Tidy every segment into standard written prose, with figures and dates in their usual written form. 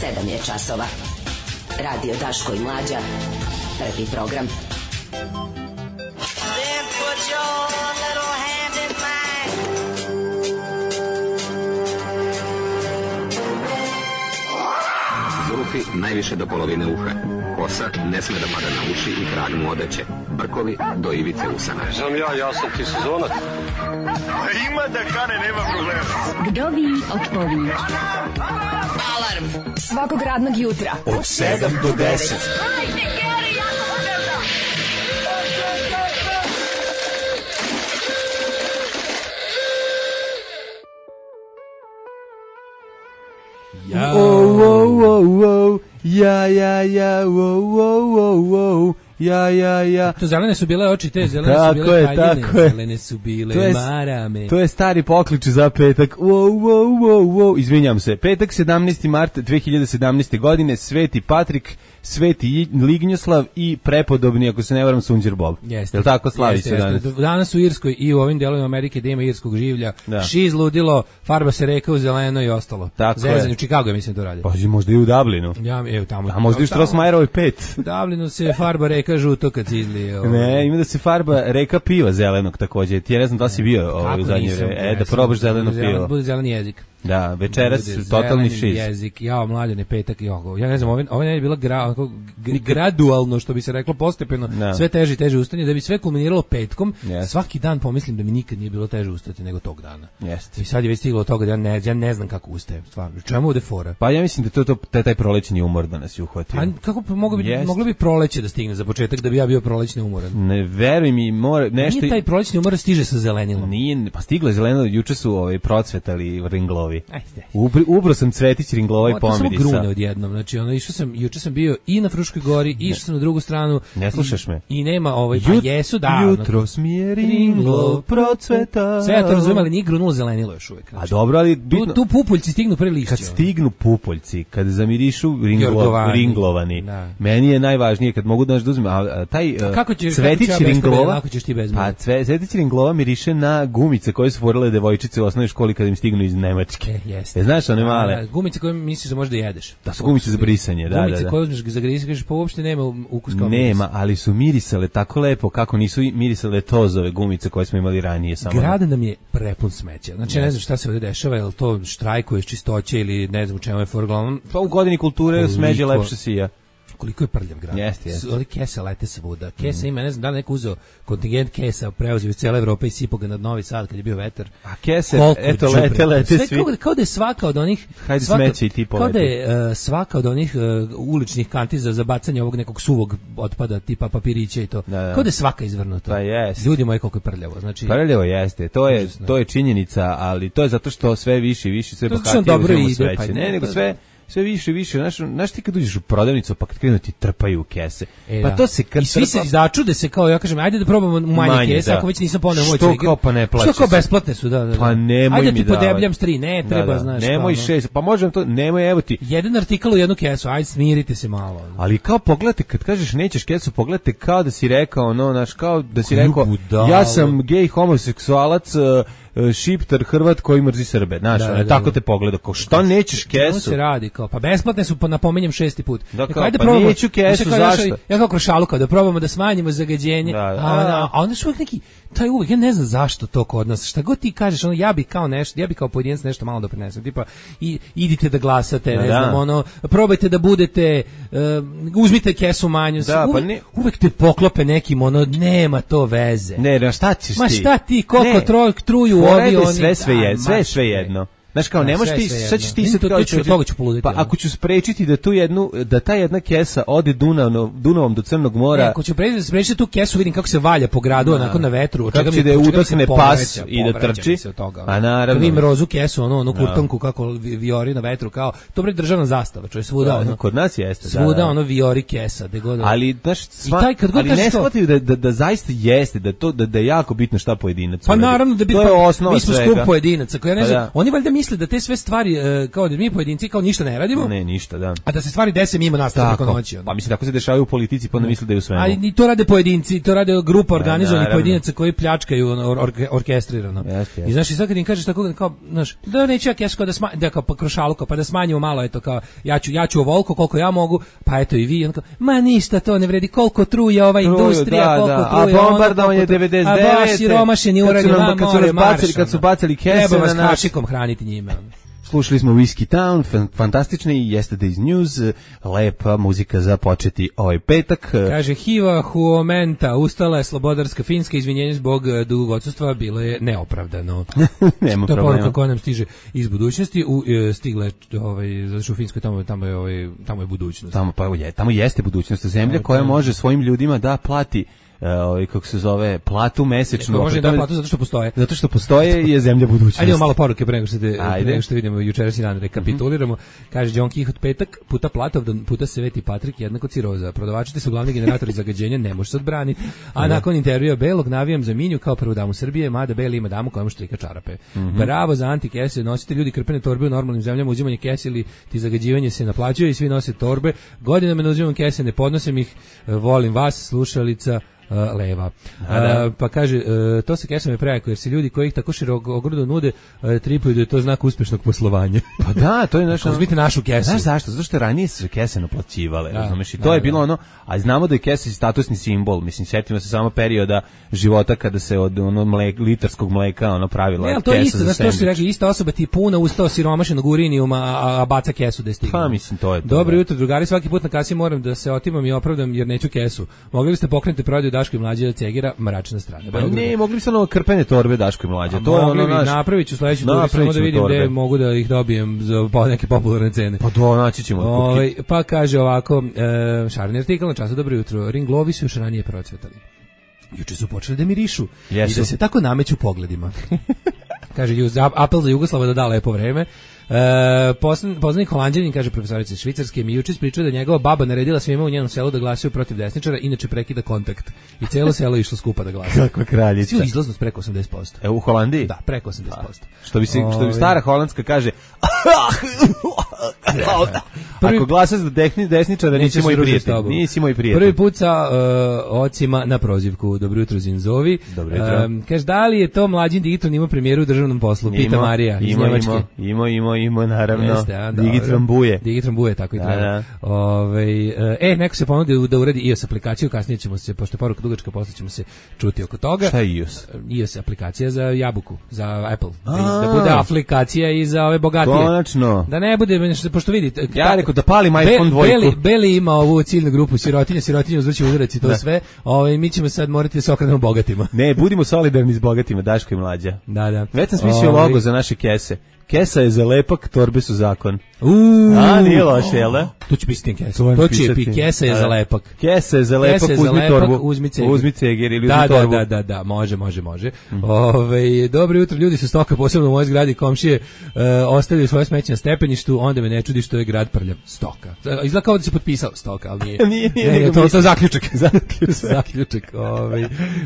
7 je časova. Radio Daško i Mlađa. Prvi program. Then put your little hand in mine. Zulufi najviše do polovine uha. Kosa ne sme da pada na uši i krag mu odeće. Brkovi do ivice usana. Znam ja sam ti sezonac. Ima da kane, nema problema. Vdovi otpovi. Alarm svakog radnog jutra od 7 do 10. Ja, ja, ja. To zelene su bile oči, te zelene su bile haljine, zelene su bile marame. To je stari poklič za petak. Izvinjam se. Petak 17. mart 2017. godine, Sveti Patrik, Sveti Lignjoslav i prepodobni, ako se ne varam, Sunđer Bob. Jeste. Jel tako slavi se danas? Danas u Irskoj i u ovim delovima Amerike da ima irskog življa. Da. Šiz ludilo, farba se reka u zeleno i ostalo. Zezanje u Chicago, mislim to radi. Pa možda i u Dublinu. Tamo. A možda i u Strossmayerovoj 5. U Dublinu se farba reka žuto kad se izlije. Ne, ima da se farba reka piva zelenog takođe. Ti ja ne znam da li si bio u zadnje vreme. Da probaš zeleno pivo. Bude zeleni jezik. Da, večeras totalni šiz. Jezik, Mlađane, petak i ja ne znam, ovo ne je bilo gradualno, što bi se reklo, postepeno, sve teže i teže ustane, da bi sve kulminiralo petkom. Svaki dan pomislim da mi nikad nije bilo teže ustati nego tog dana. I sad je već stiglo od toga da ja ne znam kako ustajem, stvarno. Čemu ovde fora? Pa ja mislim da to taj prolećni umor da nas je uhvatio. A kako moglo bi proleće da stigne za početak da bi ja bio prolećni umoran? Ne, veruj mi, nešto. Nije taj prolećni umor stiže sa zelenilom. Nije, pa stiglo je zelenilo, juče su procvetali ringlovi. Ubro sam cvetić ringlova i pomirisa. Samo grune odjednom. Znači, juče sam bio i na Fruškoj gori, išao sam na drugu stranu. Ne slušaš me? I nema pa jesu, da. Jutro smije ringlov procveta. Sve ja to razumijem, ali nije grunulo zelenilo još uvijek. Znači, a dobro, ali bitno. Tu pupoljci stignu pre lišća. Kad stignu pupoljci, kad zamirišu ringlovani. Da. Meni je najvažnije kad mogu da uzmem, taj cvetić ringlova. Pa cvetić ringlova miriše na gumice koje su forale devojčice u osnovnoj školi kad im stignu iz Nemačke. Jeste. Znaš one male? Gumice koje misliš da možda jedeš. Da su gumice za brisanje, da. Gumice koje uzmeš za grisanje, kažeš pa uopšte nema ukus kao miris. Nema, ali su mirisale tako lepo kako nisu mirisale tozove gumice koje smo imali ranije. Grad nam je prepun smeća. Znači ne znam šta se ovdje dešava, je li to štrajkuje čistoće ili ne znam u čemu je forglavnom. Pa u godini kulture smeđe lepše sija. Koliko je prljav grad. Jeste. Ovdje kese lete svuda. Kesa ima, ne znam, da li neko uzeo kontingent kesa, preuzeo iz cijele Evrope i sipao ga nad Novi Sad kad je bio vetar. A kese, eto, lete svi. Kao da je svaka od onih... Hajde smeći i ti poleti. Kao da je svaka od onih uličnih kantiza za bacanje ovog nekog suvog otpada, tipa papirića i to. Kao da je svaka izvrnuta. Pa jeste. Ljudi moji, koliko je prljavo. Znači, prljavo jeste. To je činjenica, ali to je zato što sve više i više, sve bohatije uzmemo smeće. Ne, nego sve više i više, znaš ti kad uđeš u prodavnicu pa kad krenu ti trpaju kese. Pa to se kad i svi se začude se kao ja kažem ajde da probamo u manje kese, ako već nisam poneo moć. Što kao pa ne plaća. Što kao besplatne su, da. Pa nemoj ajde mi ti podebljam s 3, ne treba, znaš. Nemoj 6, pa možem to, nemoj evo ti. Jedan artikal u jednu kesu, ajde smirite se malo. Ali kao pogledajte kad kažeš nećeš kesu, pogledajte kao da si rekao, znaš, kao da si rekao ja sam gej homoseksualac, šiptar Hrvat koji mrzi Srbe, znaš, tako te pogleda, kao što nećeš kesu? To se radi, kao, pa besplatne su, napominjem 6. put. Ajde probamo, neću kesu, zašto? Ja kao krošalu, kao da probamo da smanjimo zagađenje, a onda su uvijek neki, taj uvijek, ja ne znam zašto to kod nas, šta god ti kažeš, ja bi kao pojedinac nešto malo doprinesem, tipa, idite da glasate, ne znam, probajte da budete, uzmite kesu manju, uvijek te poklope nekim, nema to veze. Ne, šta ćeš ti? Ma šta ti, koliko truju ovi, oni... Sve jedno. Znaš kao, ne možeš ti, sad ćeš ti sad kao pa ako ću sprečiti da ta jedna kesa ode Dunavom do Crnog mora. Ako ću sprečiti tu kesu, vidim kako se valja po gradu, onako na vetru. Kako će da je utakne pas i da trči. A naravno. Vidim rozu kesu, onu kurtonku kako viori na vetru, kao, to bre državna zastava, čuje svuda ono. Kod nas jeste. Svuda ono viori kesa. Ali, znaš, ali ne shvataju da zaista jeste, da je jako bitno šta pojedinac. Pa naravno da bi, mi smo skup pojedinaca, koji ja ne znam, oni valjda misle da te sve stvari, kao da mi pojedinci kao ništa ne radimo. Ne, ništa, da. A da se stvari dese mimo nastavljaju preko noći. Pa mislim, tako se dešavaju u politici, pa onda misle da je u svemu. A i to rade pojedinci, to rade grupa organizovanih pojedinaca koji pljačkaju orkestrirano. I znaš, i sad kad im kažeš tako, kao, znaš, da neću ja kesko da kao krošaluko, pa da smanjimo malo, eto, kao, ja ću ovoliko koliko ja mogu, pa eto i vi, on kao, ma ništa to ne vredi, koliko truje ova industrija, koliko truje ono, bombardovanje 99, a baš siromašeni uradi, kad su bacili kese treba vas kašikom hraniti njime. Slušali smo Whiskey Town, fantastični Yesterday's News, lepa muzika za početi ovaj petak. Kaže, Hiva Huomenta, ustala je slobodarska Finska, izvinjenje zbog dugog odsustva, bilo je neopravdano. Nema to je problema. poruka koja nam stiže iz budućnosti, stigle, zato što u Finskoj tamo je budućnost. Tamo jeste budućnost, zemlja koja može svojim ljudima da plati kako se zove, platu mesečnu. Može da platu zato što postoje. Zato što postoje je zemlja budućnosti. Ajde malo poruke pre nego što vidimo jučerašnji dan, rekapituliramo. Kaže John Quixote petak, puta Platovdan, puta Sveti Patrik, jednako ciroza. Prodavači su glavni generatori zagađenja, ne može se odbraniti. A nakon intervjua Belog navijam za Minju kao prvu damu Srbije, mada Beli ima damu koja mu štrika čarape. Bravo za antikese, nosite ljudi krpene torbe u normalnim zemljama, uzimanje kese ili ti zagađivanje se naplaćuje i svi nose torbe. Godinama ne uzimam kese, ne podnosim ih, volim vas, slušalica Leva. Pa kaže, to se kesama je prejako, jer se ljudi koji ih tako širokogrudo nude tripuju da je to znak uspešnog poslovanja. Pa da, to je naša... Uzmite našu kesu. Znaš zašto? Zato što ranije su kese naplaćivale, razumeš? I to je bilo ono, a znamo da je kesa statusni simbol, mislim, sjetimo se samo perioda života kada se od litarskog mleka pravila kesa za to je isto, znaš, to su rekli, ista osoba ti puna usta osiromašenog urinijuma, a baca kesu da je stigla. Pa mislim, to je to. Dobro jutro, drugari, svaki put na kasi moram da se otimam i opravdam jer neću kesu. Mogli biste pokrenuti prodaju Daško i Mlađe od Cegira, mračna strana. Pa ne, mogli bi se krpene torbe Daško i Mlađe. To je ono naš. Napravit ću sledeću turu, samo da vidim gde mogu da ih dobijem za neke popularne cene. Pa to naći ćemo. Pa kaže ovako, šareni artikal na času, dobro jutro. Ringlovi su još ranije procvetali. Juče su počeli da mirišu i da se tako nameću pogledima. Kaže, apel za Jugoslava da da lepo vreme. Poznanik Holanđanin, kaže profesorica Švicarske, mi juče ispričao da njegova baba naredila svima u njenom selu da glasaju protiv desničara, inače prekida kontakt. I celo selo išlo skupa da glasa. Kakva kraljica. Svi izlaznost preko 80%. U Holandiji? Da, preko 80%. Što bi stara holandska kaže, ako glasaš za desničara, nisi moj prijatelj. Nisi moj prijatelj. Prvi put sa ocima na prozivku. Dobro jutro, Zinzovi. Dobro jutro. Kaže, da li je to mlađin Digitron ima premijeru u državnom poslu? Pita Marija iz Njemačke. Ima, naravno. Digitron buje. Digitron buje, tako i treba. Neko se ponudio da uradi iOS aplikaciju, kasnije ćemo se, pošto je poruka dugačka, posle ćemo se čuti oko toga. Šta je iOS? iOS aplikacija za jabuku, za Apple. Da bude aplikacija i za ove bogatije. Konačno. Da ne bude, pošto vidite... Ja rekao da palim iPhone 2. Beli ima ovu ciljnu grupu sirotinja uzvrći udarac i to sve. Mi ćemo sad morati da se okrenemo bogatima. Ne, budimo solidarni s bogatima, Daško i Mlađa. Da. Već sam smislio logo za naše kese. Kesa je za lepak, torbe su zakon. Nije loše, jel da? To će pisati kesa. To će kesa je za lepak. Kesa je za lepak, uzmi torbu. Uzmi cegir ili uzmi torbu. Da, može. Dobro jutro, ljudi su stoka, posebno u mojoj zgradi komšije, ostavili svoje smeće na stepeništu, onda me ne čudi što je grad prljav. Stoka. Izgleda kao da se potpisao stoka, ali nije. To je zaključak. Zaključak.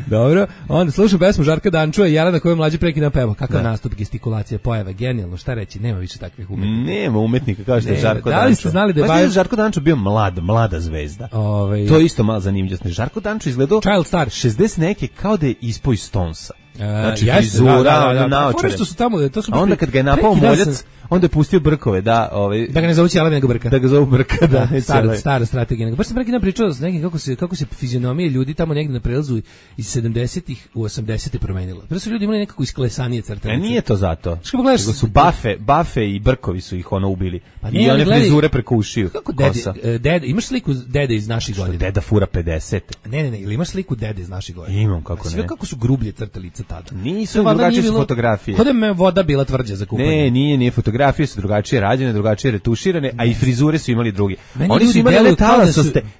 Dobro. Onda slušam pesmu Žarka Dančua i Jelena koju mlađi prekida peva. Kakav nastup, gestikulacija, pojava, genijalno. Šta reći, nema više takvih umetnika. Nema umetnika kao što je Žarko Dančo. Da li ste znali da je Žarko Dančo bio mlada zvezda? To je isto malo zanimljivo. Žarko Dančo izgledao Child Star 60 neke kao da je ispao iz Stonesa. Znači frizura, naočare. A onda kad ga je napao moljac, onda je pustio brkove, da ga ne zovu Ćelavi nego Brka. Da ga zovu Brka, da. Stara strategija. Baš sam prekidam pričao s nekim kako se fizionomije ljudi tamo negde na prelazu iz 70-ih u 80-te promenila. Prvo su ljudi imali nekako isklesanije crtanice. Nije to zato. Nego su bafe i brkovi su ih ubili. I one frizure preko ušiju. Kako dede, imaš sliku dede iz naših godina? Deda fura 50. Ne, ili imaš sliku dede iz naših godina? Imam, kako ne. Sve kako su grublje crtali tada. Nisu, drugačije su fotografije. Kod je voda bila tvrđa za kupanje. Nije fotografije su drugačije rađene, drugačije retuširane, a i frizure su imali drugi. Oni su imali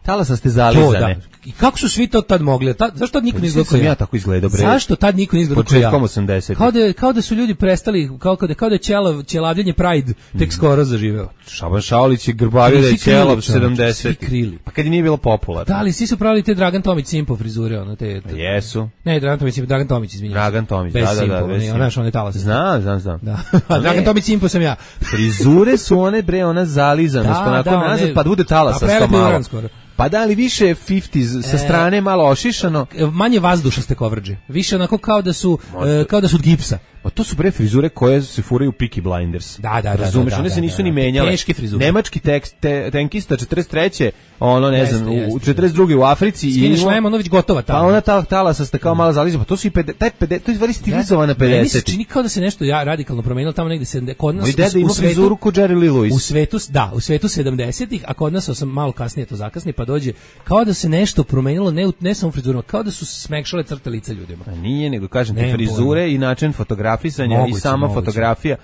talasaste zalizane. I kako su svi to tad mogli? Zašto tad niko ne izgledao kao ja? Ja tako izgledao, bre. Zašto tad niko ne izgledao kao ja? Početkom 80. Kao da su ljudi prestali, kao da je ćelavljenje Pride tek skoro zaživeo. Šaban Šaulić je grbavio da je ćelav 70. Svi krili. Pa kad je nije bilo popularno. Da, ali svi su pravili te Dragan Tomić Simpo frizure, Jesu. Ne, Dragan Tomić, izvinjam Dragan Tomić, da. Ona je talas. Znam. Da. A Dragan Tomić simpo sam ja. Frizure su one bre, ona zalizanost, onako nazad, pa bude talasa malo. Pa da li više 50s sa strane malo ošišano, manje vazdušaste kovrđe. Više onako kao da su od gipsa. Pa to su bre frizure koje se furaju u Peaky Blinders. Da. Razumeš, one se nisu ni menjale. Teške frizure. Nemački tenkista 43. ono ne znam, u 42. u Africi i Šlema, ono već gotova tamo. Pa ona talasa ste kao malo zalizana. Pa to su i 50, to je stvari stilizovana 50. Meni se čini kao da se nešto radikalno promenilo tamo negde se kod nas. Moj deda ima frizuru ko Jerry Lee Lewis. U svetu 70-ih, a kod nas sam malo kasnije to zakasni, pa dođe kao da se nešto promenilo, ne samo frizurama, kao da su smekšale crte lica ljudima. A nije, nego kažem te frizure i način fotografisanja i sama fotografija,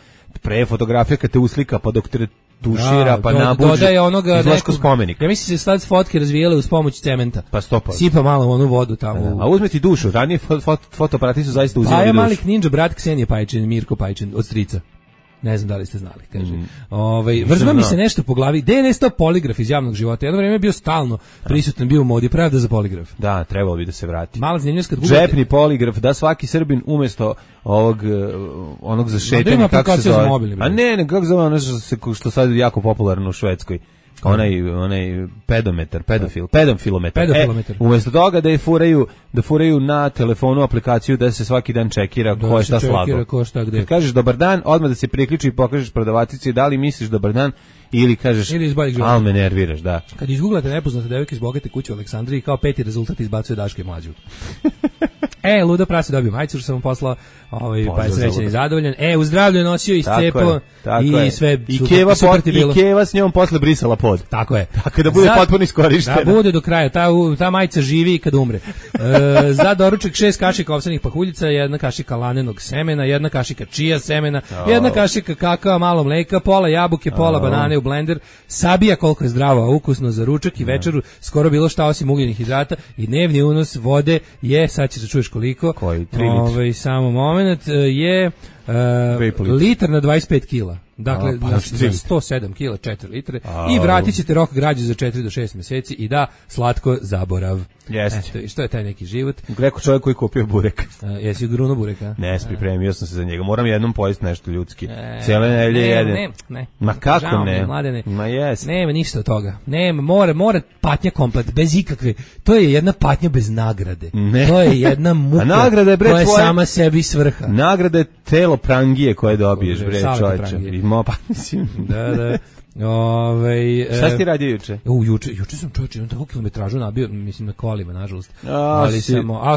pre fotografija kad te uslika pa dok te tušira pa nabuđe izlašku spomenik. Ja mislim se sad fotke razvijele uz pomoć cementa. Pa stopa. Sipa malo onu vodu tamo. A uzme ti dušu, ranije fotoaparati su zaista uzimali dušu. A je Malik Ninja, brat Ksenije Pajčin, Mirko Pajčin, od strica. Ne znam da li ste znali, kaže. Vrzma mi se nešto po glavi. Gde je nestao poligraf iz javnog života? Jedno vreme je bio stalno prisutan, bio u modi, pravda za poligraf. Da, trebalo bi da se vrati. Mala zanimljivost kad džepni poligraf, da svaki Srbin umesto onog za šetanje, kako se zove. A ne, kako zove ono što sad je jako popularno u Švedskoj. Onaj pedofilometar. Umesto toga da furaju na telefonu aplikaciju da se svaki dan čekira ko je šta slago. Kad kažeš dobar dan, odmah da se priključi i pokažeš prodavatici da li misliš dobar dan ili kažeš al me nerviraš, da. Kad izguglate nepoznate devojke iz bogate kuće u Aleksandriji, kao 5. rezultat izbacuje Daške Mlađu. Luda prase dobio majicu što sam mu poslao, pa je srećan i zadovoljan. U zdravlju je nosio i scepo i sve super ti bilo. I Keva s njom posle brisala pod. Tako je. Tako da bude potpuno iskorištena. Da bude do kraja, ta majica živi kad umre. Za doručak 6 kašika ovsenih pahuljica, 1 kašika lanenog semena, 1 kašika čija semena, 1 kašika kakao, malo mleka, pola jabuke, pola banane u blender, sabija koliko je zdravo, a ukusno za ručak i večeru, skoro bilo šta osim ugljenih hidrata i dnevni unos vode je, sad ćeš da čuješ koliko. Koji? 3 litri. Samo moment, je litar na 25 kila. Dakle, za 107 kila 4 litre i vratit ćete rok građe za 4 do 6 mjeseci i da, slatko zaborav. Jeste. Što je taj neki život? Greko čovjek koji kupio burek. Jesi gruno bureka? Ne, pripremio sam se za njega. Moram jednom pojesti nešto ljudski. Cijele nedelje jedem. Ne. Ma kako žao ne? Mladene. Ma jes. Nema ništa od toga. Nema, mora patnja komplet, bez ikakve. To je jedna patnja bez nagrade. Ne. To je jedna muka koja je sama sebi svrha. Nagrada je telo prangije koje dobiješ, bre, čovječe. Pa mislim. Da. Šta si ti radio juče? Juče sam čovječe, imam tako kilometražu nabio, mislim na kolima, nažalost. Ali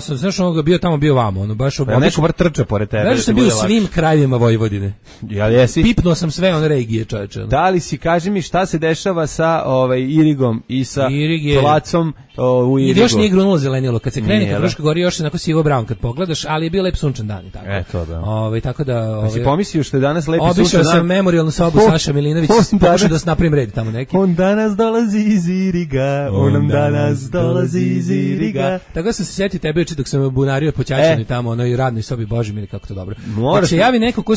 sam znaš onoga bio vamo, baš neko vrt trča pored tebe. Znaš sam bio u svim krajevima Vojvodine. Jel jesi? Pipnuo sam sve one regije, čovječe. Da li si, kaži mi, šta se dešava sa Irigom i sa placom u Irigu? Još nije grunulo zelenilo, kad se krene ka Fruškoj gori još je onako sivo brown kad pogledaš, ali je bio lep sunčan dan i tako. Eto da. Tako da si pomislio što je danas lepi sunčan dan? Obišao sam memorijalnu sobu Saša Milinović, pokušao da se napravim red tamo neki. On danas dolazi iz Iriga, on danas dolazi iz Iriga. Tako sam se sjetio tebe juče dok sam bunario po Ćaćinu tamo, onoj radnoj sobi, Bože mili kako to dobro. Ako se javi neko ko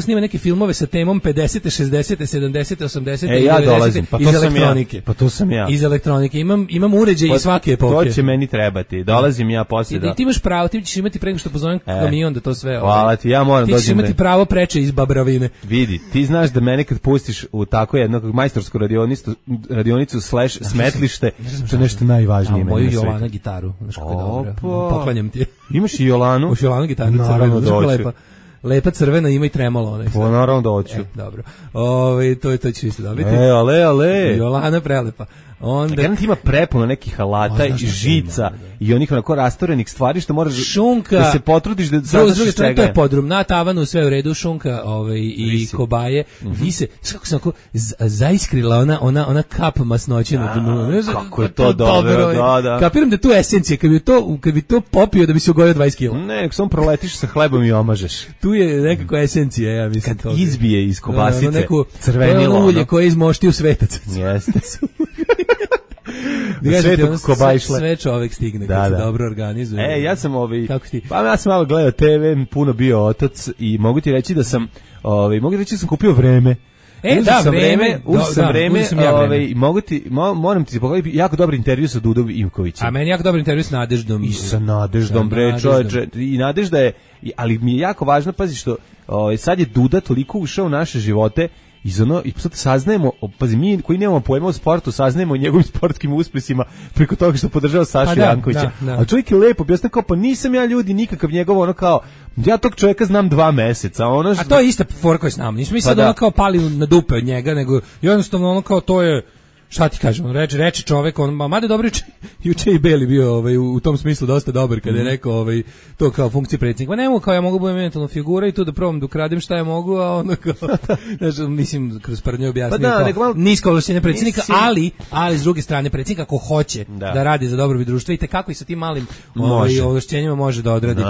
snima neke filmove sa temom 50. 60. 70. 80. ja dolazim, pa iz elektronike. Pa to sam ja. Iz elektronike. Imam uređaj iz svake epohe. To će meni trebati. Dolazim ja poslije da. Ti imaš pravo, ti ćeš imati pre nego što pozovem kamion da to sve. Hvala ti, ja moram dođem. Ti ćeš imati pravo preče iz Babravine. Vidi, ti znaš da mene kad pustiš u tako jednog majstorsku radionicu / smetlište, to je nešto najvažnije. Moju Jolana gitaru, znaš kako je dobro. Poklanjam ti. Imaš i Jolanu? Uš Jolanu gitaru, crvenu, lepa crvena, ima i tremolo onaj. Pa naravno da hoću. Dobro. To ću isto dobiti. Ale. Jolana prelepa. Onda ima prepuno nekih alata i žica i onih onako rastorenih stvari što moraš da se potrudiš da završiš čega. To je podrum, na tavanu sve u redu, šunka i kobaje. Vise, kako se onako zaiskrila ona kap masnoće na dnu. Kako je to dobro, da. Kapiram da je tu esencija, kad bi to popio da bi se ugojio 20 kg. Ne, samo proletiš sa hlebom i omažeš. Tu je nekako esencija, ja mislim. Kad izbije iz kobasice crvenilo. Ulje koje izmoštio svetac. Jeste. Sve čovek stigne kad se dobro organizuje. Ja sam ja sam malo gledao TV, puno bio otac i mogu ti reći da sam kupio vreme. Moram ti pogledati jako dobar intervju sa Dudom Ivkovićem. A meni jako dobar intervju sa Nadeždom. I sa Nadeždom, bre, čoveče. I Nadežda je, ali mi je jako važno, pazi što sad je Duda toliko ušao u naše živote i sad saznajemo, pazi, mi koji nemamo pojma o sportu, saznajemo o njegovim sportskim uspesima preko toga što podržava Sašu Jankovića. A čovjek je lepo objasnio kao, pa nisam ja ljudi nikakav njegov, ono kao, ja tog čovjeka znam 2 meseca. A to je ista fora koja s nama. Nismo mi sad ono kao pali na dupe od njega, nego jednostavno ono kao to je, šta ti kažem, reče čovek, mada dobro juče i Beli bio u tom smislu dosta dobar kada je rekao to kao funkcija predsjednika. Nemo kao ja mogu budem eventualno figura i tu da probam da ukradem šta ja mogu, a ono kao, mislim, kroz prdnje objasnio nisko ovlašćenje predsjednika, ali s druge strane predsjednik ako hoće da radi za dobrobit društva i tekako i sa tim malim ovlašćenjima može da odradi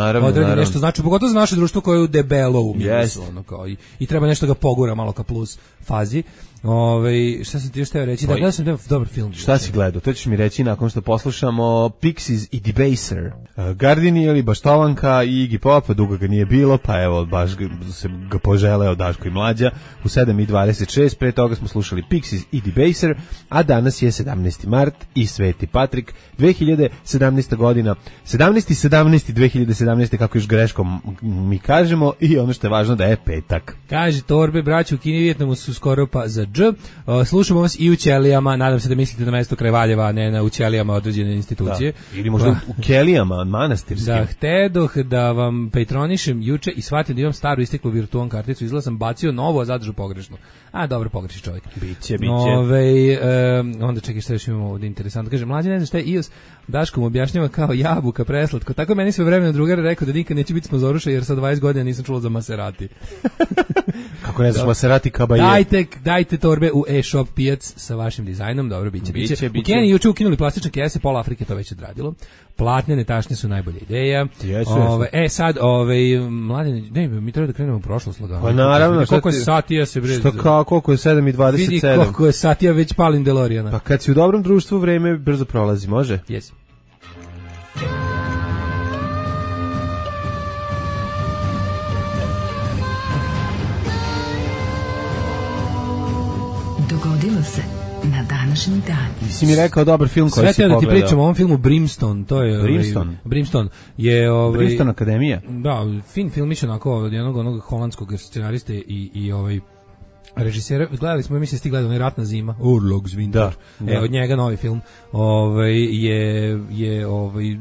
nešto, znači pogotovo za naše društvo koje je u debelo umjesto, ono kao i treba nešto ga pogura malo ka plus fazi. Šta sam ti još teo reći? Da, gledao sam dobar film. Šta si gledao? To ćeš mi reći nakon što poslušamo Pixies i Debaser. Gardini ili Baštovanka i Iggy Pop, dugo ga nije bilo, pa evo, baš se ga poželeo Daško i Mlađa u 7:26, pre toga smo slušali Pixies i Debaser, a danas je 17. mart i Sveti Patrik, 2017. godina, 17.17.2017. kako još greškom mi kažemo, i ono što je važno da je petak. Kaže Torbe, braći u Kini i Vijetnamu su skoro pa za dž. Slušamo vas i u Ćelijama, nadam se da mislite na mesto kraj Valjeva, a ne na u Ćelijama određene institucije. Da. Ili možda u Kelijama, manastirskim. Da, htedoh da vam patronišem juče i shvatim da imam staru isteklu virtualnu karticu, izgleda sam bacio novo, a zadržu pogrešno. A dobro, pogreši čovjek. Biće. Onda čekaj šta još imamo ovdje interesantno. Kaže, Mlađe ne zna šta je iOS, Daško mu objašnjava kao jabuka, preslatko. Tako meni sve vremena drugar rekao da nikad neće biti sponzoruša jer sa 20 godina nisam čulo za Maserati. Kako ne znaš Maserati Kabaje? Dajte torbe u e-shop pijac sa vašim dizajnom, dobro, biće. U Keniji juče ukinuli plastične kese, pola Afrike to već odradilo. Platnene tašne su najbolja ideja. Sad, Mladen, mi treba da krenemo u prošlost lagano. Pa naravno, koliko je satija se bre. Koliko je 7:27. Vidi koliko je satija već palim DeLoreana. Pa kad si u dobrom društvu, vreme brzo prolazi, može? Jesi. Dogodilo se na današnji dan. Si mi rekao dobar film koji si pogledao. Sve da ti pričam o ovom filmu Brimstone, to je Brimstone je Brimstone Akademija. Da, fin filmić onako od jednog holandskog scenariste i režisera. Gledali smo, mislim, stigli onaj Ratna zima, Urlogs Winter. Od njega novi film. Je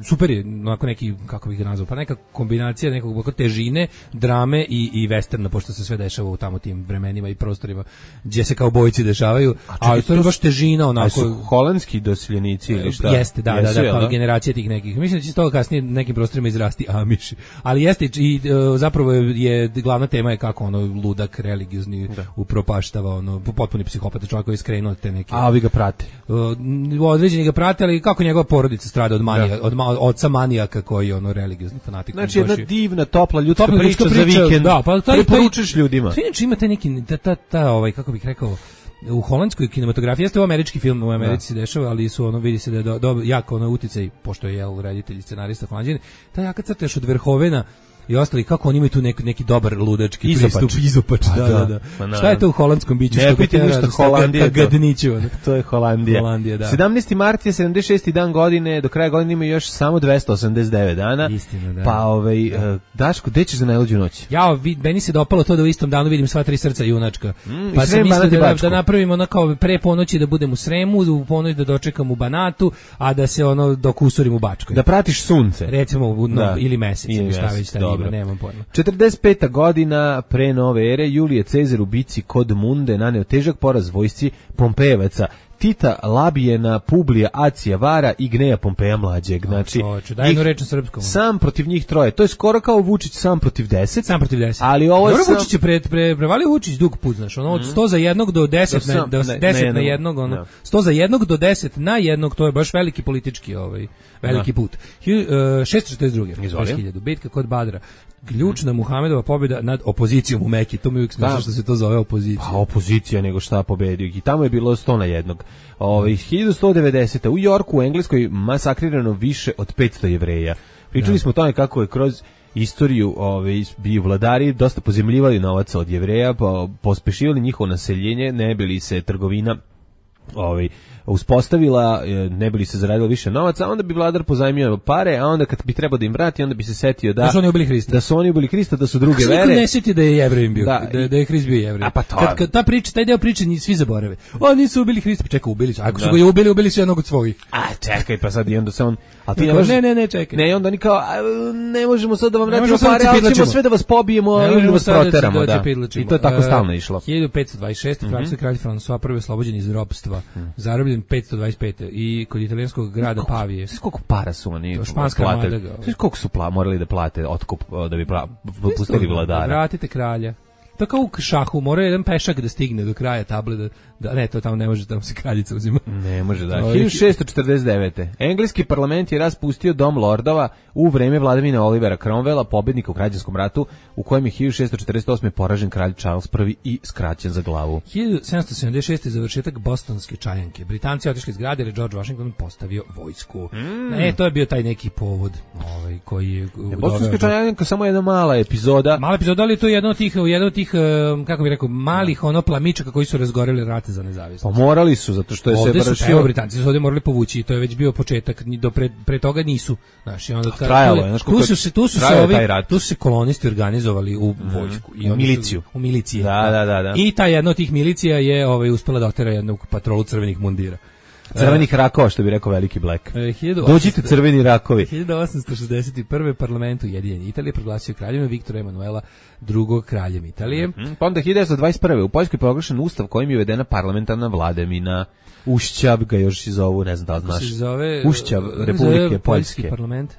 super je, onako neki, kako bih ga nazvao, pa neka kombinacija nekog težine, drame i westerna, pošto se sve dešava u tamo tim vremenima i prostorima gdje se kao bojici dešavaju, ali to je baš težina onako. A su holandski doseljenici ili šta? Jeste, da, kao generacija tih nekih. Mislim da će s toga kasnije nekim prostorima izrasti Amiši. Ali jeste i zapravo je glavna tema je kako ono ludak religiozni upropaštava, potpuni psihopata, čovjek koji je skrenuo te neke. A ovi ga prate. Određeni ga prate, ali kako njegova porodica strada od manija, od oca manijaka koji je religiozni fanatik. Znači jedna divna, topla ljudska priča za vikend. Da, pa preporučiš ljudima. To inače ima taj neki kako bih rekao, u holandskoj kinematografiji jeste američki film, u Americi se dešava, ali su vidi se da je jako uticaj, pošto je reditelj i scenarista Holanđan, ta jaka crta još od Verhovena i ostali, kako oni imaju tu neki dobar ludački pristup, izopač, da. Šta je to u holandskom biću? Ne piti ništa, Holandija to je Holandija. 17. mart je 76. dan godine, do kraja godine ima još samo 289 dana. Istina, da. Pa Daško, gde ćeš za najluđu noć? Meni se dopalo to da u istom danu vidim sva 3 srca junačka. Pa sam mislio da napravimo kao pre ponoći da budem u Sremu, u ponoć da dočekam u Banatu, a da se dok usurim u Bačkoj. Da pratiš sunce. Recimo, ili mesec, šta već nemam pojma. 45. godina pre nove ere, Julije Cezar u bici kod Munde naneo težak poraz vojsci Pompejevaca Tita Labijena, Publija, Acija Vara i Gneja Pompeja mlađeg. Znači, daj jednu reč na srpskom. Sam protiv njih troje. To je skoro kao Vučić sam protiv 10. Sam protiv 10. Ali ovo je sam... Vučić je prevalio Vučić dug put, znaš, od 100 za jednog do 10 na jednog, 100 za jednog do 10 na jednog, to je baš veliki politički veliki put. 642. 2000. Bitka kod Badra. Ključna Muhamedova pobjeda nad opozicijom u Meki. To mi uvijek smisla što se to zove opozicija. Pa opozicija nego šta pobedio. I tamo je bilo 100 na jednog. 1190. u Yorku u Engleskoj masakrirano više od 500 Jevreja. Pričali smo o tome kako je kroz istoriju bi vladari dosta pozemljivali novac od Jevreja, pospešivali njihovo naseljenje, ne bi li se trgovina uspostavila, ne bi li se zaradilo više novaca, a onda bi vladar pozajmio pare, a onda kad bi trebao da im vrati, onda bi se setio da su oni ubili Hrista. Da su oni ubili Hrista, da su druge vere. Kako ne sjeti da je Jevrejim bio, da je Hrist bio Jevrej. Pa kad ta priča, taj deo priče svi zaborave. Nisu ubili Hrista, čekaj, ubili su. Ako su ga ubili su jednog od svojih. Čekaj, pa sad i onda se on... Ne, čekaj. Ne, onda oni kao, ne možemo sad da vam vratimo pare, ali ćemo sve da vas pobijemo ili vas proteramo. I to je tako stalno išlo. 1526. francuski kralj François prvi oslobođen iz ropstva, zarobljen 525. i kod italijanskog grada Pavije. Sve koliko para su oni platili? Sve koliko su morali da plate otkup da bi pustili vladara? Vratite kralja. To kao u šahu, mora jedan pešak da stigne do kraja table, ne, to tamo ne može, tamo se kraljica uzima. Ne može, da. 1649. Engleski parlament je raspustio Dom lordova u vreme vladavine Olivera Cromwella, pobednika u građanskom ratu, u kojem je 1648. poražen kralj Charles I i skraćen za glavu. 1776. završetak bostonske čajanke. Britanci otišli iz grada jer je George Washington postavio vojsku. To je bio taj neki povod koji je... Bostonska čajanka samo jedna mala epizoda. Mala epizoda, ali to je jedno od tih kako bih rekao, malih plamičaka koji su razgoreli rat za nezavisnost. Pa morali su, zato što je se vršio... Britanci su ovdje morali povući i to je već bio početak, pre toga nisu. Znaš, i onda trajalo je, tu su se kolonisti organizovali u vojsku. I miliciju. U milicije. Da. I ta jedna od tih milicija je uspela da otera jednu patrolu crvenih mundira. Crvenih rakova, što bi rekao veliki Black. Dođite crveni rakovi. 1861. parlament Ujedinjene Italije proglasio kraljevinu Viktora Emanuela II. Kraljem Italije. Pa onda 1921. u Poljskoj je proglašen ustav kojim je uvedena parlamentarna vladavina. Ušćab ga još i zovu, ne znam da li znaš. Ušćab Republike Poljske. Parlament.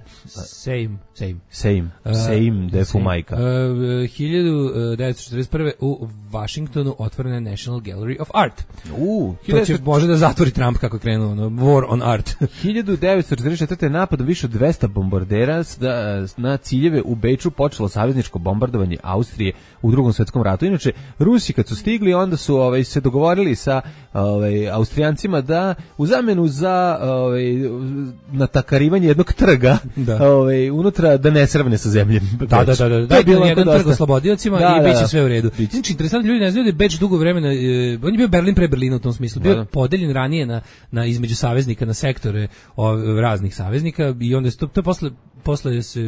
Sejm defu majka. 1941. u Washingtonu otvorena je National Gallery of Art. To će može da zatvori Trump kako je krenuo, War on Art. 1944. napadom više od 200 bombardera na ciljeve u Beču počelo savezničko bombardovanje Austrije u Drugom svjetskom ratu. Inače, Rusi kad su stigli, onda su se dogovorili sa Austrijancima da u zamenu za natakarivanje jednog trga unutra da ne srvne sa zemljem. Da. To je bilo jedan trg oslobodiocima i bit će sve u redu. Znači, interesantno, ljudi ne znaju da je Beč dugo vremena, on je bio Berlin pre Berlina u tom smislu, bio podeljen ranije na između saveznika, na sektore raznih saveznika i onda to je posle se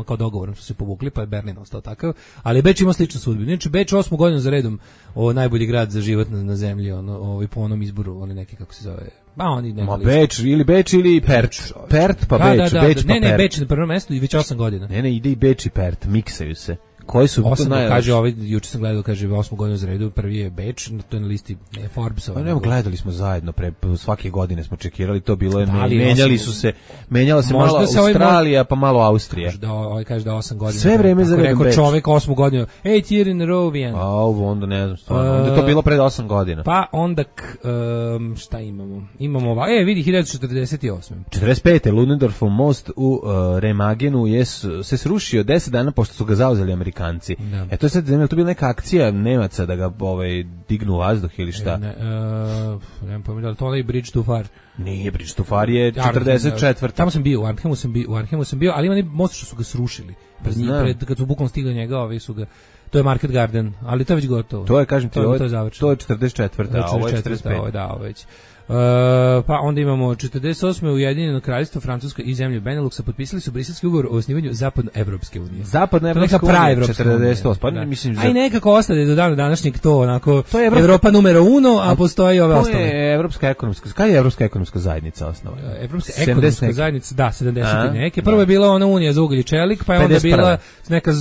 kao dogovorom su se povukli, pa je Berlin ostao takav, ali Beč ima sličnu sudbinu. Znači, Beč 8. godinu za redom najbolji grad za život na zemlji, po onom izboru, neki kako se zove. Beč ili Pert. Pert pa Beč, Beč pa Pert. Ne, Beč na prvom mjestu i već 8 godina. Ne, ide i Beč i Pert, miksaju se. Koji su to kaže juče sam gledao, kaže 8 godinu za redu, prvi je Beč, to je na listi Forbesa. Pa gledali smo zajedno svake godine smo čekirali, to bilo je menjala se malo Australija pa malo Austrija. Kaže da 8 godina. Sve vreme za redom Beč. Čovjek 8 godinu, 8 year in a row again. Onda ne znam stvarno. Onda je to bilo pred 8 godina. Pa onda šta imamo? Imamo vidi 1948. 45. Ludendorffov most u Remagenu se srušio 10 dana pošto su ga zauzeli Amerikanci. To je sad, to bila neka akcija Nemaca da ga dignu u vazduh ili šta? Nemam pojma, da li to onaj Bridge too far? Nije, Bridge too far je 44. Tamo sam bio, u Arnhemu sam bio, ali ima most što su ga srušili. Kad su bukvalno stigli njega, su ga... To je Market Garden, ali to je već gotovo. To je, kažem ti, to je 44. a ovo je 45. Da, ovo već. Pa onda imamo 48. Ujedinjeno kraljevstvo Francuska i zemlje Beneluxa potpisali su Briselski ugovor o osnivanju Zapadnoevropske unije. Zapadnoevropska unija 48. Pa mislim a i nekako ostade do dana današnjeg to onako to je Evropa numero 1, a postoji ove ostale. To je Evropska ekonomska. Kada je Evropska ekonomska zajednica osnovana? Evropska ekonomska zajednica, da, 70 neke. Prvo je bila ona unija za ugalj i čelik, pa je onda bila neka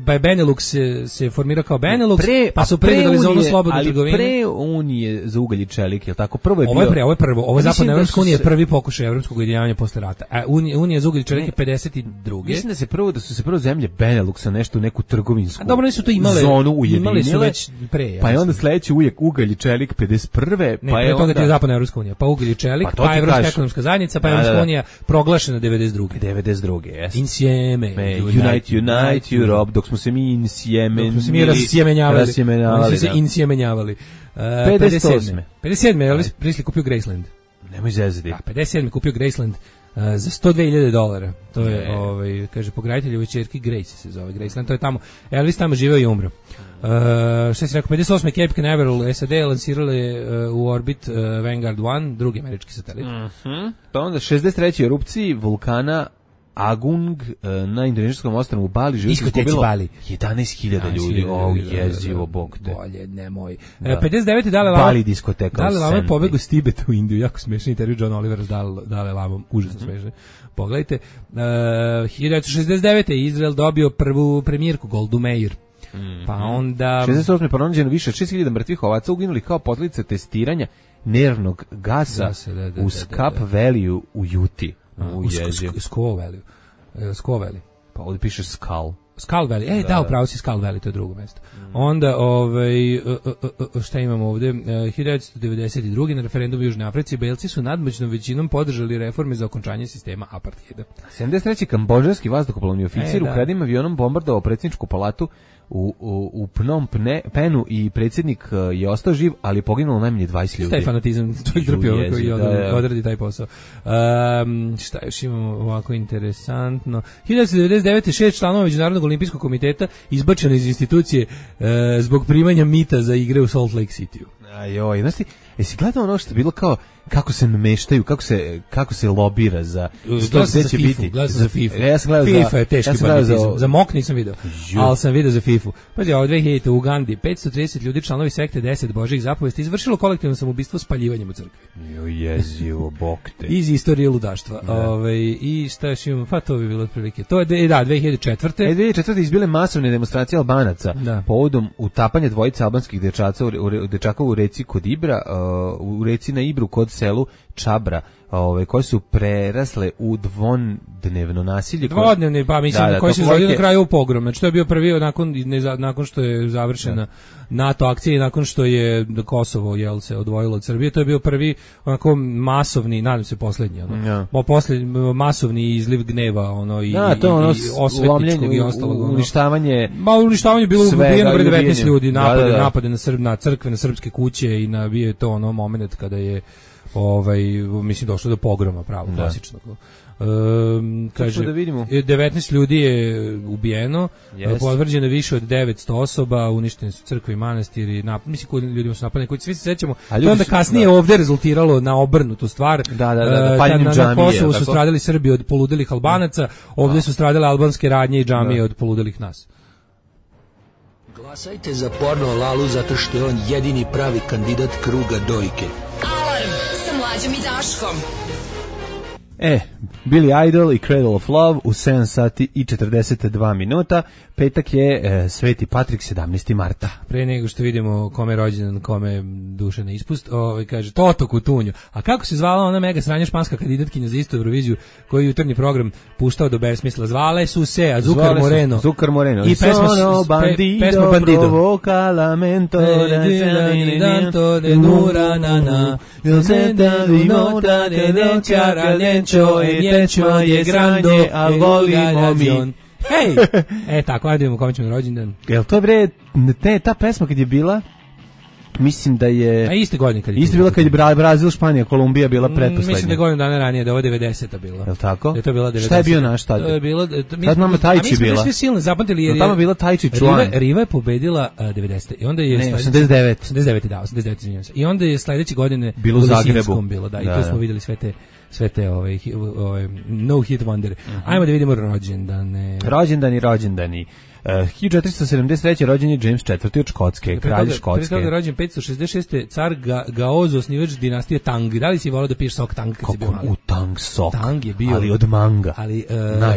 pa je Benelux se formirao kao Benelux, pa su predali za onu slobodnu trgovinu. Ali pre unije za ugalj i čelik, je tako? Prvo je Ovo je prvo. Ovo je Zapadna Evropska unija, prvi pokušaj evropskog ujedinjavanja posle rata. A unija za ugalj i čelik je 52. Mislim da su se prvo zemlje Beneluxa nešto u neku trgovinsku dobro, nisu to imale, zonu ujedinile. Imali su već pre. Pa je onda sledeći uvijek ugalj i čelik 51. Ne, pa je toga je Zapadna Evropska unija, pa ugalj i čelik, pa Evropska ekonomska zajednica, pa Evropska unija proglašena 92. 92. Jeste. Insieme. Unite Europe, dok smo se mi insjemenjavali. Dok smo se mi insjemenjavali. 57. 57. je li Prisli kupio Graceland? Nemoj zezati. Da, 57. kupio Graceland. za $102.000. To je, kaže, pokraditeljevoj ćerki Grace se zove. Graceland, to je tamo. Elvis tamo živeo i umro. Šta si rekao, 58. Cape Canaveral SAD lansirali u orbit Vanguard 1, drugi američki satelit. Pa onda 63. erupciji vulkana Agung na indonezijskom ostrvu Bali živi se izgubilo 11.000 ljudi. Jezivo, bog te. Bolje, nemoj. 59. Dalai Lama. Bali diskoteka. Dalai Lama je pobegao s Tibeta u Indiju. Jako smešan intervju John Oliver s Dalai Lamom. Užasno smešan. Pogledajte. 1969. je Izrael dobio prvu premijerku Goldu Meir. Pa onda 68. pronađeno više od 6.000 mrtvih ovaca uginuli kao posljedica testiranja nervnog gasa u Scap Valley u Juti. Squaw Valley. Pa ovdje piše Skull Valley. Da, upravo si Skull Valley, to je drugo mesto. Onda, šta imamo ovdje? 1992. na referendumu u Južnoj Africi Belci su nadmoćnom većinom podržali reforme za okončanje sistema apartheida. 73. kambodžanski vazduhoplovni oficir ukradenim avionom bombardovao predsjedničku palatu u Phnom Penhu i predsjednik je ostao živ, ali je poginulo najmanje 20 ljudi. Taj fanatizam, čovjek trpio ovako i odradi taj posao. Šta još imamo ovako interesantno? 1999. 6 članova Međunarodnog olimpijskog komiteta izbačeno iz institucije zbog primanja mita za igre u Salt Lake City-u. Ajoj, znaš ti, jesi gledao ono što je bilo kao kako se nameštaju, kako se lobira za to gde će biti. Gledao sam za FIFA. Ja sam gledao FIFA je teški fanatizam. Za MOK nisam video, ali sam video za FIFA. Pazi, ovo 2000 u Ugandi 530 ljudi članovi sekte 10 Božjih zapovesti izvršilo kolektivno samoubistvo spaljivanjem u crkvi. Jezivo, bog te. Iz istorije ludaštva. I šta još imamo? Pa to bi bilo otprilike. To je 2004. 2004. izbile masovne demonstracije Albanaca povodom utapanja dvojice albanskih dečaka u reci kod Ibra, u reci na Ibru kod selu Čabra, koje su prerasle u dvodnevno nasilje. Dvodnevni, pa mislim, koji se izvodio na kraju u pogrom. Znači, to je bio prvi nakon što je završena NATO akcija i nakon što je Kosovo se odvojilo od Srbije, to je bio prvi onako masovni, nadam se poslednji, masovni izliv gneva, i osvetničkog i ostalog. Uništavanje. Uništavanje bilo ubijeno 19 ljudi, napade na crkve, na srpske kuće i bio je to moment kada je mislim došlo do pogroma pravo klasičnog. Kaže, 19 ljudi je ubijeno, potvrđeno više od 900 osoba, uništene su crkve i manastiri, mislim koji ljudima su napadani, koji svi se sećamo. To onda kasnije ovdje rezultiralo na obrnutu stvar. Na Kosovu su stradali Srbi od poludelih Albanaca, ovdje su stradale albanske radnje i džamije od poludelih nas. Glasajte za porno Lalu zato što je on jedini pravi kandidat kruga dojke. Alarm sa Mlađom i Daškom. Billy Idol i Cradle of Love u 7 sati i 42 minuta. Petak je Sveti Patrik, 17. marta. Pre nego što vidimo kome je rođendan, kome je duše na ispust, kaže Toto Kutunju. A kako se zvala ona mega sranja španska kandidatkinja za istu Euroviziju koju jutarnji program puštao do besmisla? Zvale su se Azúcar Moreno. I pesma Bandido. Provoca lamento de Nuranana. Il senta di nota de denchara lencho e dencho je grande al volimo mi. Hej! Tako, ajde vidimo kome ćemo rođendan. Jel to ta pesma kad je bila, mislim da je... A iste godine kad je... Isto bila kad je Brazil, Španija, Kolumbija bila pretposlednja. Mislim da je godinu dana ranije, da je ovo 90-a bila. Jel tako? Da je to bila 90-a. Šta je bio naš tad? To je bilo... Tad mama Tajči bila. A mi smo svi silno zapamtili jer je... Tamo bila Tajči član. Riva je pobedila 90-a. I onda je... Ne, 89. 89, izvinjam se. I onda je sledeće godine... Bilo u Zagrebu. Bilo, da. I tu smo videli sve te no hit wonder. Ajmo da vidimo rođendane. Rođendani. 1473. rođen je James IV. od Škotske, kralj Škotske. Pre toga je rođen 566. car Gaozo, osnivač dinastije Tang. Da li si volao da piješ sok Tang kad si bio mali? U Tang sok. Tang je bio... Ali od manga. Ali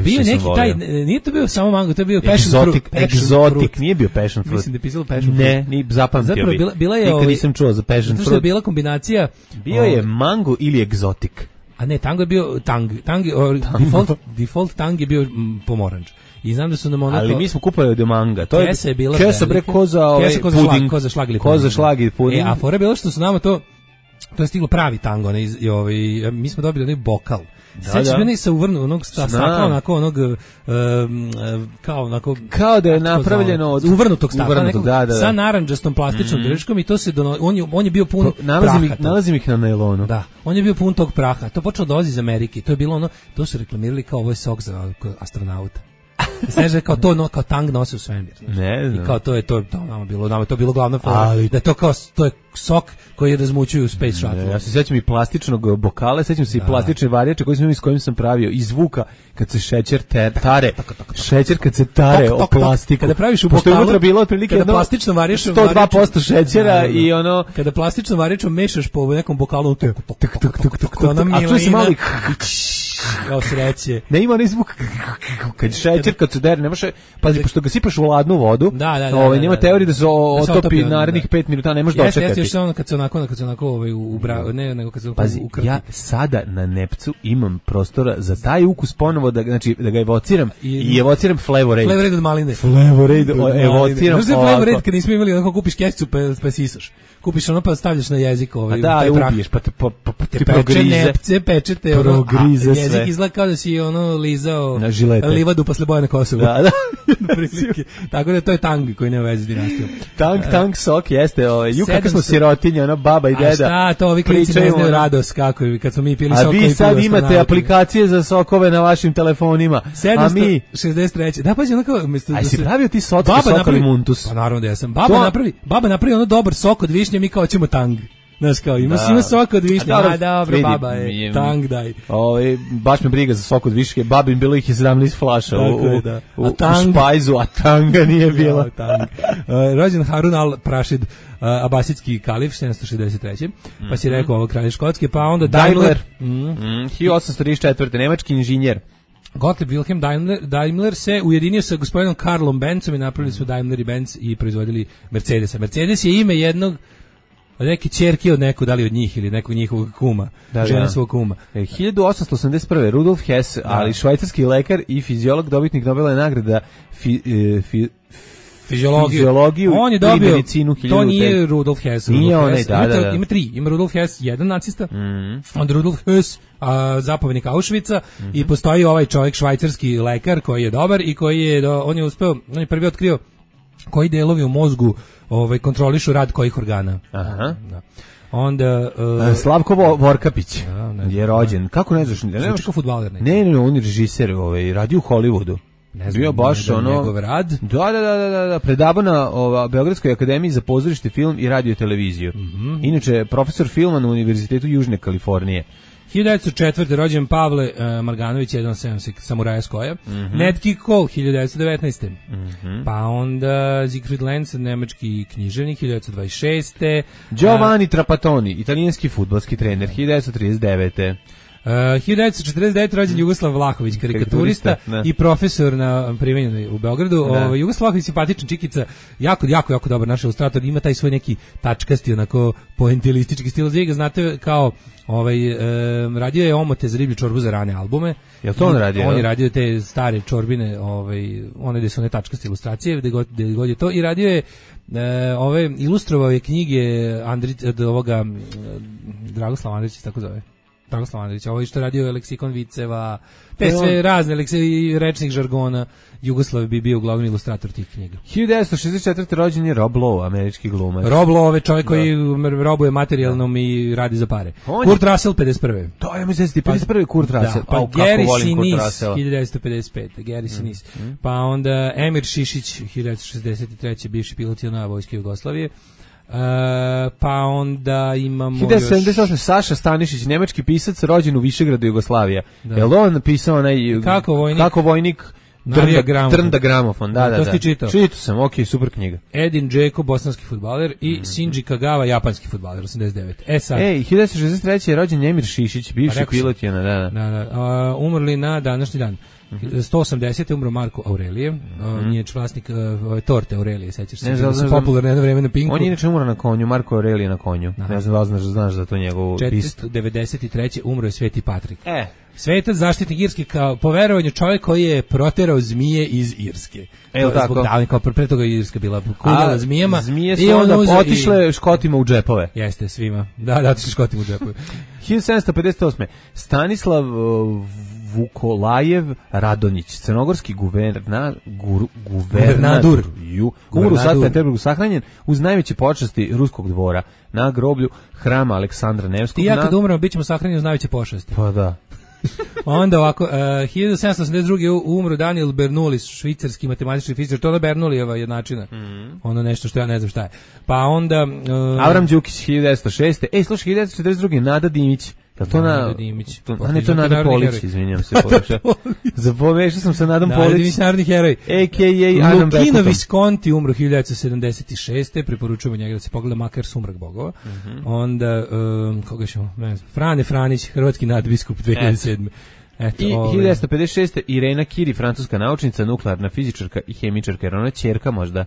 bio neki taj... Nije to bio samo mango, to je bio passion fruit. Egzotik, nije bio passion fruit. Mislim da je pisalo passion fruit. Ne, ni zapamtio bi. Zapravo bila je... Nikad nisam čuo za passion fruit. Zato što je bila kombinacija... Bio je mango ili egzotik. A ne, tango je bio default tang je bio pomoranč. I znam da su nam onako... Ali mi smo kupali od manga. To kesa je bila kesa bre koza puding. Koza šlag ili puding. Koza šlag i puding. A fora je bilo što su nama to to je stiglo pravi tango, mi smo dobili onaj bokal. Sećaš meni se uvrnu onog stakla, onako onog kao da je napravljeno od uvrnutog stakla, sa narandžastom plastičnom drškom i to se on je bio pun praha. Nalazim ih na nailonu. Da, on je bio pun tog praha. To počelo dolazi iz Amerike. To je bilo ono, to su reklamirali kao ovo je sok za astronauta. Znaš da kao to kao tang nosi u svemir. Ne znam. I kao to je bilo glavna fora. Da je to kao to je sok koji razmućuju u Space Shuttle. Ja se sećam i plastičnog bokala, sećam se i plastične varjače s kojim sam pravio i zvuka kad se šećer tare. Šećer kad se tare o plastiku. Kada praviš u bokalu, unutra bilo otprilike plastično varjaš 102% šećera i ono kada plastično varjačom mešaš po nekom bokalu to ona a čuje se malo kao sreće. Ne ima ni zvuk kad šećer kad se dere, ne može. Pazi, pošto ga sipaš u ladnu vodu, nema teorije da se otopi narednih 5 minuta, ne možeš dočekati. Jeste ono kad se onako nego kad se ukrti. Ja sada na Nepcu imam prostora za taj ukus ponovo da ga evociram i evociram Flavorade. Flavorade od maline. Flavorade evociram. Znaš da je Flavorade kad nismo imali onako kupiš kesicu pa sisaš. Kupiš ono pa stavljaš na jezik taj prah. Ubiješ pa te progrize. Nepce, pečete, progrize sve. Jezik izgleda kao da si lizao livadu posle boja na Kosovu. Da. Tako da to je tang koji nema veze s dinastijom. Tang sok jeste, kako smo sirotinje, ona baba i deda. A šta, to ovi klinci ne znaju radost kako kad smo mi pili sok. A vi sad imate aplikacije za sokove na vašim telefonima. A mi 63. Da, pazi, onako a si pravio ti sok ili muntus? Pa naravno da jesam. Baba napravi ono dobar sok od višnje, mi kao ćemo tang. Znaš kao, ima sok od višnje, dobro, baba je, tang daj. Baš me briga za sok od višnje, babin bilo ih je 17 flaša u špajzu, a tanga nije bila. Rođen Harun al-Rašid, abasidski kalif, 763. Pa si rekao ovo kralje Škotske, pa onda Daimler. 1834. Nemački inženjer. Gottlieb Wilhelm Daimler se ujedinio sa gospodinom Karlom Benzom i napravili su Daimler i Benz i proizvodili Mercedesa. Mercedes je ime jednog neke ćerke od nekog, da li od njih ili nekog njihovog kuma, žene svog kuma. 1881. Rudolf Hess, ali švajcarski lekar i fiziolog, dobitnik Nobelove nagrade fiziologiju on je dobio, i medicinu. To nije Rudolf Hess. Nije onaj, da. Ima tri. Ima Rudolf Hess, jedan nacista, onda Rudolf Hess, zapovjednik Auschwitza, i postoji ovaj čovjek, švajcarski lekar koji je dobar i koji je, on je prvi otkrio koji delovi u mozgu kontrolišu rad kojih organa. Aha. Da. Onda Slavko Vorkapić je rođen. Kako ne znaš? Ne kao fudbaler. Ne, on je režiser, radio u Hollywoodu. Bio baš njegov rad. Da, predavao na Beogradskoj akademiji za pozorište, film i radio i televiziju. Inače, profesor filma na Univerzitetu Južne Kalifornije. 1904. rođen Pavle Marganović, 1.7 samuraja s koja. Ned King Cole, 1919. Pa onda Siegfried Lenz, nemački književnik, 1926. Giovanni Trapattoni, italijanski fudbalski trener, 1939. 1949. rođen Jugoslav Vlahović, karikaturista i profesor na primenjenoj u Beogradu. Jugoslav Vlahović, simpatičan čikica, jako dobar naš ilustrator, ima taj svoj neki tačkasti, onako poentilistički stil. Vi ga znate kao radio je omote za riblju čorbu za rane albume. Jel to on radio? On je radio te stare čorbine, one gde su one tačkaste ilustracije, gde god je to, i radio je ilustrovao je knjige ovoga Dragoslava Andrića, tako zove. Dragoslav Andrić, ovo što radio je leksikon viceva, te sve razne rečnih žargona. Jugoslav bi bio uglavnom ilustrator tih knjiga. 1964. rođen je Rob Lowe, američki glumac. Rob Lowe je čovjek koji robuje materijalnom i radi za pare. Kurt Russell, 51. To je mi se 51. Kurt Russell. Pa Gary Sinise, 1955. Gary Sinise. Pa onda Emir Šišić, 1963. bivši pilot vojske Jugoslavije. Pa onda imamo 1978. Saša Stanišić, nemački pisac, rođen u Višegradu, Jugoslavija. Jel on napisao onaj Kako vojnik Drnda gramofon, da. To si čitao? Čitao sam, super knjiga. Edin Džeko, bosanski fudbaler, i Shinji Kagawa, japanski fudbaler, 89. Sad. 1963. je rođen Emir Šišić, bivši pilot. Umrli na današnji dan. 180. umro Marko Aurelije, on je vlasnik torte Aurelije, sećaš se, da su popularne jedno vreme na Pinku. On je inače umro na konju, Marko Aurelije na konju. Ne znam da znaš za to njegovu pistu. 493. umro je Sveti Patrik. Svetac, zaštitnik Irske, kao po verovanju čovjek koji je proterao zmije iz Irske. Zbog davanja, kao pre toga je Irska bila kuljala zmijama. Zmije su onda otišle Škotima u džepove. Jeste, svima. Da, otišle Škotima u džepove. 1758. Stanislav Vukolajev Radonjić, crnogorski guvernadur, umro u Sankt Peterburgu, sahranjen uz najveće počasti ruskog dvora na groblju hrama Aleksandra Nevskog. I ja kad umrem, bit ćemo sahranjeni uz najveće počasti. Pa da. Onda ovako, 1782. umro Daniel Bernoulli, švicarski matematički fizičar, to je Bernoullijeva jednačina. Ono nešto što ja ne znam šta je. Pa onda... Avram Đukić, 1906. Slušaj, 1942. Nada Dimić. Nada Dimić. To Nada Polić, izvinjam se. Zapomešao sam sa Nadom Polić. Nada Dimić, narodni heroj. A.k.a. Adam Beckton. Lukino Visconti umro 1976. Preporučujemo njega da se pogleda makar Sumrak bogova. Onda, koga ćemo, ne znam, Frane Franić, hrvatski nadbiskup 2007. I 1956. Irena Curie, francuska naučnica, nuklearna fizičarka i hemičarka, jer ona je ćerka možda.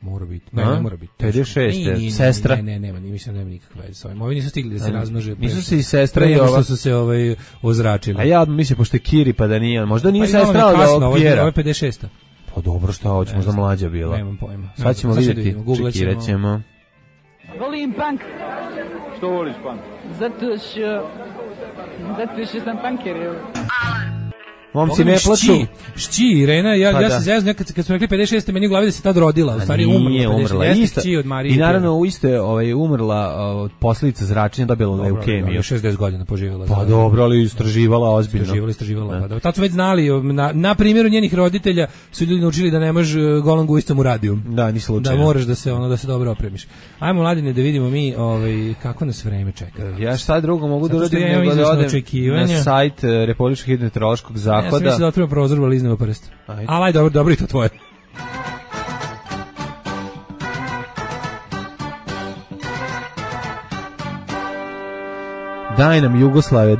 Mora biti. Ne mora biti. 56. Sestra. Ne, nema, mislim da nema nikakve veze s ovim. Ovi nisu stigli da se razmnože. Nisu se i sestra i ova. Što su se ozračili. A ja mislim, pošto je Kiri, pa da nije. Možda nije sestra od ovog Pjera. Ovo je 56. Pa dobro, šta hoćemo, za mlađa bila. Nemam pojma. Sad ćemo vidjeti, čekirat ćemo. Volim punk. Što voliš punk? Zato što sam punker. Momci ne plaču. Šći, Irena, ja se zezam, kad smo rekli 56. meni u glavi da se tad rodila, u stvari umrla. Jeste šći od Marije. I naravno u isto je umrla od posljedica zračenja, dobila leukemiju. 60 godina poživjela. Pa dobro, ali istraživala ozbiljno. Istraživala. Pa tad su već znali, na primjeru njenih roditelja su ljudi naučili da ne može golom gujstom u radiju. Da, ni slučajno. Da moraš da se dobro opremiš. Ajmo, Mladine, da vidimo mi kako nas vreme čeka. Ja šta drugo mogu da uradim nego da odem na sajt Republičkog hidrometeorološkog zavoda. Ja sam mislio da otvorimo prozor, ali iznemo prst. Ali dobro i to tvoje. Daj nam Jugoslave,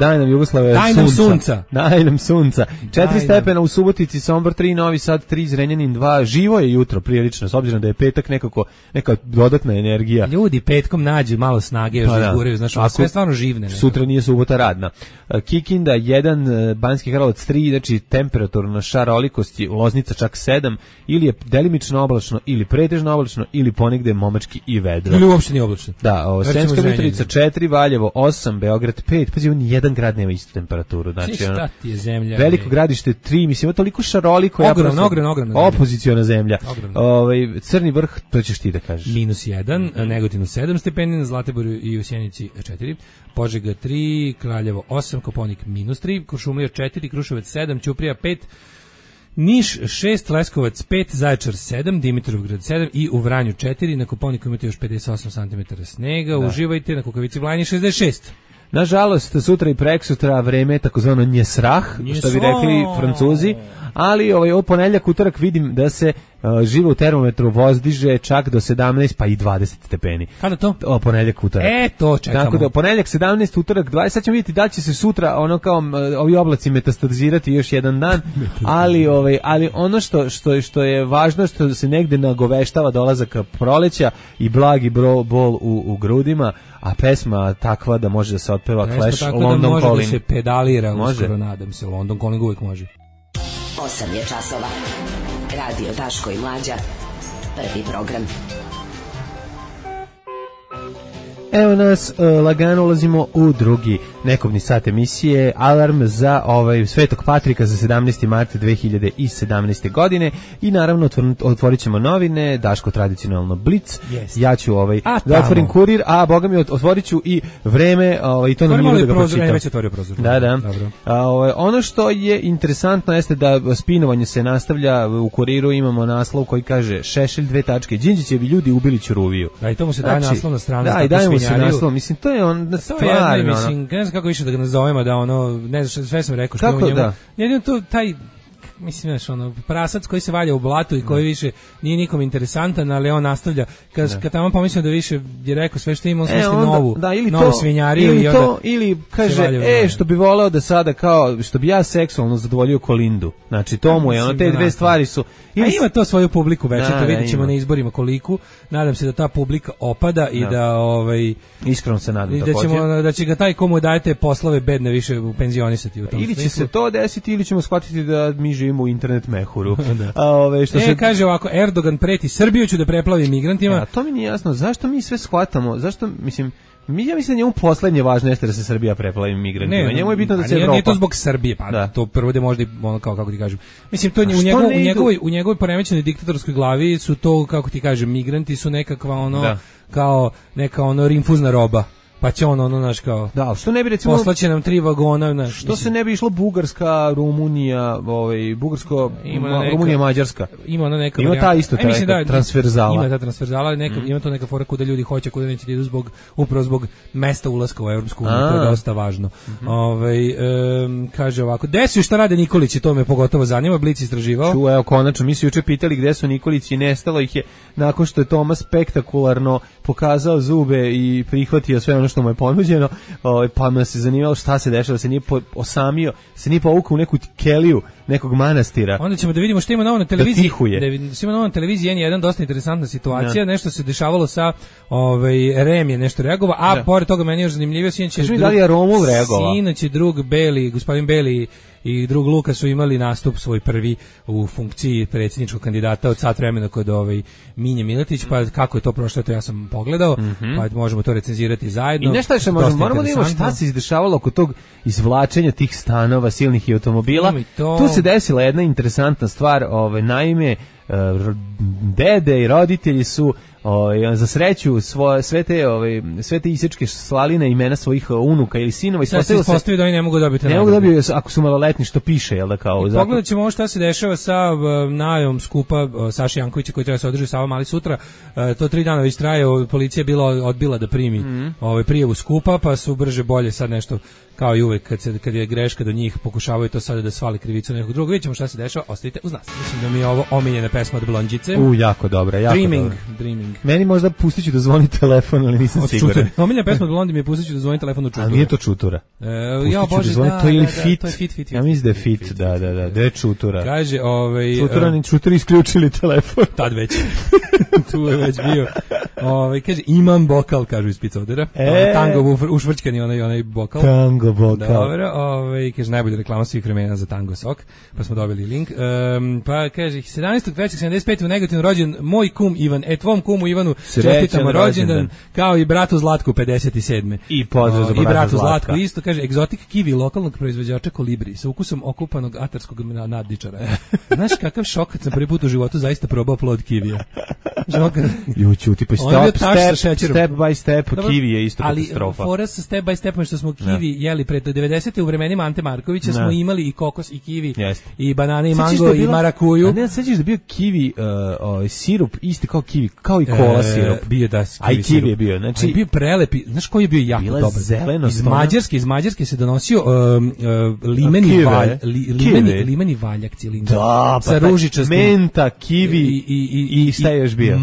sunca. Daj nam sunca. 4 stepena u Subotici, Sombor 3, Novi Sad 3, Zrenjanin 2. Živo je jutro prilično, s obzirom da je petak neka dodatna energija. Ljudi petkom nađu malo snage, još da izguraju, znaš, sve stvarno živne. Sutra nije subota radna. Kikinda 1, Banjski Karlovac 3, znači temperaturna šarolikost je Loznica čak 7, ili je delimično oblačno, ili pretežno oblačno, ili ponegde momački i vedro. Ili uopšte nije oblačno. Da, Sremska Mitrovica 4, Valjevo 8, Beograd 5, pazi, on jedan grad nema istu temperaturu, znači šta ti je zemlja? Veliko gradište 3, mislim, ima toliko šaroliko, ogromno. Opoziciona zemlja. Crni vrh, to ćeš ti da kažeš. -1, Negotin 7 stepeni, na Zlatiboru i u Sjenici 4, Požega 3, Kraljevo 8, Koponik -3, Kuršumlija 4, Kruševac 7, Ćuprija 5, Niš 6, Leskovac 5, Zaječar 7, Dimitrovgrad 7 i u Vranju 4, na Koponiku imate još 58 cm snega, uživajte, na Kukavici Vlajni 66. Nažalost, sutra i preksutra vreme je takozvano njesrah, što bi rekli Francuzi, ali ovo ponedjeljak, utorak vidim da se živo u termometru vozdiže čak do 17 pa i 20 stepeni. Kada to? Ponedjeljak, utorak. To čekamo. Tako da ponedjeljak 17, utorak 20, sad ćemo vidjeti da će se sutra kao ovi oblaci metastazirati još jedan dan, ali ono što je važno, što se negde nagoveštava dolazak clash i blagi bol u grudima, a pesma takva da može da se otpeva Clash, London Calling. Može da se pedalira, uskoro nadam se, London Calling uvijek može. 8 je časova. Radio Daško i Mlađa. Prvi program. Evo nas, lagano ulazimo u drugi nekovni sat emisije, alarm za Svetog Patrika za 17. mart 2017. godine i naravno otvorit ćemo novine, Daško tradicionalno Blic, ja ću da otvorim Kurir, a boga mi otvorit ću i Vreme, i to nam nije da ga pročitam. Već otvorio prozor. Da. Ono što je interesantno jeste da spinovanje se nastavlja u Kuriru, imamo naslov koji kaže Šešelj 2 tačke, Đinđićevi ljudi ubili Ćuruviju. Da, i to mu se daje naslov na stranu. Da, i dajemo se naslov, mislim, to je on stvarno. Mislim, ne znam kako više da ga nazovemo, da ne znam, sve sam rekao što ima u njemu. Jedino to, mislim, znaš, ono, prasac koji se valja u blatu i koji više nije nikom interesantan, ali on nastavlja. Kad tamo pomislio da više je rekao sve što ima, on smisli novu svinjariju. Ili kaže, što bi voleo da sada kao, što bi ja seksualno zadovoljio Kolindu. Znači, to mu je, ono, te dve stvari su... A ima to svoju publiku već, to vidjet ćemo na izborima koliku. Nadam se da ta publika opada i da iskreno se nadam da će ga taj komu dajete poslove bedne više penzionisati u tom ili će se to desiti ili ćemo shvatiti da mi živimo u internet mehuru. Kaže ovako, Erdogan preti Srbiju ću da preplavi migrantima. To mi nije jasno, zašto mi sve shvatamo, zašto, mislim, ja mislim da njemu poslednje važno jeste da se Srbija preplavi migrantima. Njemu je bitno da se Evropa... Nije to zbog Srbije, to prvo da možda, ono, kako ti kažem. Mislim, to u njegovoj poremećenoj diktatorskoj glavi su to, kako ti kažem, migranti su nekakva kao neka rinfuzna roba. Pa će naš kao... Da, što ne bi recimo... Poslaće nam 3 vagona, što se ne bi išlo Bugarska, Rumunija, Rumunija, Mađarska. Ima ta isto transverzala. Ima ta transverzala, ima to neka fora kuda ljudi hoće, kuda neće da idu upravo zbog mesta ulaska u Evropsku uniju, to je dosta važno. Kaže ovako, gde su i šta rade Nikolići, to me pogotovo zanima, Blic istraživao. Evo, konačno, mi su juče pitali gde su Nikolići i nestalo ih je nakon što je Tomas spektakularno pokazao zube i prihvatio sve ono što mu je ponuđeno, pa me se zanimalo šta se dešava, se nije osamio, se nije povukao u neku keliju nekog manastira. Onda ćemo da vidimo što ima novo na televiziji. Ima novo na televiziji N1, dosta interesantna situacija, nešto se dešavalo sa Rem je nešto reagovao, a pored toga meni je još zanimljivio, sinoć je drug Beli, gospodin Beli i drug Luka su imali nastup svoj prvi u funkciji predsjedničkog kandidata od sat vremena kod Minje Miletić, pa kako je to prošlo, to ja sam pogledao, pa možemo to recenzirati zajedno. I nešto još moramo da imamo šta se izdešavalo oko tog izvlačenja tih stanova, silnih i automobila. Tu se desila jedna interesantna stvar, naime, dede i roditelji su za sreću sve te isečke slali na imena svojih unuka ili sinova i ispostavio da oni ne mogu dobiti. Ne mogu dobiti ako su maloletni, što piše, jel da kao. Pogledat ćemo šta se dešava sa najavom skupa Saši Jankovića koji treba se održi Sava Mali sutra. To 3 dana već traje, policija je bila odbila da primi prijavu skupa, pa su brže bolje sad nešto kao i uvek kad je greška do njih pokušavaju to sada da svali krivicu nekog drugog. Vidjet ćemo šta se dešava, ostavite uz nas. Mislim da mi je ovo omiljena pesma od Blondjice. Jako dobra, jako Dreaming. Meni možda pustit ću da zvoni telefon, ali nisam siguran. Omiljena pesma od Blondji mi je pustit ću da zvoni telefon od Čutura. A nije to Čutura. Ja bože, to je ili Fit. To je Fit. Ja mislim da je Fit, da, da je Čutura. Kaže, Čutura isključili telefon. Tad već. Tu je već bio. Kaže, imam bokal, kažu iz Picodera. Tango ušvrčkani onaj bokal. Tango bokal. Dobro, kaže, najbolja reklama svih vremena za Tango sok, pa smo dobili link. Pa kaže, 17.3.75. u Negotinu rođen moj kum Ivan, tvom kumu Ivanu čestitamo rođendan, kao i bratu Zlatku 57. I pozdrav za bratu Zlatku isto, kaže, egzotik kiwi lokalnog proizvođača Kolibri sa ukusom okupanog atarskog nadničara. Znaš kakav šok kad sam prvi put u životu zaista probao plod kivija. Juću, tipa step by step, kiwi je isto katastrofa. Ali fora sa step by stepom što smo kiwi jeli pred 90. u vremenima Ante Markovića smo imali i kokos i kiwi i banane i mango i marakuju. A ne sećaš da bio kiwi sirup isti kao kiwi, kao i kola sirup. Bio da kiwi je bio. Znači bio prelepi. Znaš koji je bio jako dobar? Iz Mađarske se donosio limeni valjak cilindar. Sa ružičastim menta, kiwi i šta je još bio?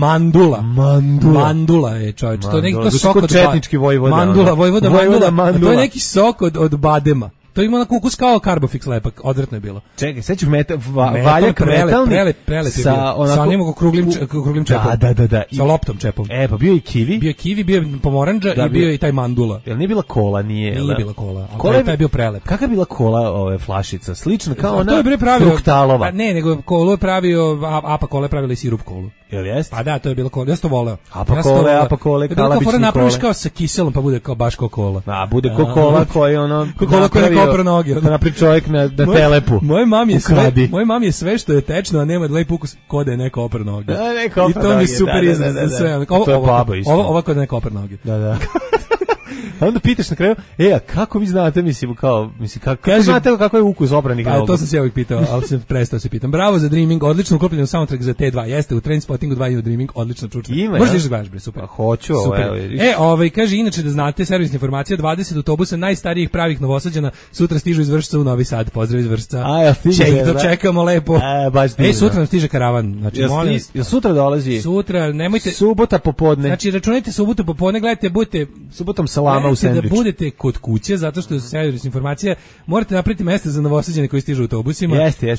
Mandula je, čovječ. To je neki sok od četnički vojvoda. Mandula. To je neki sok od badema. To ima onako ukus kao Carbofix lepak, odvratno je bilo. Čekaj, sećaš valjak metalni sa onim kruglim čepom. Da. Sa loptom čepom. Pa bio i kiwi. Bio je pomorandža i bio i taj mandula. Jel nije bila kola, nije bila kola. Kola je bio prelep. Kakva je bila kola flašica? Slična kao ona fruktalova. Ne, nego kolu je pravio, apa kola je pravila i sirup kolu. Jel jest? Pa da, to je bilo kola. Ja sam to voleo. Apa kole, kalabični kole. Napraviš kao sa kiselom, pa bude kao baš kao kola. A, bude kao kola koji ono... Kola koja je kopra noge. Da napravi čovjek na telepu. Moje mami je sve što je tečno, a nema lep ukus kod da je neko opra noge. I to mi je super izraz za sve. To je baba isto. Ovo kod da neko opra noge. Da. A onda pitaš na kraju, a kako vi znate, kako znate kako je ukus obranih nogu? To sam se uvijek pitao, ali sam prestao se pitam. Bravo za Dreaming, odlično uklopljen u soundtrack za T2. Jeste, u Trainspottingu 2 i u Dreaming, odlično čučne. Možeš da izgledaš, bre, super. Pa hoću, kaže, inače da znate, servisna informacija, 20 autobusa najstarijih pravih Novosađana sutra stižu iz Vršca u Novi Sad. Pozdrav iz Vršca. Čekamo lepo. Sutra nam stiže karavan. Znači, sutra dolazi? Sutra, nemojte... Subota popodne. Znači, računajte subotu popodne, gledajte, budete... Subotom salama u sendvič. Da budete kod kuće, zato što je servisna informacija, morate napraviti mesta za Novosađane koji stižu autobusima. Jeste,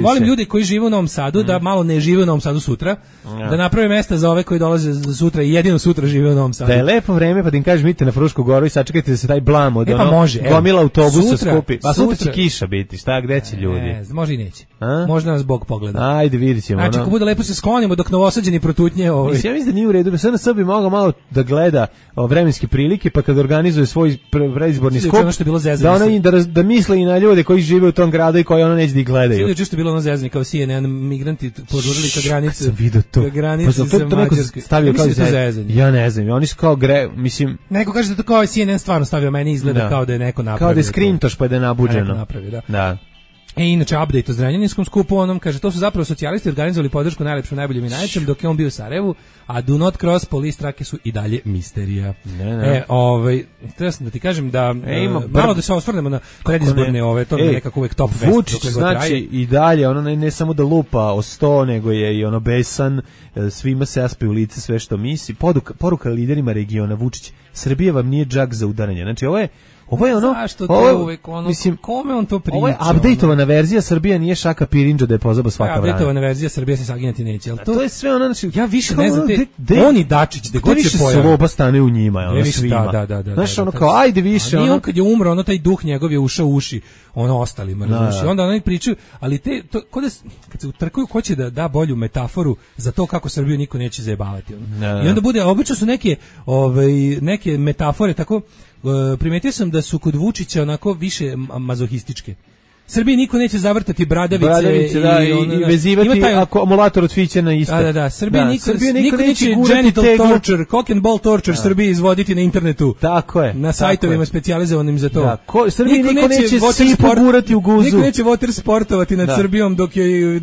volim ljude koji žive u Novom Sadu, da malo ne žive u Novom Sadu sutra, da naprave mesta za ove koji dolaze sutra i jedino sutra žive u Novom Sadu. Da je lepo vreme, pa da im kažeš, idite na Frušku goru i sačekajte da se taj blam od gomila autobusa skupi. Pa sutra će kiša biti, šta, gde će ljudi? Može i neće. Možda nas Bog pogleda. Ajde, vidit ćemo. Znači, ako bude lepo se sklonimo dok Novosađani protutnje. Ja mislim da nije u redu, sve na sebi mogu malo da gleda vremenske prilike, pa kad organizuje svoj predizborni skup, da misle i na ljude koji žive u tom gradu i koji ono neće da ih gledaju. Čisto bilo ono zezanje, kao CNN, migranti požurili ka granici. Sam vidio to. Ka granici sa Mađarske. Stavio kao zezanje. Ja ne znam, oni su kao mislim... Neko kaže da to kao CNN stvarno stavio, meni izgleda kao da je neko napravio. Kao da je skrintoš pa da je nabuđeno. Neko napravio, da. Inače, update o Zrenjaninskom skupu, onom kaže, to su zapravo socijalisti organizovali podršku najlepšem, najboljem i najvećem, dok je on bio u Sarajevu, a Do Not Cross police trake su i dalje misterija. Treba sam da ti kažem da malo da se osvrnemo na predizborne to je nekako uvek top fest. Vučić znači i dalje, ono ne samo da lupa o 100, nego je i ono besan, svima se aspe u lice sve što misli. Poruka liderima regiona, Vučić, Srbija vam nije džak za udaranje. Znači, ovo je ono... Zašto te uvek ono... Mislim, kome on to priča? Ovo je updateovana verzija, Srbija nije šaka pirinđa da je pozaba svaka vrana. Updateovana verzija, Srbija se saginjati neće. To je sve ono... Znači, ja više ne znam, on i Dačić, da god se pojavi. Sloba stane u njima, ono svima. Da. Znaš, ono kao, ajde više. Nije on kad je umro, ono taj duh njegov je ušao u uši, ono ostalima, razumiješ. I onda oni pričaju, ali kad se utrkuju, ko će da da bolju metaforu za to kako Srbiju niko neće zajebavati. I onda bude, obično su neke metafore tako. Primetio sam da su kod Vučića onako više mazohističke. Srbiji niko neće zavrtati bradavice i vezivati akumulator od fiće na isto. Da. Srbiji niko neće genital torture, cock and ball torture Srbiji izvoditi na internetu. Tako je. Na sajtovima specijalizovanim za to. Da. Srbiji niko neće sipu gurati u guzu. Niko neće water sportovati nad Srbijom dok je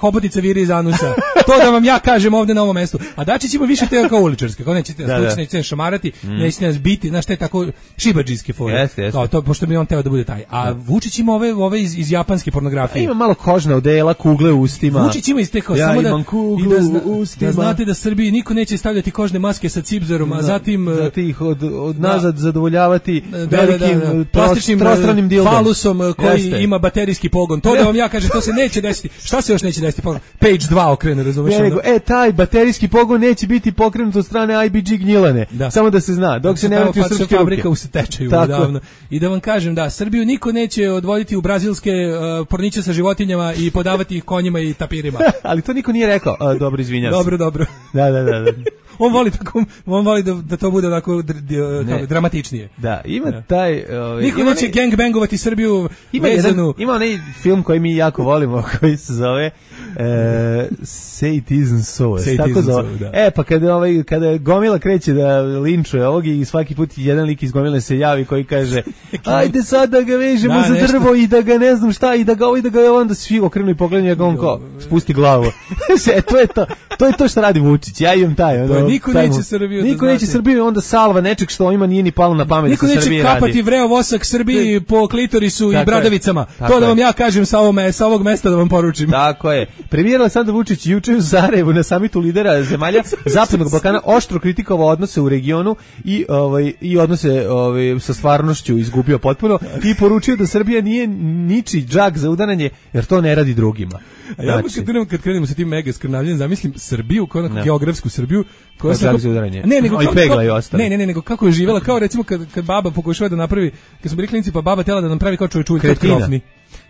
hobotica viri iz anusa. To da vam ja kažem ovde na ovom mestu. A Dačić ima više te kao uličarske. Kao nećete nećete šamarati, nećete nas biti, znaš te tako šibadžijske fore. Kao to, pošto mi on teo da bude taj. A Vučić ima ove iz japanske pornografije. Ima malo kožna odela, kugle u ustima. Vučić ima istekao samo da znate da Srbiji niko neće stavljati kožne maske sa cipzerom, a zatim ih od nazad zadovoljavati velikim plastičnim trostranim dildom. Falusom koji ima baterijski pogon. To da vam ja kažem, to se neće desiti. Šta se još neće desiti? Page 2 okrene, razumeš? Taj baterijski pogon neće biti pokrenut od strane IBG Gnjilane. Samo da se zna, dok se ne vrati u srpske fabrika u stečaju davno. I da vam kažem, da Srbiju niko neće odvoditi u brazilske porniće sa životinjama i podavati ih konjima i tapirima. Ali to niko nije rekao. Dobro, izvinjam se. Dobro. Da. On voli da to bude onako dramatičnije. Da, ima taj... Niko neće gangbangovati Srbiju vezanu. Ima onaj film koji mi jako volimo, koji se zove Say It Isn't So. Tako zove. Pa kada Gomila kreće da linčuje ovog i svaki put jedan lik iz Gomile se javi koji kaže ajde sad da ga vežemo za drvo i da ga ne znam šta i da ga onda svi okrenu i pogledaju njega on kao spusti glavu. To je to što radi Vučić. Ja imam taj. Niko neće Srbiju. Niko neće Srbiju, onda salva nečeg što ima nije ni palo na pamet da se Srbiji radi. Niko neće kapati vreo vosak Srbiji po klitorisu i bradavicama. To da vam ja kažem sa ovog mesta da vam poručim. Tako je. Premijer Aleksandar Vučić juče u Sarajevu na samitu lidera zemalja Zapadnog Balkana oštro kritikovao odnose u regionu i odnose sa stvarnošću izgubio potpuno i poručio da Srbija nije ničiji džak za udaranje jer to ne radi drugima. A ja kad krenemo sa tim mega skrnavljenjem, zamislim Srbiju, kao geografsku Srbiju, koja se nego kako je živela, kao recimo kad baba pokušava da napravi, kad smo bili klinici, pa baba tela da nam pravi kao čovječuljka krofni.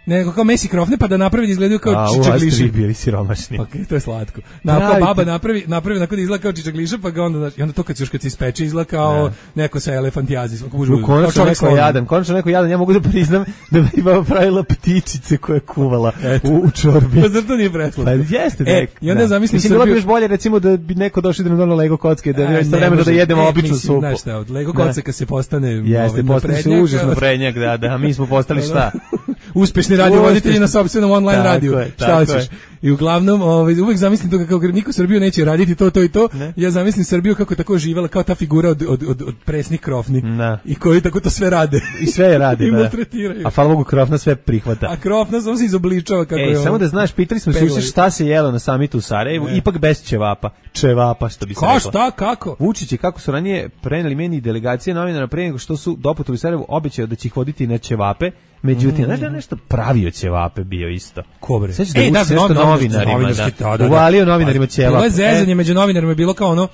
nego kao mesi krofne, pa da napravi da izgledaju kao čičagliše. Bili siromašni. Pa to je slatko. Kao baba napravi onako da izgleda kao čičagliše, pa ga onda to kad se ispeče izgleda kao neko sa elefantijazis. Konačno neko jadan, ja mogu da priznam da bi baba pravila ptičice koje je kuvala u čorbi. Pa zar to nije preslatko? Pa jeste nek. I onda zamislim Srbiju. Bilo bi još bolje recimo da bi neko došao da nam doneo Lego kocke, da je istovremeno da jedemo običnu supu. Znaš šta, od Lego kocka se postane postane se užasno prednjak, da, mi smo postali šta? Uspešni radiovoditelji na sopstvenom online radiju. Šta hoćeš? I uglavnom, uvek zamislim to kako niko Srbiju neće raditi to i to. Ne? Ja zamislim Srbiju kako tako živela kao ta figura od presnih krofni. I koji tako to sve rade. I sve rade, I maltretiraju. A hvala Bogu, krofna sve prihvata. A krofna samo se izobličava kako je. Samo da znaš, pitali smo se šta se jelo na samitu u Sarajevu, ipak bez ćevapa. Ćevapa, što bi se reklo. Šta, kako? Vučić i kako su ranije preneli meni delegacije novinara pre nego što su doputovali u Sarajevu, obećao da će ih voditi na ćevape. Međutim, znaš da je nešto pravio ćevape bio isto. Ko bre? Sećaš da je nešto novinarima, uvalio novinarima ćevape. Bilo je zezanje među novinarima, bilo kao ono,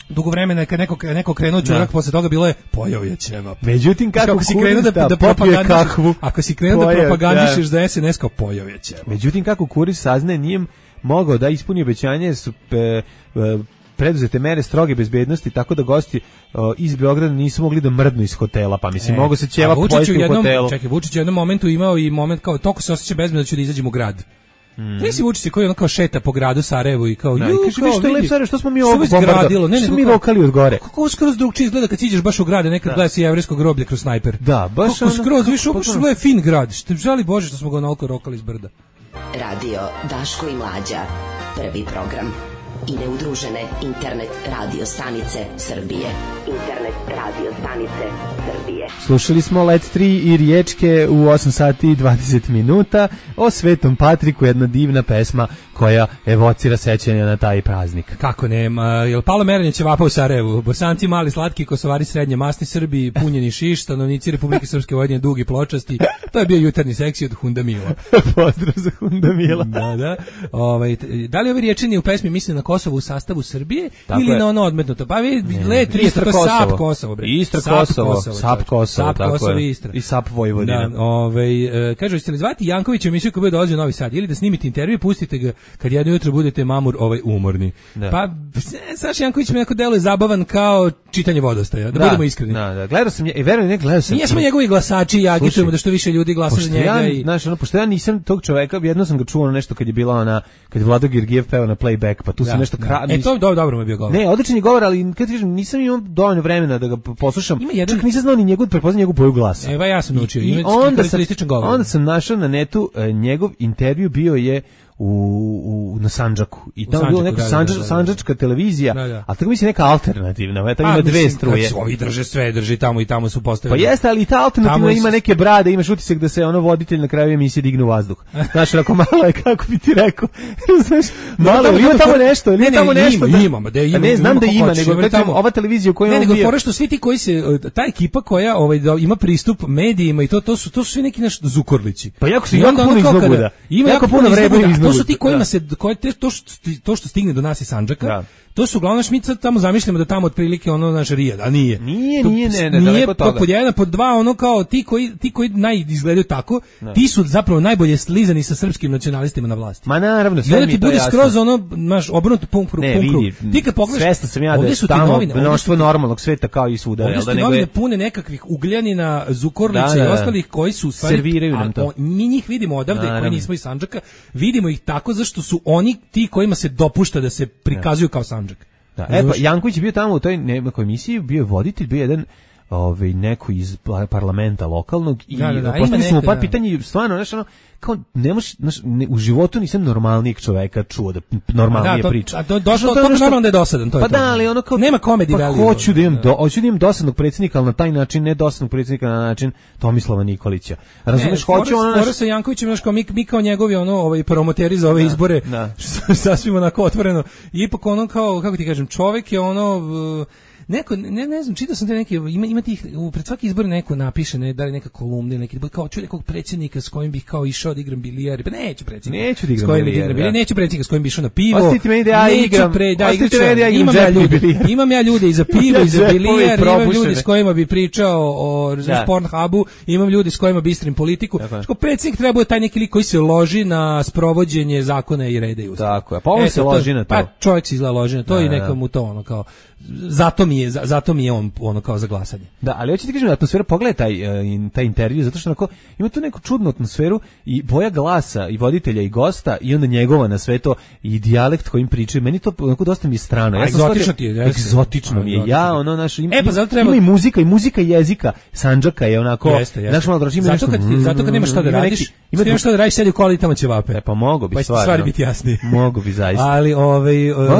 dugo vremena kad neko krenuo čurak, posle toga bilo je pojao je ćevap. Međutim, kako si krenuo da propagandišeš, ako si krenuo da propagandišeš za SNS, kao pojao je ćevap. Međutim, kako kurir saznaje, nije mogao da ispuni obećanje, jer su preduzete mere stroge bezbednosti, tako da gosti iz Beograda nisu mogli da mrdnu iz hotela, pa mislim, mogu se ćevap pojesti u hotelu. Čekaj, Vučić u jednom momentu imao i moment kao, toliko se osjeća bezbedno da ću da izađem u grad. Nisi Vučić koji ono kao šeta po gradu Sarajevu i kao, kaže, što je lep Sarajevo, što smo mi ovo bombardili, što smo mi rokali od gore. Kako skroz drugčije izgleda kad siđeš baš u grad, nekad gleda si jevrejsko groblje kroz snajper. Da, baš kako skroz, više uopšte je fin grad, žali Bože što smo ga onoliko rokali iz brda. Radio Daško i Mlađa, prvi program. I neudružene internet radio stanice Srbije. Internet radio stanice Srbije. Slušali smo Let 3 i Riječke u 8 sati i 20 minuta o Svetom Patriku, jedna divna pesma koja evocira sećanja na taj praznik. Kako nema, jel palo merenje ćevapa u Sarajevu? Bosanci mali, slatki, Kosovari srednje, masni Srbi, punjeni šiš, stanovnici Republike Srpske Vojvodine, dugi pločasti. To je bio jutarnji seksi od Hundamila. Pozdrav za Hundamila. Da. Da li ove riječeni u pesmi misli na Kosovo u sastavu Srbije ili na ono odmetnuto? Pa vi Let 3, to je Sap Kosovo, bre. Istra Kosovo, Sap Kosovo, tako je. Istra. I Sap Vojvodina. Kažu, ćete li zvati Jankovića u emisiju koja bude dolazio u Novi Sad ili da snimite intervju, pustite ga kad jedno jutro budete umorni. Da. Pa Saša Janković mi neko deluje zabavan kao čitanje Vodostaja, da budemo iskreni. Da. Gledao sam i verujem ne gledao sam. Nije smo njegovi glasači i agitujemo da što više ljudi glasa za njega i znaš, pošto ja nisam tog čoveka, jedno sam ga čuo nešto kad je bila kad je Vlado Gergijev peo na playback, pa tu sam nešto to dobro mu je bio govor. Ne, odličan je govor, ali kad kažem nisam imao dovoljno vremena da ga poslušam. Čak nisam znao ni prepoznao njegovu boju glasa. Evo ja sam naučio. I onda sam našao na netu njegov intervju, bio je na Sandžaku. I tamo je bilo neka sandžačka televizija, a tako mislim neka alternativna, tamo ima dve struje. Ovi drže tamo i tamo su postavili. Pa jeste, ali i ta alternativna ima neke brade, imaš utisak da se ono voditelj na kraju emisije digne u vazduh. Znaš, ako malo je, kako bi ti rekao, znaš, malo, ima tamo nešto, ili tamo nešto. Ne, znam da ima, nego tamo ova televizija u kojoj on bio. Ne, nego fore što svi ti koji se, ta ekipa koja ima pristup medijima i to su svi neki naš Zukorlići. Pa jako se jako puno iznoguda. Ima jako puno vremena. To su ti kojima se to što stigne do nas iz Sandžaka. To su uglavnom mi sad tamo zamišljamo da tamo otprilike ono naš Rijad, a nije. Nije daleko od toga. Pod jedan, pod dva, ono kao ti koji izgledaju tako, ti su zapravo najbolje slizani sa srpskim nacionalistima na vlasti. Ma naravno, sve mi ti bude skroz ono, naš obrnuto punkru. Ti kad pogledaš, svestan sam ja da je tamo mnoštvo normalnog sveta kao i svuda. Ovdje su ti novine pune nekakvih Ugljanina, Zukorlića i ostalih koji su serviraju nam to. Mi njih vidimo odavde, koji nismo iz Sandžaka, vidimo ih tako zašto su oni ti kojima se dopušta da se prikazuju kao Sandžak. Da, pa Janković je bio tamo u toj nekoj emisiji, bio je voditelj, bio jedan neko iz parlamenta lokalnog i postavili smo par pitanja, stvarno, znaš, ono, kao, u životu nisam normalnijeg čoveka čuo da normalnije priča. To naravno da je dosadan, to je to. Pa da, ali ono kao, nema komedije value. Hoću da imam dosadnog predsjednika, ali na taj način, ne dosadnog predsjednika na način Tomislava Nikolića. Razumeš, hoću ono naš... sa Jankovićem, znaš, kao mi kao njegovi promoteri za ove izbore, sasvim onako otvoreno, ipak ono kao, kako ti kažem, čovek je ono... neko ne znam, čitao sam te neke, ima tih pred svaki izbor neko napiše, ne, da li neka kolumna ili neki, kao čuj nekog predsjednika s kojim bih kao išao da igram bilijar, pa neću predsjednika. Neću da igram bilijar. Neću predsjednika s kojim bih išao na pivo. Ostite meni da ja igram. Imam ja ljude i za pivo i za bilijar, imam ljudi s kojima bi pričao o Pornhubu, imam ljudi s kojima bi istrim politiku. Što predsjednik treba bude taj neki lik koji se loži na sprovođenje zakona i reda i ustava. Tako je. Pa on se loži na to. Pa čovjek se izgleda loži na to i neka mu to ono kao zato mi je on ono kao za glasanje. Da, ali hoćete kažem atmosfera, pogledaj taj intervju, zato što onako ima tu neku čudnu atmosferu i boja glasa i voditelja i gosta i onda njegova na sve to i dijalekt kojim pričaju. Meni to onako dosta mi je strano. Ja egzotično ti je. Egzotično mi je. Ja ono naš ima treba... i muzika jezika. Sandžaka je onako. Naš malo draži zato kad nemaš šta da radiš, imaš šta da radiš, sedi u koli tamo ćevape. Pa mogu bi stvari biti jasnije. Mogu bi zaista. Ali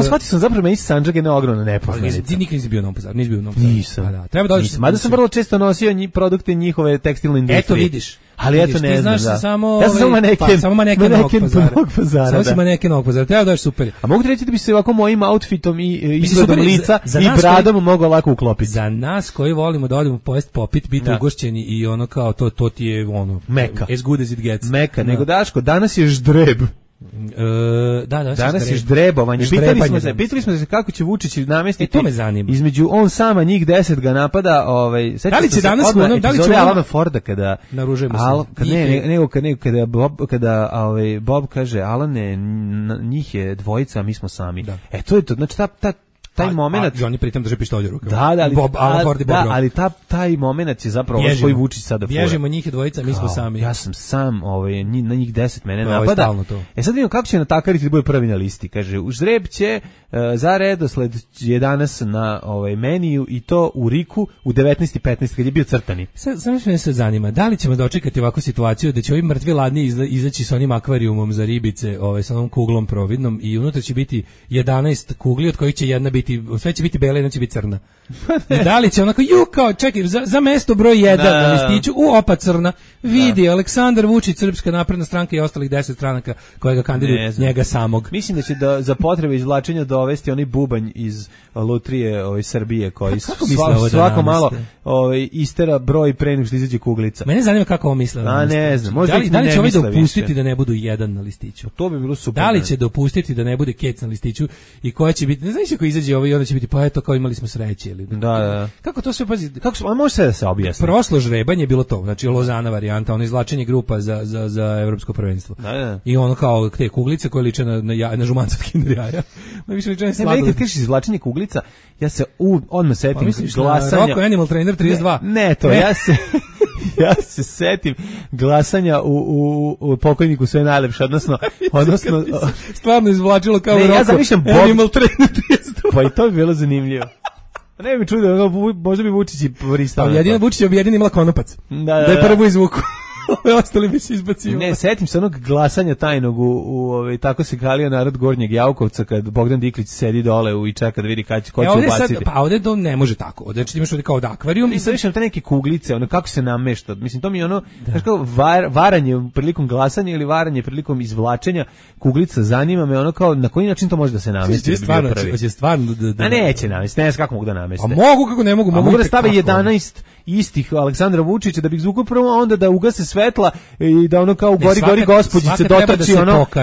shvatio sam zapravo meni Sandžak je ogromna nepoznanica. Ti nikad nisi bio u Novom Pazaru, nisi bio u Novom Pazaru. Nisam. Da, treba da odeš. Mada sam vrlo često nosio produkte njihove tekstilne industrije. Eto vidiš. Ali eto ne znam, da. Samo, ja sam samo maneken Novog Pazara. Samo si maneken Novog Pazara, treba da je super. A mogu ti reći da bi se ovako mojim outfitom i izgledom lica i bradom mogao lako uklopiti. Za nas koji volimo da odemo pojesti popit, biti ugošćeni i ono kao to ti je ono meka. As good as it gets. Meka, nego Daško, danas je ždreb. Danas je ždrebovanje. Pitali smo se kako će Vučić namestiti. To me zanima. Između on sama njih 10 ga napada, da li će danas da li će Alana Forda kada naružujemo se. Kada Bob kaže Alane, njih je dvojica, a mi smo sami. To je to. Znači taj momenat oni pritom drže pištolj u rukama. Da, ali taj momenat je zapravo koji Vučić sada fura. Bježimo njih dvojica, mi smo sami. Ja sam sam, na njih 10 mene napada. Sad vidimo kako će natakariti da bude prvi na listi. Kaže, u žreb će za redosled je danas na meniju i to u Riku u 19:15 kad je bio crtani. Samo što me se zanima, da li ćemo dočekati ovakvu situaciju da će ovi mrtvi ladni izaći sa onim akvarijumom za ribice, sa onom kuglom providnom i unutra će biti 11 kugli od kojih će jedna biti, sve će biti bela, jedna će biti crna. Da li će onako, kao, čekaj, za mesto broj 1 na listiću, opa crna, vidi, Aleksandar Vučić, Srpska napredna stranka i ostalih 10 stranaka koje ga kandiduju, njega samog. Mislim da će za potrebe izvlačenja dovesti onaj bubanj iz lutrije Srbije koji svako malo istera broj pre nego što izađe kuglica. Mene zanima kako ovo misle. Ne znam, da li će ovaj dopustiti da ne budu 1 na listiću? To bi bilo super. Da li će dopustiti da ne bude kec na listiću i koja će biti, ne znaš ako izađe i onda će biti, pa eto, kao imali smo sreće. Da. Kako to sve, pazi, može sve da se objasni. Prošlo žrebanje je bilo to, znači Lozana varijanta, ono izvlačenje grupa za evropsko prvenstvo. Da. I ono kao te kuglice koje liče na žumanca od Kinder jaja. Više liče na sladoled. Kad kažeš izvlačenje kuglica, ja se odmah setim glasanja. Roko Animal Trainer 32. Ne to, ja se setim glasanja u pokojniku sve najlepše, odnosno stvarno izvlačilo kao Roko. Ja zamišljam Animal Trainer 32. Pa i to bi bilo zanimljivo. Ne bi čudo, možda bi Vučić i pristao. Jedina Vučić je objedin imala konopac. Da je prvo izvuku. Ostali bi se izbacivali. Ne, setim se onog glasanja tajnog tako se kalio narod Gornjeg Javkovca kad Bogdan Diklić sedi dole i čeka da vidi ko će ubaciti. Pa ovdje to ne može tako. Znači ti imaš ovdje kao od akvarijum i sad više te neke kuglice, kako se namešta. Mislim, to mi je znaš kao varanje prilikom glasanja ili varanje prilikom izvlačenja kuglica, zanima me kao na koji način to može da se namesti. Stvarno. A neće namesti, ne znam kako mogu da nameste. A mogu, kako ne mogu. Mogu da stave 11 istih Aleksandra Vučića da bi izvukao prvo, a onda da ugase svetla i da ono kao gori gospođice dotrči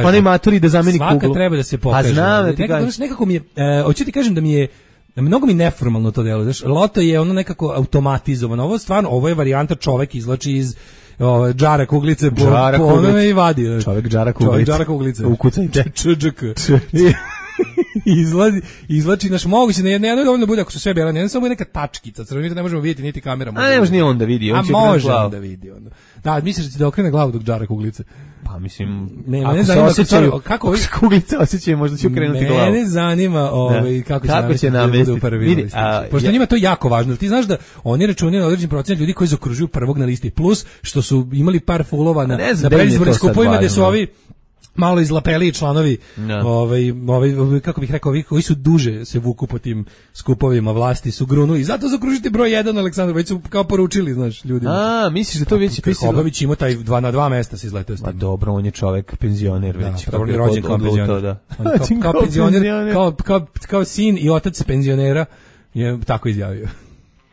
onaj maturi da zameni kuglu. Svaka treba da se pokaže. A znam da ti kažem. Nekako mi je, hoću ti kažem da mi je mnogo mi neformalno to delo. Znaš, loto je ono nekako automatizovano. Ovo je varijanta čovek izvlači iz džara kuglice po onome i vadi. Čovek džara kuglice. Ukucaj. Izvlači naš moguće, ne dovoljno bude ako su sve bele, ne samo neka tačkica, crvena, to ne možemo vidjeti niti kamera. A ne može ni on da vidi, on će može da vidi onda. Da, misliš da će da okrene glavu dok džara kuglice? Pa mislim, ne zanima kako se kuglice osjećaju, možda će okrenuti glavu. Mene zanima kako će namestiti prvi na listi. Pošto njima to jako važno. Ti znaš da oni računaju na određen procenat ljudi koji zaokružuju prvog na listi, plus što su imali par fulova na predizbornim skupovima gde su ovi malo izlapeli članovi, kako bih rekao, ovi koji su duže se vuku po tim skupovima vlasti su grunu i zato zakružiti broj 1 Aleksandar, već su kao poručili, znaš, ljudima. A, misliš da to već Krkobabić ima taj 2 na 2 mesta se izleteo s tim. Ma dobro, on je čovek penzioner već. Da, rođen kao penzioner. Kao penzioner, kao sin i otac penzionera. je tako izjavio.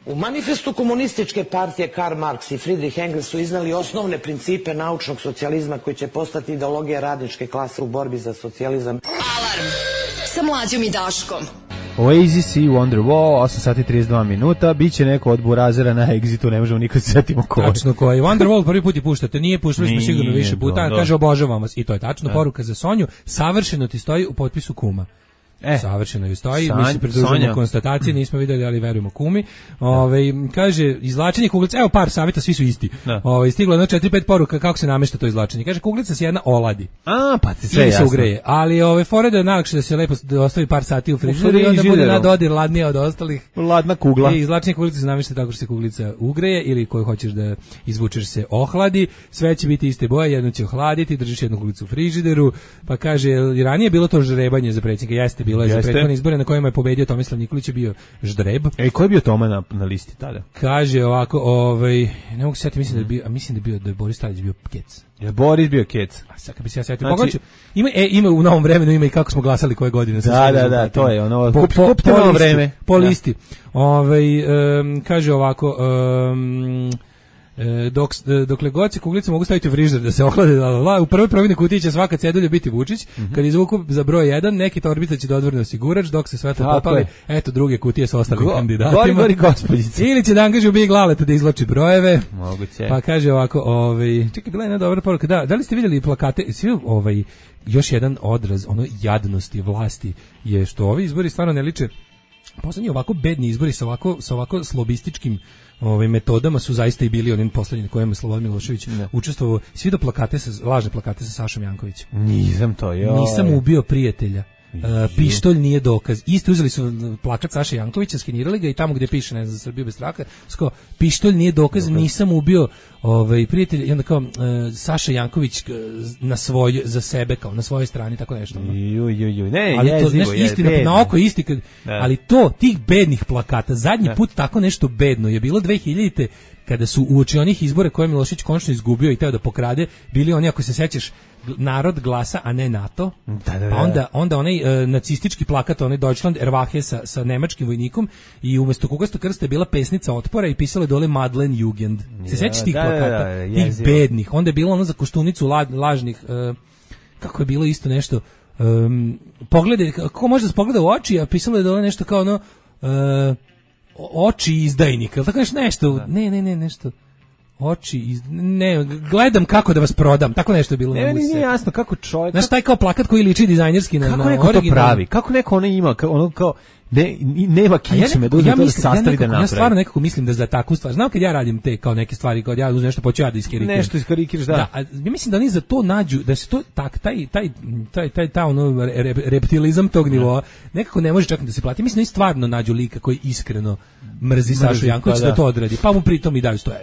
U manifestu komunističke partije Karl Marx i Friedrich Engels su iznali osnovne principe naučnog socijalizma koji će postati ideologija radničke klase u borbi za socijalizam. Alarm sa Mlađom i Daškom. Oasis i Wonderwall, 8 sati 32 minuta, biće neko od burazera na Exitu, ne možemo nikad se setimo ko. Tačno ko je. Wonderwall prvi put je puštate, nije puštali smo sigurno više puta, kaže obožavam vas i to je tačno. Poruka za Sonju, savršeno ti stoji u potpisu kuma. Savršeno ju stoji, mi se pridružujemo konstatacije, nismo vidjeli, ali verujemo kumi. Kaže, izvlačenje kuglica, evo par savjeta, svi su isti. Stiglo je 4-5 poruka kako se namešta to izvlačenje. Kaže, kuglica se jedna oladi. Pa ti sve jasno. Se ugreje, ali fore da je najlakše da se lepo ostavi par sati u frižideru i onda bude na dodir ladnija od ostalih. Ladna kugla. I izvlačenje kuglice se namešta tako što se kuglica ugreje ili koju hoćeš da izvučeš se ohladi. Sve će biti iste boje, jedno će ohladiti, držiš jednu kuglicu u frižideru. Pa kaže, ranije je bilo to ždrebanje za predsjednika, jeste bilo je za prethodne izbore na kojima je pobedio Tomislav Nikolić je bio ždreb. Ko je bio Toma na listi tada? Kaže ovako, ne mogu se sjetiti, mislim da je Boris Tadić bio Kec. Je Boris bio Kec? A sad kad bi se ja sjetio, znači, ima u novom vremenu, ima i kako smo glasali koje godine. Da, to je ono, kupite novo vreme. Po listi. Kaže ovako, dokle god se kuglice mogu staviti u frižider da se ohlade, u prvoj providnoj kutiji će svaka cedulja biti Vučić, kad izvuku za broj 1, neki torbica će dodvorni osigurač, dok se sve to popali, eto druge kutije sa ostalim kandidatima. Gori gospodice. Ili će da angažuju Big Laleta da izvlači brojeve. Moguće. Pa kaže ovako, čekaj, bila je jedna dobra poruka, da li ste vidjeli plakate, još jedan odraz, jadnosti vlasti je što ovi izbori stvarno ne liče, poslednji ovako bedni izbori sa ovako slobističkim metodama su zaista i bili onim poslednjim na kojem je Slobodan Milošević učestvovao. Svi do lažne plakate sa Sašom Jankovićem. Nisam ubio prijatelja. Pištolj nije dokaz. Isto uzeli su plakat Saše Jankovića, skenirali ga i tamo gdje piše, ne znam, za Srbiju bez straha, pištolj nije dokaz, nisam ubio prijatelja, i onda kao Saša Janković za sebe, kao na svojoj strani, tako nešto. Istina, na oko isti, ali tih bednih plakata, zadnji put tako nešto bedno je bilo 2000-te, kada su uoči onih izbora koje je Milošević konačno izgubio i teo da pokrade, bili oni, ako se sećaš, narod glasa, a ne NATO. Onda onaj nacistički plakat, onaj Deutschland Erwache sa nemačkim vojnikom i umjesto kukasto krsta je bila pesnica otpora i pisalo je dole Madlen Jugend. Se sećaš tih plakata? Tih bednih. Onda je bilo ono za Koštunicu lažnih, kako je bilo isto nešto, pogledaj, kako može da se pogleda u oči, a pisalo je dole nešto kao ono, oči izdajnika, tako nešto, ne, nešto, gledam kako da vas prodam, tako nešto je bilo. Nije jasno kako čovjek... Znaš, taj kao plakat koji liči dizajnerski na original. Kako neko to pravi? Kako neko ima, ono kao... nema kičme, da sastavi da napravi. Ja stvarno nekako mislim da za takvu stvar, znam kad ja radim te kao neke stvari, kad ja uzmem nešto, počeo ja da iskarikiram. Nešto iskarikiraš, da. Ja mislim da oni za to nađu, da se to, taj ono reptilizam tog nivoa, nekako ne može čak da se plati. Mislim da oni stvarno nađu lika koji iskreno mrzi Sašu Jankovića da to odradi, pa mu pritom i daju 100 €.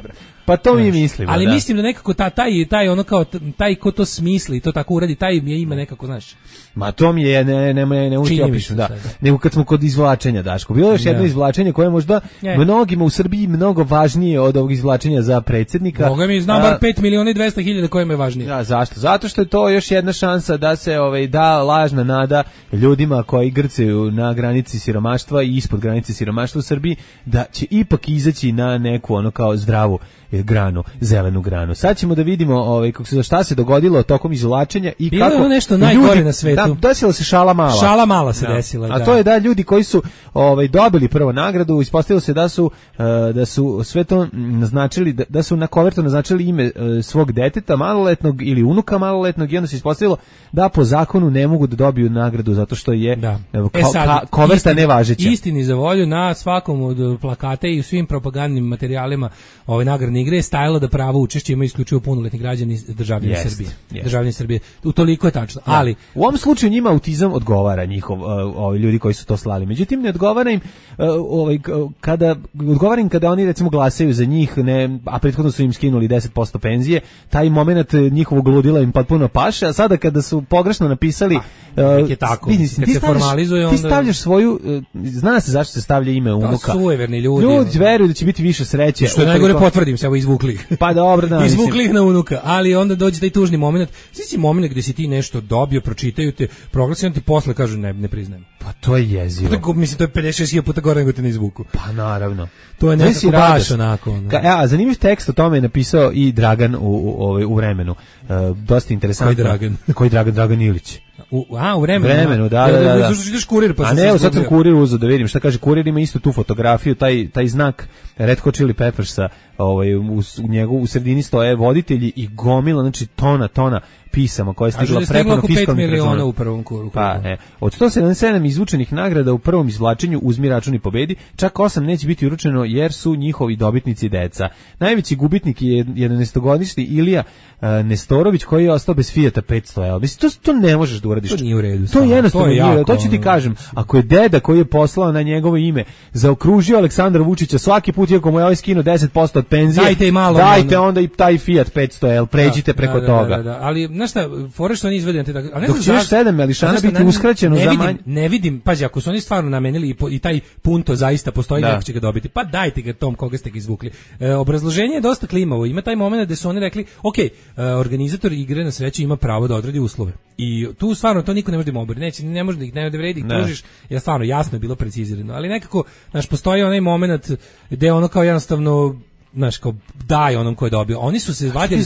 Pa to mi mislimo, ali mislim da nekako taj ono kao, taj ko to smisli, to tako uradi, taj mi je ima nekako, znaš. Ma to mi je, ne uči opišem, da. Nego kad smo kod izvlačenja, Daško, bilo je još jedno izvlačenje koje je možda mnogima u Srbiji mnogo važnije od ovog izvlačenja za predsjednika. Boga mi znam bar 5.200.000 kojima je važnije. Ja, zašto? Zato što je to još jedna šansa da se da lažna nada ljudima koji grcaju na granici siromaštva i ispod granice siromaštva u Srbiji, da će ipak izaći na neku ono kao zdravu granu, zelenu granu. Sad ćemo da vidimo šta se dogodilo tokom izvlačenja i bilo kako je nešto najgore na svetu. Da, desila se šala mala. Šala mala se desila, a to je da ljudi koji su dobili prvo nagradu, ispostavilo se da su sve to naznačili, da su na kovertu naznačili ime svog deteta maloletnog ili unuka maloletnog i onda se ispostavilo da po zakonu ne mogu da dobiju nagradu zato što je koverta nevažeća. Istini za volju, na svakom od plakata i u svim propagandnim materijalima nagradne igre je stajalo da pravo učešće imaju isključivo punoletni građani državljani Srbije. Državljani Srbije. Utoliko je tačno. Ali u ovom slučaju njima autizam odgovara ljudi koji su to slali. Međutim, ne odgovara im kada oni recimo glasaju za njih, a prethodno su im skinuli 10% penzije, taj moment njihovog ludila im potpuno paše, a sada kada su pogrešno napisali je tako. Kad se formalizuje, ti stavljaš svoju, zna se zašto se stavlja ime unuka. Sujeverni ljudi. Ljudi veruju da će biti više sreće. Što je najgore, potvrdim se. se ovo izvukli. Pa dobro, da. Izvukli ih na unuka, ali onda dođe taj tužni moment. Svi moment gde si ti nešto dobio, pročitaju te, proglasi, on ti posle kažu ne priznajem. Pa to je jezivo. Tako, mislim, to je 56.000 puta gore nego te ne izvuku. Pa naravno. To je nekako baš onako. Zanimljiv tekst o tome je napisao i Dragan u Vremenu. Dosta interesantno. Koji Dragan? Dragan Ilić. U Vremenu, da. Ideš Kurir, pa a ne, sad sam Kurir uzeo da vidim šta kaže. Kurir ima isto tu fotografiju, taj znak Red Hot Chili Peppersa, u sredini stoje voditelji i gomila, znači tona pisama koja je stigla preko fiskalnih računa. U prvom krugu. Pa, od 177 izvučenih nagrada u prvom izvlačenju Uzmi račun i pobedi, čak 8 neće biti uručeno jer su njihovi dobitnici deca. Najveći gubitnik je 11-godišnji Ilija Nestorović koji je ostao bez Fijata 500. Mislim, to ne možeš da uradiš. To nije u redu. To je jednostavno nije u redu. To ću ti kažem. Ako je deda koji je poslao na njegovo ime zaokružio Aleksandra Vučića svaki put iako mu je ovaj skinuo 10% od penzije, dajte onda i taj Fiat 500, pređite preko toga. Da. Ali, znaš šta, fore što oni izvede na te tako... Dok će još 7 Melišana biti uskraćeno za manje... Ne vidim, pazi, ako su oni stvarno namenili i taj punto zaista postoji, neko će ga dobiti, pa dajte ga tom koga ste ga izvukli. Obrazloženje je dosta klimavo, ima taj moment gde su oni rekli, organizator igre na sreću ima pravo da odredi uslove. I tu stvarno to niko ne može da obori, ne može da ih ne vredi, tužiš, jer stvarno jasno je bilo precizirano, ali nekako, znaš, postoji onaj moment gde ono kao jednostavno, znaš, kao daj onom ko je dobio. Oni su se vadili,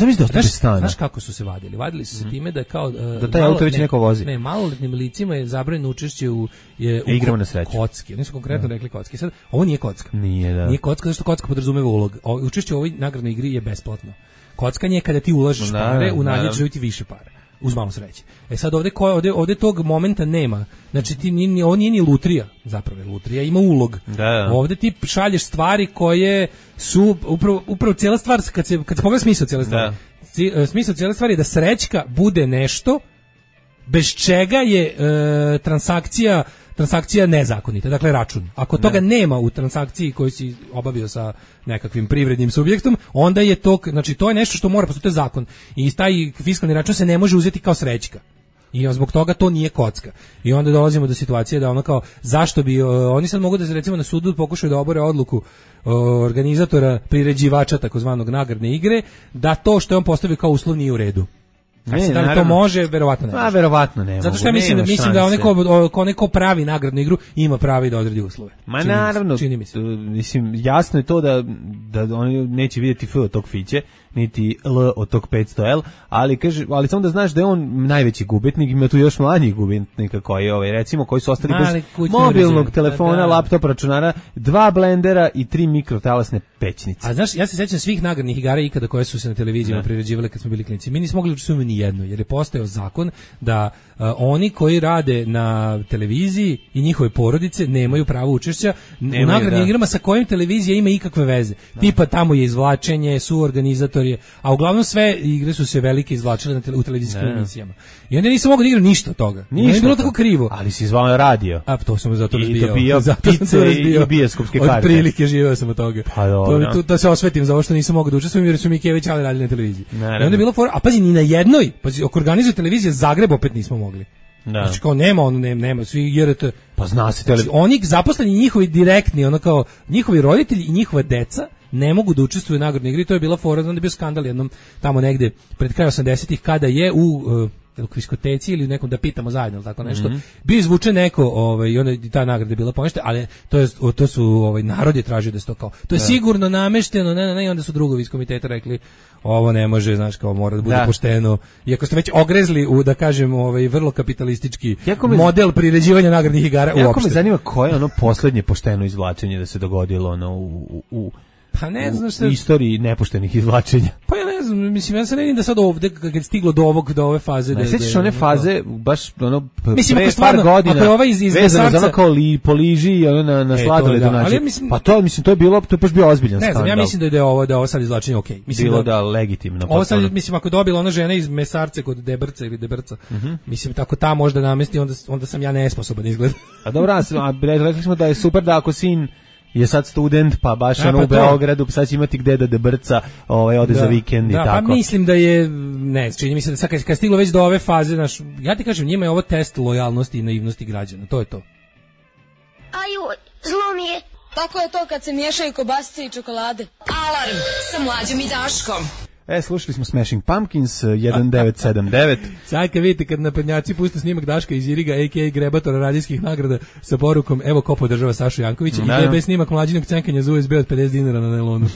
znaš kako su se vadili? Vadili su se time da kao... da taj auto već neko vozi. Ne, maloletnim licima je zabranjeno učešće u igrama na sreću. Kocki. Oni su konkretno rekli kocki. Sad, ovo nije kocka. Nije kocka, zato što kocka podrazumeva ulog. Učešće u ovoj nagradnoj igri je besplatno. Kockanje je kada ti ulažeš pare, u nadje ćeš dobiti više para. Uz malo sreće. Sad ovde tog momenta nema. Znači ovo nije ni lutrija, zapravo lutrija ima ulog. Da. Ovde ti šalješ stvari koje su upravo cijela stvar, kad se pogleda smisao cijele stvari. Smisao cijele stvari je da srećka bude nešto bez čega je transakcija nezakonita, dakle račun. Ako toga nema u transakciji koju si obavio sa nekakvim privrednim subjektom, onda je to, znači to je nešto što mora postati zakon. I taj fiskalni račun se ne može uzeti kao srećka. I zbog toga to nije kocka. I onda dolazimo do situacije da ono kao, zašto bi, oni sad mogu da se recimo na sudu pokušaju da obore odluku organizatora, priređivača takozvanog nagradne igre, da to što je on postavio kao uslov nije u redu. Da li to može? Verovatno ne može. Verovatno ne. Zato što ja mislim da onaj ko pravi nagradnu igru ima pravo i da odredi uslove. Ma naravno, mislim, jasno je to da oni neće vidjeti F od tog fiće, niti L od tog 500L, ali samo da znaš da je on najveći gubitnik, ima tu još mlađih gubitnika koji su ostali bez mobilnog telefona, laptopa, računara, 2 blendera i 3 mikrotalasne pećnice. A znaš, ja se sećam svih nagradnih igara ikada koje su se na televizijama priređivale kad smo bili klinici. Mi nismo mogli učestvovati ni jedno, jer je postojao zakon da oni koji rade na televiziji i njihove porodice nemaju pravo učešća u nagradnim igrama sa kojim televizija ima ikakve veze. Tipa tamo je izvlačenje, suorganizator je, a uglavnom sve igre su se velike izvlačile u televizijskim emisijama. I onda nisam mogao da igram ništa od toga. Nije bilo tako krivo. Ali si zvao radio. A to sam zato razbijao. I dobijao pice i bioskopske karte. Od prilike živeo sam od toga. Pa dobro. Da se osvetim za ovo što nisam mogao da učestvujem jer su mi Kević ali radili na televiziji. I onda je bilo a pazi, ni na jednoj, ako organizuje televizija Zagreb opet nismo mogli. Znači kao nema, svi JRT. Pa zna se znači, oni zaposleni njihovi direktni, ono kao njihovi roditelji i njihova deca ne mogu da učestvuju u nagradnoj igri. To je bila fora, znam da je bio skandal jednom tamo negde pred kraj 80-ih kada je u kviskoteci ili nekom da pitamo zajedno ili tako nešto. Bio izvučen neko i onda ta nagrada je bila poništena, ali to su narod je tražio da se to kao. To je sigurno namešteno, ne, i onda su drugovi iz komiteta rekli ovo ne može, znaš, kao mora da bude pošteno. Iako ste već ogrezli u, da kažem, vrlo kapitalistički model priređivanja nagradnih igara uopšte. Jako me zanima koje ono poslednje pošteno izvlačenje da se dogodilo pa ne znam u istoriji nepoštenih izvlačenja. Pa ja ne znam, mislim, ja se ne vidim da sad ovde, kad je stiglo do ove faze... Ne sjećaš one faze, baš mislim, pre par godina, ako je ova iz vezano za ono kao poliži i ono na sladoledu način. Pa to je baš bio ozbiljan skandal. Ne znam, ja mislim da je ovo sad izvlačenje okej. Bilo da legitimno. Ovo sad, mislim, ako je dobila ona žena iz Mesarce kod Debrca ili Debrca, mislim, tako ta možda namesti, onda sam ja nesposoban izgled. A dobro, rekli smo da je super da ako sin je sad student, pa baš u Beogradu, sad će imati gde da debrca, ode za vikend i tako. Pa mislim da je, čini mi se da kad stiglo već do ove faze, ja ti kažem, njima je ovo test lojalnosti i naivnosti građana, to je to. Aju, zlo mi je. Tako je to kad se miješaju kobasice i čokolade. Alarm sa Mlađom i Daškom. Slušali smo Smashing Pumpkins 1979. Sad kad vidite kad naprednjaci puste snimak Daška iz Iriga, a.k.a. grebatora radijskih nagrada sa porukom evo ko podržava Sašu Jankovića i DB snimak mlađinog cenkanja za USB od 50 dinara na nelonu.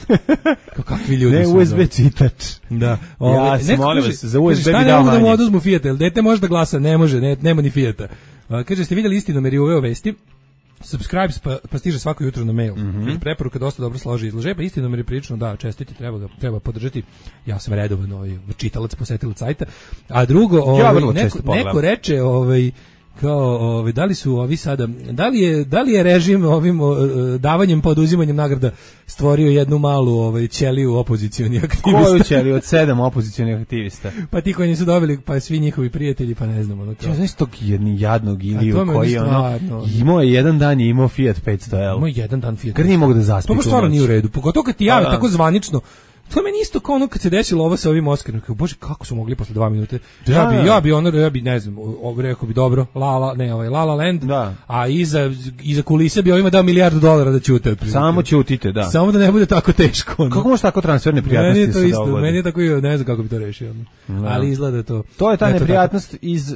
Kakvi ljudi ne, su. Ne, USB čitač. Da. Ja sam molim vas, za USB bi dao manje. Šta ne mogu da mu oduzmu Fijata, jel dete može da glasa? Ne može, nema ni Fijata. Kaže, ste vidjeli istinomeri ove vesti? Subscribes pa stiže svako jutro na mail. Preporuka dosta dobro složi izlože, pa istinomeri prilično da, čestiti, treba podržati. Ja sam redovan čitalac, posetilac sajta. A drugo, neko reče, kao da li su ovi sada, da li je režim ovim davanjem pa oduzimanjem nagrada stvorio jednu malu ćeliju opozicionih aktivista. Koju ćeliju od 7 opozicionih aktivista? Pa ti koji nisu dobili, pa svi njihovi prijatelji, pa ne znam. Ja znaš tog jadnog Iliju koji imao je jedan dan je imao Fiat 500L. Imao jedan dan Fiat 500L. Kad nije mogu da zaspi. To stvarno nije u redu, pogotovo kad ti jave tako zvanično. To meni isto kao ono kad se desilo ovo sa ovim Oscarom. Bože, kako su mogli posle 2 minute? Ja bi ne znam, rekao bi dobro, La La Land, a iza kulise bi ovima dao $1 milijardu da ćute. Samo ćutite, da. Samo da ne bude tako teško. Kako može tako transferne prijatnosti? Meni je to isto, meni je tako, ne znam kako bi to rešio. Ali izgleda to. To je ta neprijatnost iz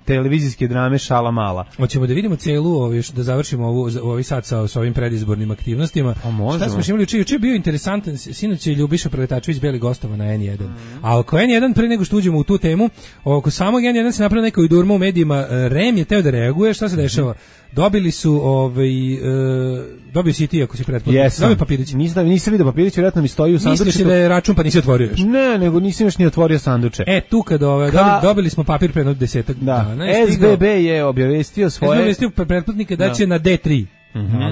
televizijske drame Šala mala. Hoćemo da vidimo celu, da završimo ovi sad sa ovim predizbornim aktivnostima. Šta smo imali juče? Bio interesantan, sinoć je Ljubiša Preletačević bili gostova na N1. A oko N1, pre nego što uđemo u tu temu, oko samog N1 se napravila neka durma u medijima, REM je teo da reaguje, šta se dešava? Dobili su, dobio si i ti ako si pretplatnik. Dobio papirić. Nisam vidio papirić, vjerojatno mi stoji u sanduču. Misliš da je račun pa nisi otvorio još? Ne, nego nisam još ni otvorio sanduče. Tu kad dobili smo papir pre 10 dana. SBB je obavestio svoje... pretplatnike da će na D3.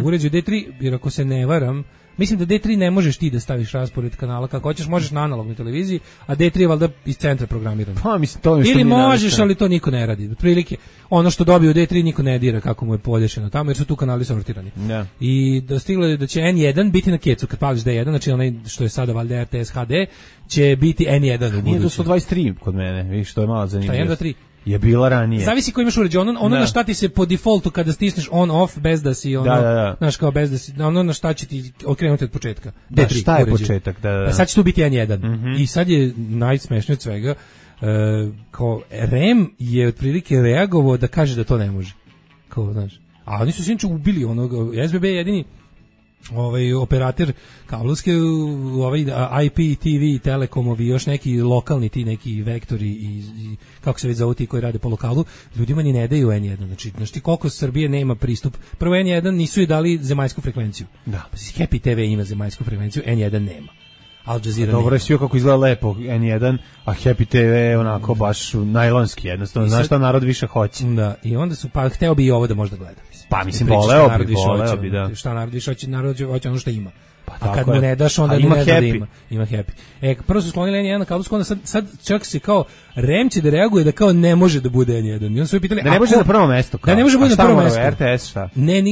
Uređuju D3, jer ako se ne varam, mislim da D3 ne možeš ti da staviš raspored kanala kako hoćeš, možeš na analognoj televiziji, a D3 je valjda iz centra programirano. Pa mislim to ili možeš, ali to niko ne radi. Otprilike ono što dobiju D3 niko ne dira kako mu je podešeno tamo, jer su tu kanali sortirani. I dostiglo je da će N1 biti na kecu kad pališ D1, znači onaj što je sada valjda RTS HD, će biti N1 u budući. Nije to 123 kod mene, vidiš, to je malo zanimljivo. Šta, 1, 2, 3? Je bila ranije. Zavisi ko imaš uređaj, ono na šta ti se po defaultu kada stisneš on off bez da si znaš kao bez da si, ono na šta će ti okrenuti od početka. D3, šta je početak? Da. Sad će tu biti N1. I sad je najsmešnije od svega, kao REM je otprilike reagovao da kaže da to ne može. Kao, znaš. A oni su sinoć ubili onog, SBB je jedini operator kablovske, IPTV, Telekomovi, još neki lokalni ti neki vektori i kako se već zovu ti koji rade po lokalu, ljudima ni ne daju N1. Znači koliko Srbije nema pristup. Prvo N1 nisu je dali zemaljsku frekvenciju. Da. Happy TV ima zemaljsku frekvenciju, N1 nema. Al Jazeera. Dobro je sve kako izgleda lepo N1, a Happy TV je onako baš najlonski, jednostavno. Znaš šta narod više hoće. Da, i onda su, pa hteo bi i ovo da možda gleda. Pa mislim, voleo bi, da. Šta narod više hoće, narod hoće ono što ima. A kad mu ne daš, onda ne da ima. Ima Happy. Prvo su sklonili N1 na kablovsku, onda sad čak se kao REM će da reaguje da kao ne može da bude N1. I onda su pitali, da ne može na prvo mesto. Da ne može bude na prvo mesto. RTS, šta? Ne,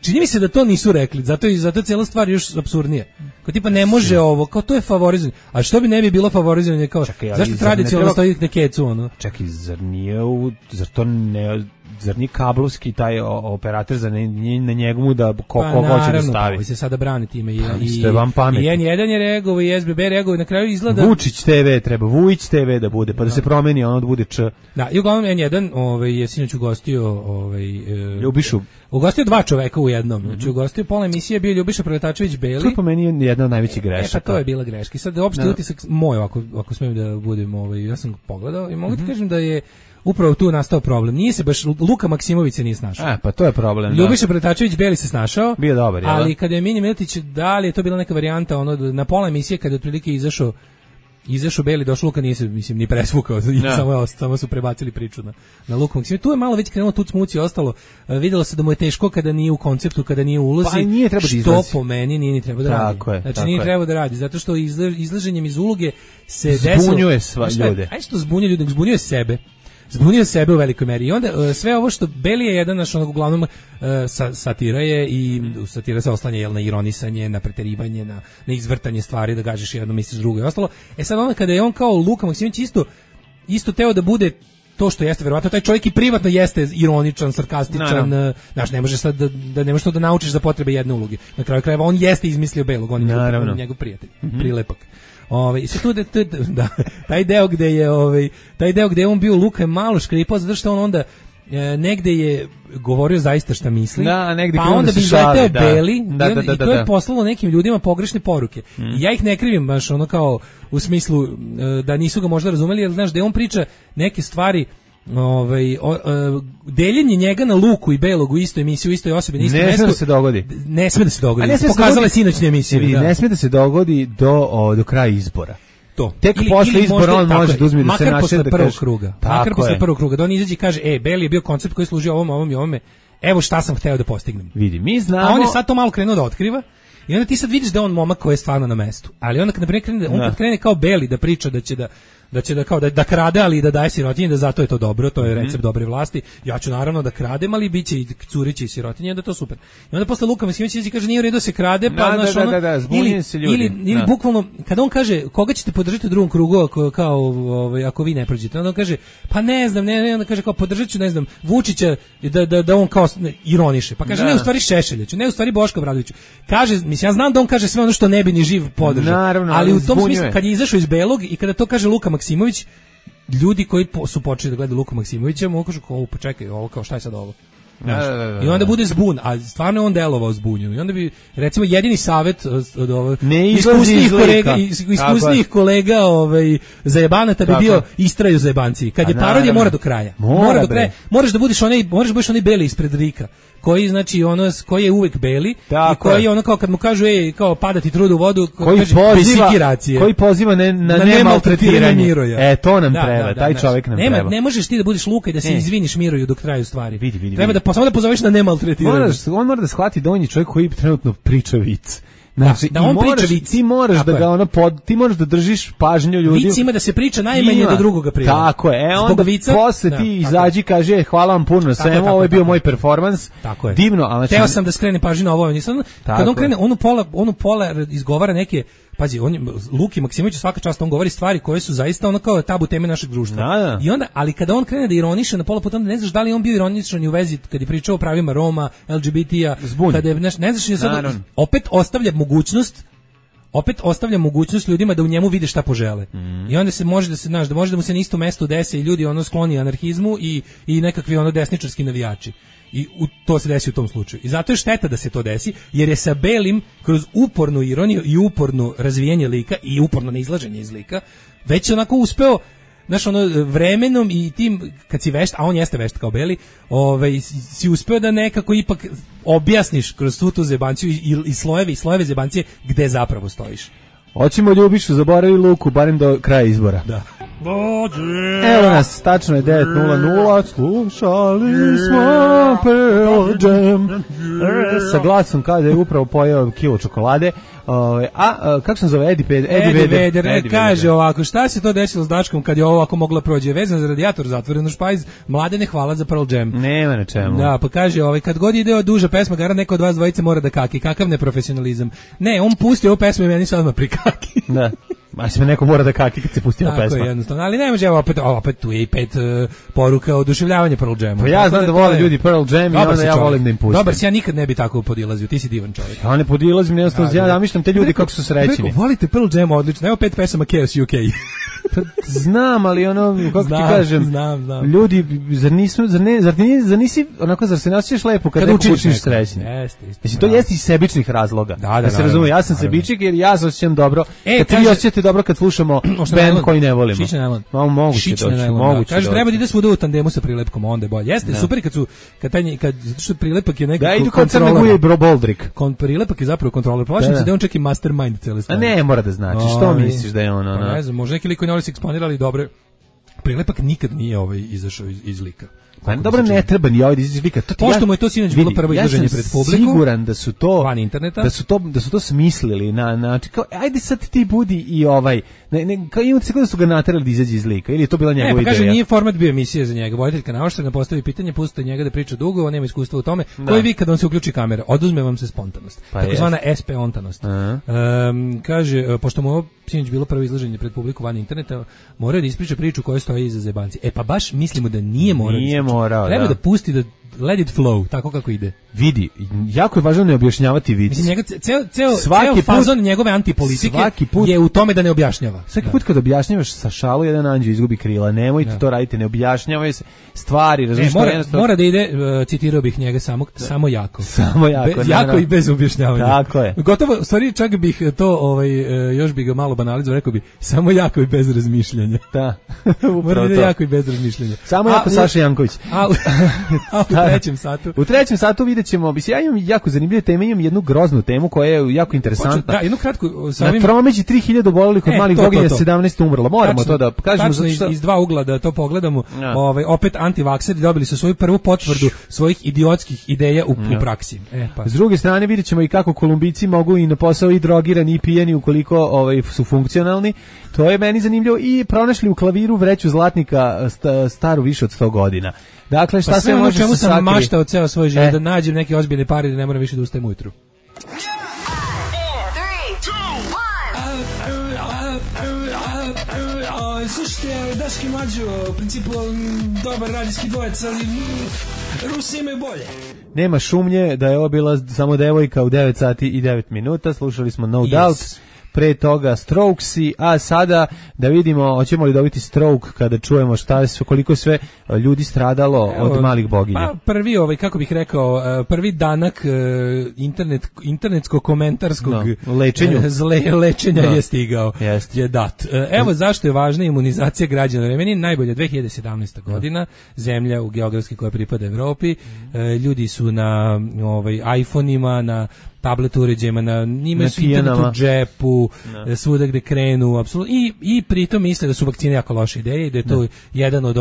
čini mi se da to nisu rekli, zato je cijela stvar još apsurdnija. Kao tipa ne može ovo, kao to je favorizovanje. A što bi ne bi bilo favorizovanje, kao zašto tradicionalno stoji na kecu, ono? Čekaj, zar nije kablovski taj operator za na njegove da koga hoće da stavi? Pa se sada brani time i N1 je reagovao i SBB reagovao i na kraju izgleda... Vučić TV treba, Vujić TV da bude, pa da se promeni, ono da bude Č. Da, i uglavnom N1 je sinoć ugostio... Ljubišu. Ugostio 2 čoveka u jednom. Znači ugostio pola emisije bio Ljubiša Preletačević Beli. To je po meni jedna od najvećih grešaka. Pa to je bila greška. Sad opšte utisak moj, ako smijem da budem, ja sam pogledao i mogu ti kažem da je upravo tu nastao problem. Nije se baš Luka Maksimović se nije snašao. Pa to je problem. Ljubiša Preletačević Beli se snašao. Bio dobar, ali kada je Mini Miletić, da li je to bila neka varijanta, ono na pola emisije kada je otprilike izašao Beli, došao Luka, nije se, mislim, ni presvukao, samo su prebacili priču na Luku Maksimović. Tu je malo već krenulo tuc muci ostalo, vidjelo se da mu je teško kada nije u konceptu, kada nije u ulozi, pa nije treba da što po meni nije ni treba da radi. Znači nije treba da radi, zato što izlaženjem iz uloge se desilo... Zbunjuje sva ljude. Ajde što zbunjuje ljude, zbunjuje sebe. Zbunio sebe u velikoj meri. I onda sve ovo što Beli je jedan naš uglavnom satira je i satira se oslanja na ironisanje, na preterivanje, na izvrtanje stvari, da gađaš jedno, misliš drugo i ostalo. Sad onda kada je on kao Luka Maksimović isto teo da bude to što jeste verovatno taj čovjek i privatno jeste ironičan, sarkastičan, znaš, ne možeš sad da ne možeš to da naučiš za potrebe jedne uloge. Na kraju krajeva on jeste izmislio Belog, on je njegov prijatelj, prilepak. I sve tu da taj deo gde je on bio Luka je malo škripao zato što on onda negde je govorio zaista šta misli, pa onda bi izleteo Beli i to je poslalo nekim ljudima pogrešne poruke. I ja ih ne krivim baš ono kao u smislu da nisu ga možda razumeli, jer znaš da on priča neke stvari, deljenje njega na Luku i Belog u istoj emisiji, u istoj osobi, na istom mestu. Ne sme da se dogodi. Ne sme da se dogodi. Pokazala je sinoćnje emisije. Ne sme da se dogodi do kraja izbora. To. Tek posle izbora on može da uzme da se naše da kaže. Makar posle prvog kruga. Da on izađe i kaže, Beli je bio koncept koji služi ovom i ovome. Evo šta sam hteo da postignem. Vidi, mi znamo. A on je sad to malo krenuo da otkriva. I onda ti sad vidiš da je on momak koji je stvarno na mestu. Ali onda kad krene kao Beli da priča da krade, ali i da daje sirotinji, da zato je to dobro, to je recept dobre vlasti. Ja ću naravno da kradem, ali biće i curići i sirotinje, da je to super. I onda posle Luka Maksimović kaže nije u redu se krade, pa znaš ono, ili bukvalno kada on kaže koga ćete podržati u drugom krugu ako vi ne prođete, onda on kaže pa ne znam, onda kaže kao podržaću, ne znam, Vučića da on kao ironiše. Pa kaže ne u stvari Šešelja ću, ne u stvari Boška Obradovića. Kaže, mislim ja znam da on kaže sve ono što ne bi ni živ podržao. Ali u tom smislu kad je izašao iz Belog i kada to kaže Luka Maksimović, ljudi koji su počeli da gledaju Luku Maksimovića mu kažu kao počekaj, ovo kao šta je sad ovo? I onda bude zbun, a stvarno je on delovao zbunjeno. I onda bi recimo jedini savet od iskusnijih kolega zajebanata bi bio istraju zajebanci. Kad je parodija mora do kraja. Moraš da budeš onaj Beli ispred Rika, koji znači koji je uvek Beli i koji je ono kao kad mu kažu kao padati trud u vodu, koji poziva na nemaltretiranje Miroja. To nam treba, taj čovjek nam treba. Ne možeš ti da budeš Luka i da se izviniš Miroju dok traju stvari. Treba da samo da pozoveš na nemaltretiranje. On mora da shvati da on je čovjek koji trenutno priča vic. Znači, da on priča vic. Ti moraš da ga ti moraš da držiš pažnju ljudi. Vic ima da se priča najmanje do drugoga prije. Tako je. Onda posle ti izađi kaže hvala vam puno na svemu, ovo je bio moj performans. Divno, al znači teo sam da skrenem pažnju na ovo, nisam. Kad on krene, onu pola izgovara neke. Pazi, Luki Maksimović svaka čast on govori stvari koje su zaista ono kao tabu teme našeg društva. I onda, ali kada on krene da ironiše na pola puta, onda ne znaš da li on bio ironičan i u vezi kad je pričao o pravima Roma, LGBT-a, kada je, ne znaš, opet ostavlja mogućnost ljudima da u njemu vide šta požele. I onda se može da mu se na isto mesto desi i ljudi skloni anarhizmu i nekakvi desničarski navijači. I to se desi u tom slučaju. I zato je šteta da se to desi, jer je sa Belim kroz upornu ironiju i uporno razvijanje lika i uporno neizlaženje iz lika već onako uspeo, znaš, vremenom i tim, kad si vešt, a on jeste vešt kao Beli, si uspeo da nekako ipak objasniš kroz svu tu zebanciju i slojeve zebancije gde zapravo stojiš. Hoćemo Ljubišu, zaboravi Luku, barem do kraja izbora. Da. Evo nas, tačno je 9:00, slušali smo Pearl Jam. Sa glasom kada je upravo pojeo kilo čokolade. Kako se zove? Eddie Vedder kaže ovako, šta se to desilo s Daškom kad je ovo ovako mogla prođe? Vezan za radijator, zatvoreno špajz, Mladene, hvala za Pearl Jam. Nema na čemu. Da, pa kaže, kad god ide duža pesma, gara neko od vas dvojice mora da kaki. Kakav neprofesionalizam. Ne, on pusti ovu pesmu i meni se odmah prikaki. Da. A se neko mora da kaki kad se pusti na pesma. Tako je, jednostavno. Ali ne može, opet tu je i 5 poruka oduševljavanja Pearl Jamu. Pa ja znam da vole ljudi Pearl Jam i onda ja volim da im pustim. Dobar si, ja nikad ne bi tako podilazio, ti si divan čovjek. Ja ne podilazim, jednostavno, ja zamišljam te ljudi kako su srećni. Volite Pearl Jam, odlično, evo 5 pesama Chaos UK. Znam, ali kako ti kažem, znam. Ljudi, zar se ne osjećaš lepo kad neko učiniš srećni? Mislim, to jeste iz sebičnih razloga. Da se razume, ja sam sebičnik jer ja se osjećam dobro. Kad ti osjećate dobro kad slušamo band koji ne volimo. Šične najlon. Moguće. Kaže, treba da ide svuda u tandemu sa prilepkom, onda je bolje. Jeste, super kad zato što prilepak je neki kontroler. Da, idu kod Crne Guje i Boldrik. Prilepak je zapravo kontroler. Plašim se da je on čak i mastermind cele stvari. A ne, mora da znači. Što misliš da je on? Ne znam, možda neki lik koji ne voli se eksponirali dobre. Prilepak nikad nije izašao iz lika. Pa dobro, ne treba ni ovdje izlika. Pošto mu je to sinoć bilo prvo izloženje pred publikom. Siguran da su to van interneta. Da su to smislili na kao ajde sad ti budi i kao imate se da su ga naterali da izađe iz lika ili je to bila njegova ideja. Pa kaže nije format bio emisije za njega. Voditeljka naoštrena postavi pitanje, pustite njega da priča dugo, on nema iskustva u tome. Koji vi kad on se uključi kamera, oduzme vam se spontanost. Takozvana SP-ontanost. Kaže pošto mu sinoć bilo prvo izlaženje pred publiku van interneta, morao da ispriča priču koja stoji iza zebanci. E pa baš mislimo da nije morao. Nije morao, treba da pusti da let it flow, tako kako ide. Vidi, jako je važno ne objašnjavati vic. Mislim, njega, ceo fazon njegove antipolitike je u tome da ne objašnjava. Svaki put kad objašnjavaš sa šalu, jedan anđeo izgubi krila. Nemojte to raditi, ne objašnjavaj se stvari. Mora da ide, citirao bih njega samo jako. Samo jako. Jako i bez objašnjavanja. Tako je. Gotovo, u stvari čak bih to, još bih ga malo banalizovao, rekao bi, samo jako i bez razmišljanja. Da. Mora da ide jako i bez razmišljanja. Samo jako Saša Janković. U trećem satu. U trećem satu vidjet ćemo, ja imam jako zanimljive teme, imam jednu groznu temu koja je jako interesantna. Da, jednu kratku. Na tromeđi 3000 obolelih od malih boginja, 17 umrlo. Moramo to da kažemo. Tačno iz dva ugla da to pogledamo. Opet antivakseri dobili su svoju prvu potvrdu svojih idiotskih ideja u praksi. S druge strane vidjet ćemo i kako Kolumbijci mogu i na posao i drogirani i pijeni ukoliko su funkcionalni. To je meni zanimljivo. I pronašli u klaviru vreću zlatnika staru više od 100 godina. Dakle, šta se može čemu sam maštao ceo svoj život, da nađem neke ozbiljne pare da ne moram više da ustajem ujutru. Slušajte, Daški Mlađo, u principu dobar radijski dvojec, ali Rusi imaju bolje. Nema šumnje da je ovo bila samo devojka u 9 sati i 9 minuta, slušali smo No Doubt. Pre toga Strokesi, a sada da vidimo hoćemo li dobiti stroke kada čujemo koliko sve ljudi stradalo od malih boginja. Pa prvi kako bih rekao, prvi danak internetsko-komentarskog lečenja je stigao. Je dat. Evo zašto je važna imunizacija građana. Meni najbolje 2017. godina, zemlja u geografski koja pripada Evropi, ljudi su na iPhone-ima, na tablet uređajima, njima su internet u džepu, svuda gde krenu, apsolutno, i pritom misle da su vakcine jako loše ideje i da je to jedan od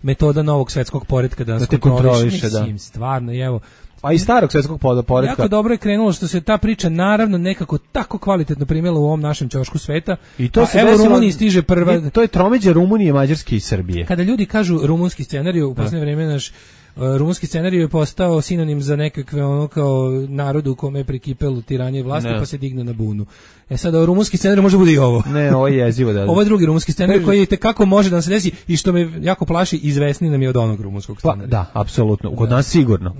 metoda novog svetskog poretka da nas kontroliše. Mislim, stvarno, evo. Pa i starog svetskog poretka. Jako dobro je krenulo što se ta priča naravno nekako tako kvalitetno primjela u ovom našem ćošku sveta. I to se evo Rumuniji stiže prva. To je tromeđa Rumunije, Mađarske i Srbije. Kada ljudi kažu rumunski scenarij, u posljednje vreme naš rumunski scenarij je postao sinonim za nekakve kao narodu u kome je prikipelo tiranje vlasti pa se digne na bunu. Sad rumunski scenarij može bude i ovo. Ne, ovo je jezivo da. Ovo je drugi rumunski scenarij koji kako može da nam se desi i što me jako plaši, izvesni nam je od onog rumunskog scenarija. Da, apsolutno. Kod nas sigurno.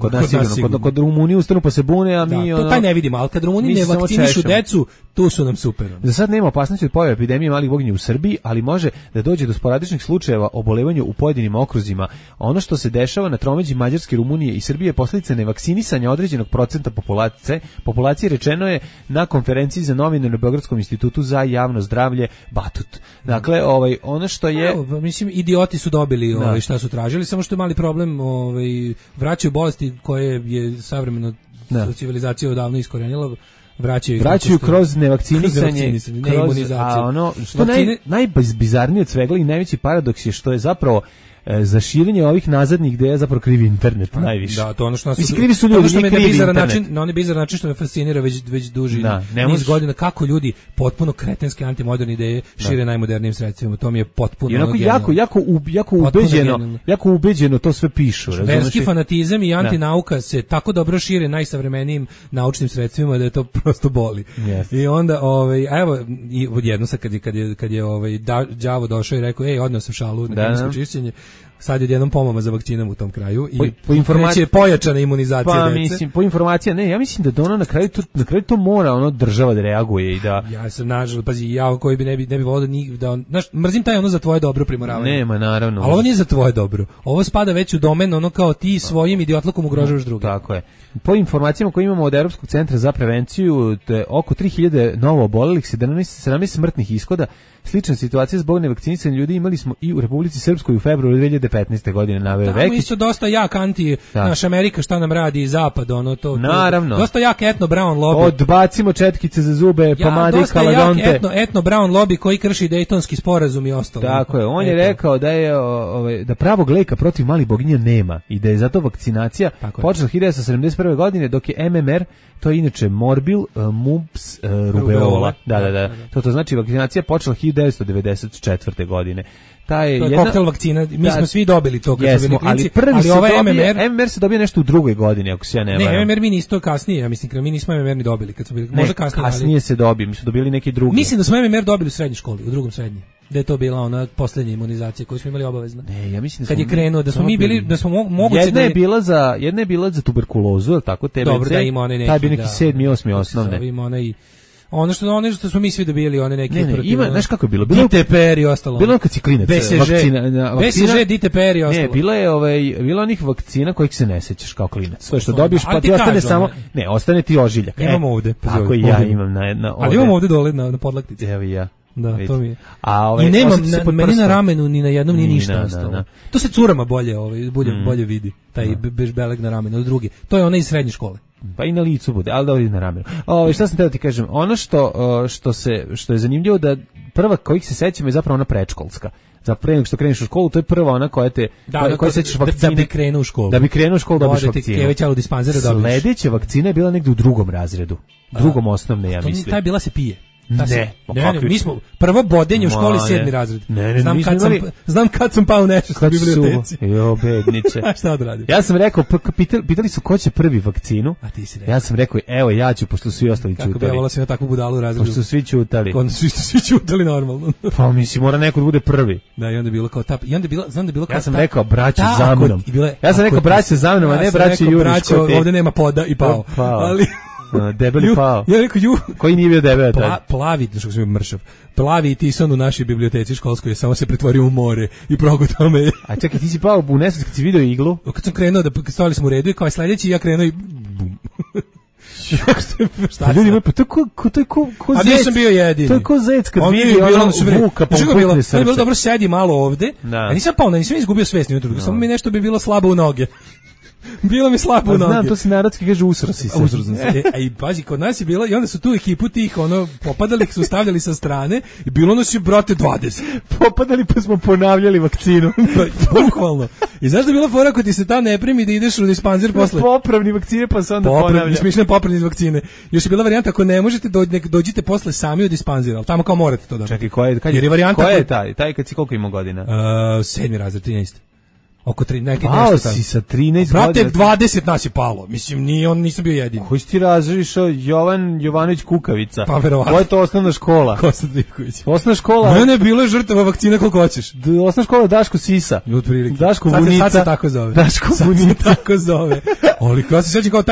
Kod Rumunije ustanu pa se bune, a mi to taj ne vidimo, al kad Rumuni ne vakcinišu decu, tu su nam super. Za sad nema opasnosti od pojave epidemije malih boginja u Srbiji, ali može da dođe do sporadičnih slučajeva obolevanja u pojedinim okruzima. Ono što se dešava na tromeđi Mađarske, Rumunije i Srbije je posljedica nevakcinisanja određenog procenta populacije, rečeno je na konferenciji za novinare Beogradskom institutu za javno zdravlje Batut. Dakle, ono što je mislim idioti su dobili šta su tražili, samo što je mali problem, vraćaju bolesti koje je savremeno civilizacija odavno iskorenila. Vraćaju kroz nevakcinisanje, kroz imunizaciju. A ono što najbizarnije od svega i najveći paradoks je što je zapravo za širenje ovih nazadnih ideja zapravo krivi internet najviše. Da, to ono što nas krivi su ljudi, što me na onaj bizar način što me fascinira već duži niz godina kako ljudi potpuno kretenske antimoderne ideje šire najmodernijim sredstvima. To mi je potpuno jako ubeđeno to sve pišu. Verski fanatizam i antinauka se tako dobro šire najsavremenijim naučnim sredstvima da je to prosto boli. I onda evo i odjedno sad kad je đavo došao i rekao odneo sam šalu na kemijsko čišćenje. Sad je jednom pomama za vakcinom u tom kraju i kreće pojačana imunizacija dece. Mislim, po informacijama, ja mislim da ono na kraju to mora država da reaguje i da... Ja sam nažalost, pazi, ja koji bi ne bi volio da mrzim taj za tvoje dobro primoravanje. Nema, naravno. Ali ovo nije za tvoje dobro. Ovo spada već u domen kao ti svojim idiotlukom ugrožavaš druge. Tako je. Po informacijama koje imamo od Europskog centra za prevenciju, oko 3000 novo obolelih, 17 smrtnih ishoda. Slična situacija zbog nevakcinisanja ljudi imali smo i u Republici Srpskoj u februaru 2015. godine naveo Vekić. Tamo isto dosta jak naša Amerika šta nam radi i zapad, to. Naravno. Dosta jak etno-brown lobby. Odbacimo četkice za zube, pomade i kaladonte. Dosta jak etno-brown lobby koji krši Dejtonski sporazum i ostalo. Tako je, on je rekao da je da pravog leka protiv malih boginja nema i da je zato vakcinacija počela 1971. godine dok je MMR, to je inače morbil, mumps, rubeola. Da. To znači vakcinacija počela 1994. godine. To je koktel vakcina, mi smo svi dobili to kad su bili klinci, ali ovaj MMR se dobije nešto u drugoj godini, ako se ja ne varam. Ne, MMR mi isto kasnije, ja mislim, mi nismo MMR ni dobili kad su bili, možda kasnije. Kasnije se dobije, mi su dobili neki drugi. Mislim da smo MMR dobili u srednjoj školi, u drugom srednje. Da je to bila ona poslednja imunizacija koju smo imali obavezno. Ne, ja mislim da kad je krenuo da smo mi bili da smo moguće jedna je bila za tuberkulozu, al tako TBC. Dobro, da ima one neki. Taj bi neki 7. 8. osnovne. Ima onaj ono što smo mi svi dobili, one neke ima, znaš kako je bilo? DTPR i ostalo. Bilo kad si klinac, vakcina. BCG, DTPR i ostalo. Ne, bilo onih vakcina kojih se ne sećaš kao klinac. To što dobiješ pa ti ostane samo, ne, ostane ti ožiljak. Imamo ovde. Tako ja imam na ali imamo ovde dole na podlaktici. Evo i ja. Da, to mi je. I nemam meni na ramenu ni na jednom nije ništa ostalo. To se curama bolje vidi, taj bežbeleg na ramenu, od drugi. To je ona iz srednje škole. Pa i na licu bude, ali da vidi na ramenu. Šta sam teo ti kažem, ono što je zanimljivo da prva kojih se sećamo je zapravo ona predškolska. Za pre nego što kreneš u školu, to je prva ona koja te koja sećaš vakcine. Da bi krenuo u školu. Da bi krenuo u školu dobiš vakcinu. Sledeća vakcina je bila negde u drugom razredu. Drugom osnovne, ja mislim. Ta bila se pije. Ne, mi smo prvo bodenje u školi 7. razred. Znam kad sam pao nešto u biblioteci. Jo, bedniče. A šta odradio? Ja sam rekao, pitali su ko će prvi vakcinu. A ti si rekao. Ja sam rekao, evo ja ću, pošto svi ostali ćutali. Kako bi ja volao si na takvu budalu u razredu. Pošto su svi ćutali. Svi ćutali normalno. Pa mislim, mora neko da bude prvi. Da, i onda je bilo kao tap. I onda je bilo, znam da je bilo kao ja sam rekao, braće za mnom. Ja sam rekao, braće za mnom, a ne braće Jurić. Ovde nema poda i pao. Ali debeli pao. Ja rekao koji nije bio debel taj. Plavi, što sam mršav. Plavi Tison u našoj biblioteci školskoj je samo se pretvorio u more i progutao me. A čekaj, ti si pao u nesvest kad si video iglu? Kad sam krenuo stojali smo u redu i kao sledeći ja krenuo i bum. Šta ljudi, pa to je ko zec. A nisam bio jedini. To je ko zec kad vidi ono vuka pa pukne srce. Bilo dobro, sedi malo ovde. A nisam pao, nisam izgubio svest ni jutro. Samo mi nešto bi bilo slabo u noge. Bilo mi slabo u noge. Znam, to se narodski kaže usrasi se. A i pazi, kod nas je bilo, i onda su tu ekipu tih, popadali, su stavljali sa strane, i bilo nas je, brate, 20. Popadali pa smo ponavljali vakcinu. Bukvalno. I znaš da je bila fora ako ti se ta ne primi da ideš u dispanzer posle? Popravni vakcine pa se onda ponavlja. Smišne popravni vakcine. Još je bila varijanta, ako ne možete, dođite posle sami u dispanzer, ali tamo kao morate to da. Čekaj, koja je taj? Taj kad si koliko ima godina? 7. razred, 13. Oko 3 neki nešto tamo. Si sa 13 brate, 20 nas je palo. Mislim, nisam bio jedini. Koji si ti razrišao? Jovanović Kukavica. Pa verovatno. Koja je to osnovna škola? Kosta Trivković. Osnovna škola. Mene je bilo žrtava vakcina koliko hoćeš. Osnovna škola Daško Sisa. Daško Vunica. Sad se tako zove. Daško Vunica tako zove. Ali ja se sećam kao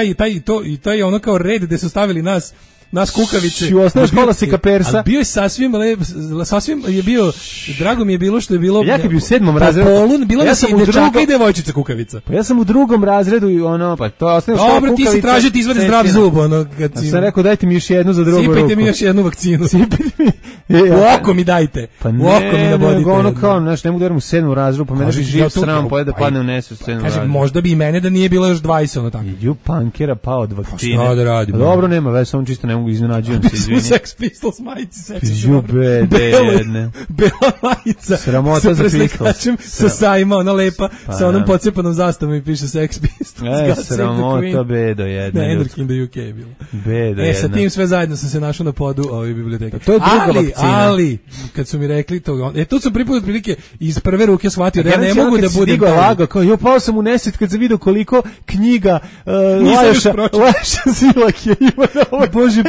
taj ono kao red gde su stavili nas Kukavice. Osnovna škola se Kapersa. Bio je sasvim je bio, drago mi je bilo što je bilo. Ja kad bi u 7. razredu. Bilo ja sam u dečaka i devojčica Kukavica. Pa ja sam u 2. razredu i pa to je osnovna škola Kukavica. Dobro, ti si tražio ti izvadi zdrav zub, kad si. Ja sam rekao dajte mi još jednu za drugu ruku. Sipajte mi još jednu vakcinu. Sipajte mi. U oko mi dajte. Pa u oko mi nabodite. Ono kao, znaš, ne mogu da verujem u 7. razredu, pa mene bi živ sram pojede da padne u nesvest u 7. razredu. Kažem, možda bi i mene da nije bilo još 20 ono tako. Ju pankera pao od vakcine. Šta da radim? Dobro, nema veze, samo čisto ne mogu iznenađujem se. U Sex Pistols majici, bela majica. Sramota za Pistols. Sa sajma, ona lepa, sa onom pocepanom zastavom i piše Sex Pistols. Sramota, bedo jedna. Ne, Anarchy in the UK je bilo. Bedo jedna. Sa tim sve zajedno sam se našao na podu ove biblioteke. To je druga vakcina. Ali, kad su mi rekli to, tu sam prvi put otprilike iz prve ruke shvatio da ja ne mogu da budem lago, kao jo pao sam u nesvest kad sam video koliko knjiga Laša Zilak je ima. Bože,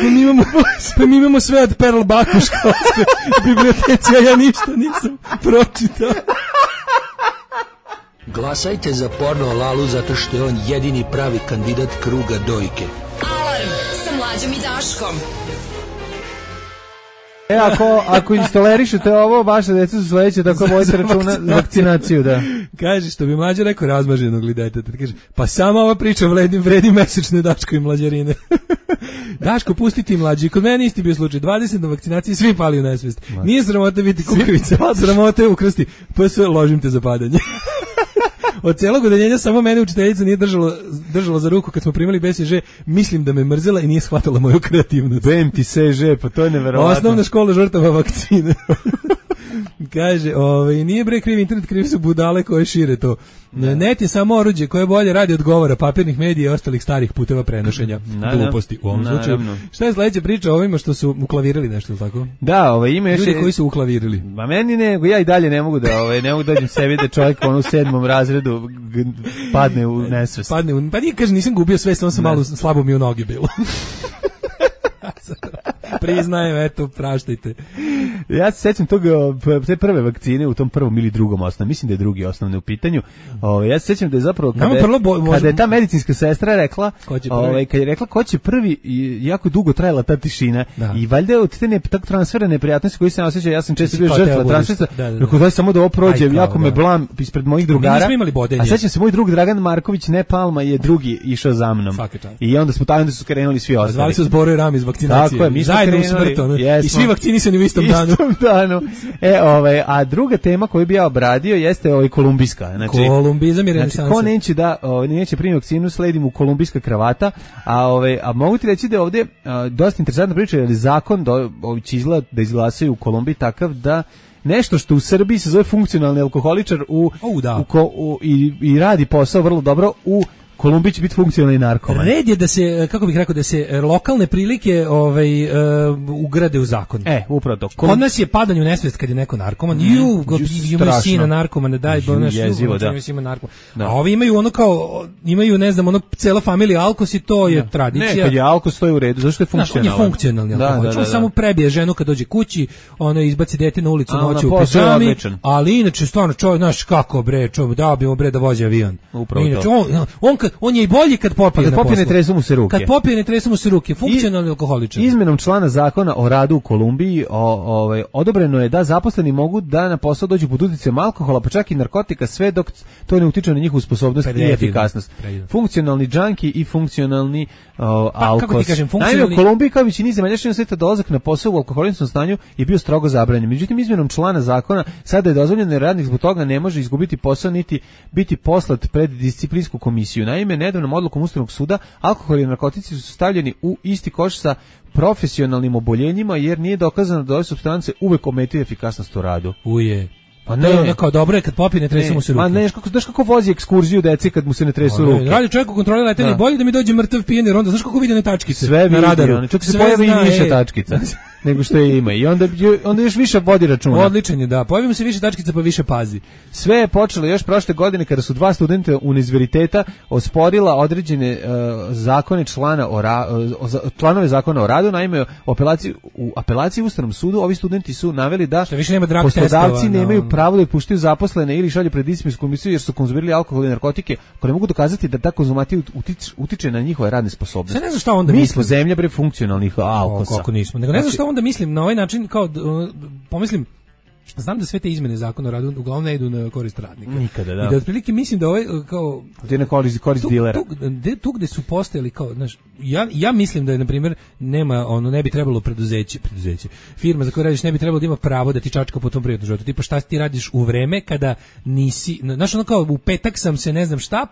pa mi imamo sve od Perl Baku školske biblioteci, a ja ništa nisam pročitao. Glasajte za Porno Lalu zato što je on jedini pravi kandidat kruga dojke. Alarm sa Mlađom i Daškom. Ako istolerišete ovo, vaše deca su sledeće, tako vodite računa za vakcinaciju, da. Kaže, što bi Mlađa rekao razmaženog li deteta, kaže, pa sama ova priča vredi mesečne Daško i mlađarine. Daško, pusti ti Mlađi, kod mene isti bio slučaj, 20 na vakcinaciji, svi pali u nesvest. Nije sramota biti Kukavica, sramota je ukrsti, pa sve ložim te za padanje. Od celog udeljenja samo mene učiteljica nije držala za ruku kad smo primali BCG, mislim da me mrzela i nije shvatala moju kreativnost. BMT CG, pa to je neverovatno. Osnovna škola žrtava vakcine. Kaže, nije bre kriv internet, krivi su budale koje šire to. Net je samo oruđe koje bolje radi od govora, papirnih medija i ostalih starih puteva prenošenja gluposti u ovom slučaju. Šta je sledeća priča o ovima što su uklavirili nešto, ili tako? Da, ima još ljudi koji su uklavirili. Ma meni ne, ja i dalje ne mogu ne mogu dođem sebi da čovjek u 7. razredu padne u nesvest. Pa nije, kaže, nisam gubio svest, on sam malo slabo mi u noge bilo. Priznajem, eto, praštajte. Ja se sećam te prve vakcine u tom prvom ili drugom osnovnom, mislim da je drugi osnovni u pitanju. Ja se sećam da je zapravo kada je ta medicinska sestra rekla, kad je rekla ko će prvi, jako dugo trajala ta tišina i valjda od te transfera neprijatnosti koji se osjeća, ja sam često bio žrtva transfera, rekao daj samo da ovo prođe, jako me blam ispred mojih drugara. A sećam se, moj drug Dragan Marković, ne Palma, je drugi išao za mnom. I onda su krenuli svi ostali. Zvali su Zboro i Rami iz vakcinacije. Tako je, mi smo krenuli. I svi vakcinisani u istom danu. A druga tema koju bi ja obradio jeste kolumbijska. Znači, kolumbizam i renesansa. Ko neće primiti vakcinu, sledim u kolumbijska kravata, a mogu ti reći da je ovdje dosta interesantna priča, jer zakon će da izglasaju u Kolumbiji takav da nešto što u Srbiji se zove funkcionalni alkoholičar i radi posao vrlo dobro, u Kolumbiji će biti funkcionalni narkoman. Red je da se, kako bih rekao, da se lokalne prilike ugrade u zakon. Upravo to. Kod nas je padanje u nesvest kad je neko narkoman. Imaju sina narkomana, daj, jezivo, da. A ovi imaju imaju, ne znam, cela familija alkos i to je tradicija. Ne, kad je alkos, to je u redu, zašto je funkcionalni? On je funkcionalni alkohol. On samo prebije ženu kad dođe kući, izbaci dete na ulicu noću u pidžami, ali inače, stvarno, čovjek, znaš kako bre, dao bi mu bre da vozi avion. Upravo to. On je i bolji kad popije na poslu. Ne tresu mu se ruke. Kad popije ne tresu mu se ruke, funkcionalni alkoholičar. Izmenom člana zakona o radu u Kolumbiji odobreno je da zaposleni mogu da na posao dođu pod uticajem alkohola, pa čak i narkotika, sve dok to ne utiče na njihovu sposobnost i efikasnost. Funkcionalni džanki i funkcionalni alkos. Kako ti kažem, Naime, u Kolumbiji kao većini zemalja širom sveta dolazak na posao u alkoholičnom stanju je bio strogo zabranjen. Međutim, izmenom člana zakona sada je dozvoljeno da radnik zbog toga ne može izgubiti posao niti biti poslat pred disciplinsku komisiju. Naime, nedavnom odlukom Ustavnog suda alkohol i narkotici su stavljeni u isti koš sa profesionalnim oboljenjima, jer nije dokazano da ove supstance uvek ometaju efikasnost u radu. Pa ne, kao dobro je kad popije ne tresu mu se ruke. Ma ne, znaš kako vozi ekskurziju deci kad mu se ne tresu ruke. Radi čovjek u kontroli letenja, bolje da mi dođe mrtav pijen, jer onda znaš kako vidi one tačkice sve na radaru. Čak se pojavi i više tačkica nego što je ima i onda još više vodi računa. Odličan je, da. Pojavi mu se više tačkica pa više pazi. Sve je počelo još prošle godine kada su dva studenta univerziteta osporila određene zakone članove zakona o radu. Naime, u apelaciji Ustavnom sudu ovi studenti su naveli da poslodavci nemaju pravo da puštaju zaposlene ili šalju pred disciplinsku komisiju jer su konzumirali alkohol i narkotike, ako ne mogu dokazati da ta konzumacija utiče na njihove radne sposobnosti. Ne znam šta onda mi smo zemlja bre funkcionalnih alkosa. Kako nismo. Nego ne znam šta onda mislim na ovaj način, kao pomislim, znam da sve te izmene zakona o radu uglavnom ne idu na korist radnika. Nikada, da. I da otprilike mislim da ovaj kao ti ne korist dilera. Tu gde su postojali kao, znaš, ja mislim da je na primjer ne bi trebalo preduzeće, firma za koju radiš ne bi trebalo da ima pravo da ti čačka po tom privatnom životu. Tipa šta ti radiš u vreme kada nisi, znaš, ono kao u petak sam se ne znam šta,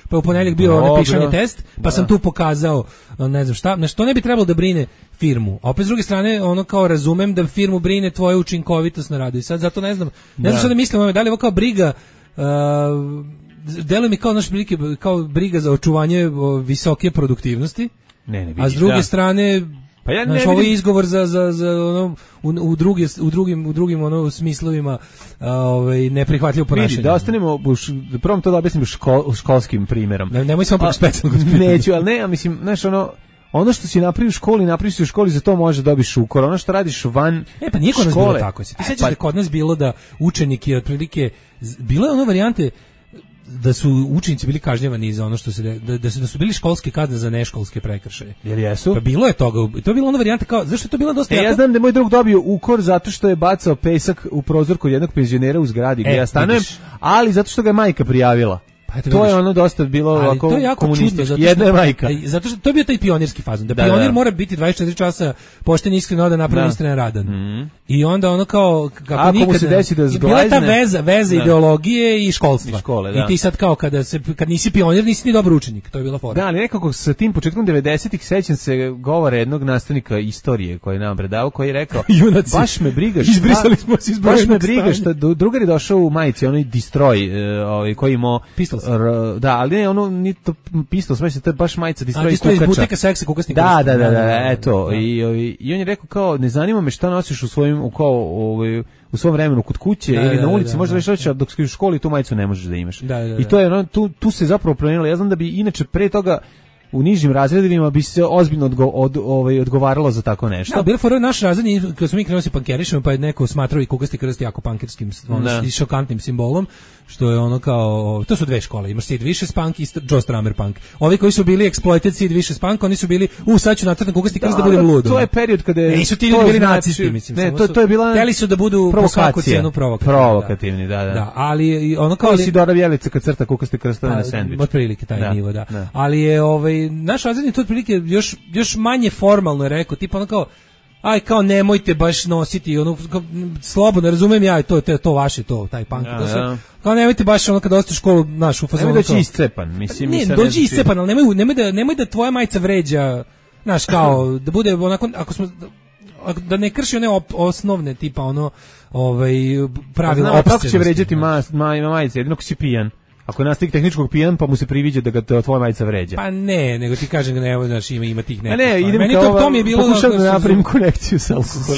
pa u ponedjeljak bio pišani test, pa sam tu pokazao ne znam šta, znači to ne bi trebalo da brine firmu. A opet s druge strane, ono kao razumem da firmu brine tvoja učinkovitost na radu. I sad zato ne znam šta da mislim, da li je ovo kao briga, deluje mi kao naš prilike, kao briga za očuvanje visoke produktivnosti. Ne vidiš, a s druge strane, pa ja znaš, ovo je izgovor za ono, u drugim ono smislovima neprihvatljivo ponašanje. Vidi, da ostanemo, prvom to da objasnim školskim primjerom. Nemoj samo specijalno. Neću, ali ne, ja mislim, znaš, ono što si napravio u školi, za to može dobiš šukor. Ono što radiš van pa nije kod nas bilo tako. Ti sećaš da kod nas bilo da učenik je otprilike, bilo je ono varijante da su učenici bili kažnjavani za ono što se da su bili školske kazne za neškolske prekršaje. Jel jesu? Pa bilo je toga. To je bila ona varijanta kao, zašto je to bilo dosta ja znam da je moj drug dobio ukor zato što je bacao pesak u prozor kod jednog penzionera u zgradi gdje ja stanujem, ali zato što ga je majka prijavila. To je ono dosta bilo ovako komunistički. Jedna je majka. Zato što to je bio taj pionirski fazon. Da pionir mora biti 24 časa pošten, iskren, da napravi iskren radan. I onda ono kao kako nikad se desi da zglajzne. Bila ta veza ideologije i školstva. I ti sad kao kad nisi pionir, nisi ni dobar učenik. To je bila fora. Da, ali nekako sa tim početkom 90-ih sećam se govora jednog nastavnika istorije koji je nam predavao, koji je rekao: "Junaci, baš me briga, izbrisali smo se iz baš me briga što drugar je došao u majici, onaj Destroy, koji imao Pistols. Da, ali ne, ono ni to Pistols, mislim to je baš majica Destroy kukača. Iz buteka seksa kukasnika. Da, eto. I on je rekao kao: "Ne zanima me šta nosiš u svojim u svom vremenu kod kuće ili na ulici, možda već reći, dok si u školi tu majicu ne možeš da imaš." I to je tu se zapravo promenilo. Ja znam da bi inače pre toga u nižim razredima bi se ozbiljno odgovaralo za tako nešto. Da, bilo fora naš razred, kad smo mi krenuli se pankerišemo, pa je neko smatrao i kukasti krst jako pankerskim, i šokantnim simbolom, što je ono kao, to su dve škole, imaš Sid Vicious punk i Joe Strummer punk. Ovi koji su bili exploited Sid Vicious punk, oni su bili, sad ću nacrtati kukasti krst da budem lud. To je period kada je... Nisu ti ljudi bili nacisti, mislim. Ne, to je bila... Hteli su da budu po svaku cijenu provokativni, da. Da, ali ono kao... Kao si Dora Vjelica kad crta kukasti krstove na sendvič. Otprilike taj nivo, da. Ali je naš razredni to otprilike još manje formalno je rekao, tipa ono kao, aj kao nemojte baš nositi, ono, slobodno, razumijem ja, to vaše, taj punk, kao nemojte baš ono kad dođete u školu, naš u fazonu. Nemoj doći iscepan, mislim. Ne, dođi iscepan, ali nemoj da tvoja majica vređa, znaš, kao, da bude onako, da ne krši one osnovne, tipa ono, pravila opscenosti. Kako će vređati majice, jedino ko si pijan? Ako je nastavnik tehničkog pijan, pa mu se priviđa da ga tvoja majica vređa. Pa ne, nego ti kažem da ne, znaš, ima tih nekih. Ne, idem meni kao to mi je bilo pokušam da napravim konekciju sa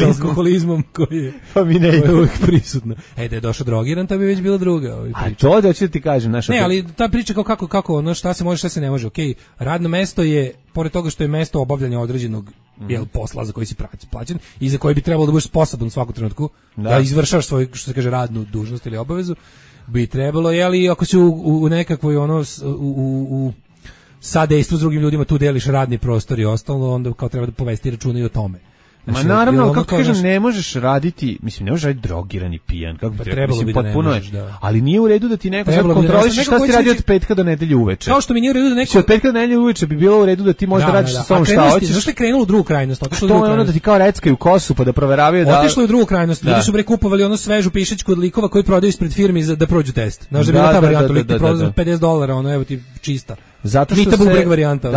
alkoholizmom koji je, pa mi ne ide uvijek prisutno. Da je došao drogiran, to bi već bila druga priča. A to da ću da ti kažem, znaš. Ne, ali ta priča kako, ono šta se može, šta se ne može. Okej, radno mesto je, pored toga što je mesto obavljanja određenog posla za koji si plaćen i za koji bi trebalo da budeš sposoban u svakom trenutku da izvršavaš svoju, što se kaže, radnu dužnost ili obavezu, bi trebalo, jeli, ako si u nekakvoj u sadejstvu s drugim ljudima, tu deliš radni prostor i ostalo, onda kao treba da povesti računa i o tome. Znači, naravno, kako kažem, ne možeš raditi, mislim, ne možeš raditi drogiran i pijan, kako bi trebalo, mislim, potpuno je, ali nije u redu da ti neko sad kontroliš šta si radi od petka do nedelje uveče. Kao što mi nije u redu da neko... Od petka do nedelje uveče bi bilo u redu da ti možda radiš sa sobom šta hoćeš. Zašto je krenulo u drugu krajnost? To je ono da ti kao reckaju kosu pa da proveravaju da... Otišlo je u drugu krajnost, ljudi su kupovali ono svežu pišećku od likova koji prodaju ispred firmi da prođu test. Znaš da bi bila ta varijanta, lik ti prodaje za $50, ono, evo ti čista. Zato što Mita Bubreg varijanta,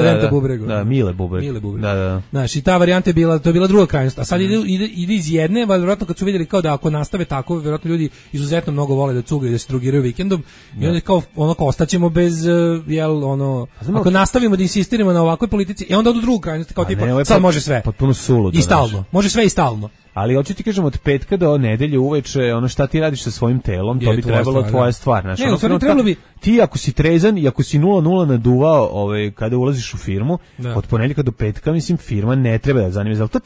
Renta Bubregu. Da, Mile Bubreg. Da. Znaš, i ta varijanta je bila, to je bila druga krajnost. A sad ide iz jedne, vjerojatno kad su vidjeli kao da ako nastave tako, vjerojatno ljudi izuzetno mnogo vole da cugaju, da se drogiraju vikendom, i onda kao ostaćemo bez, ako nastavimo da insistiramo na ovakvoj politici, i onda odu drugu krajnost, kao tipa, sad može sve. Potpuno suludo. I stalno. Može sve i stalno. Ali hoću ti kažem, od petka do nedelje uveče, ono šta ti radiš sa svojim telom, to bi trebalo tvoja stvar. Znači, trebalo bi... Ti ako si trezan i ako si 0-0 naduvao kada ulaziš u firmu, od ponedjeljka do petka, mislim, firma ne treba da zanima. Ali to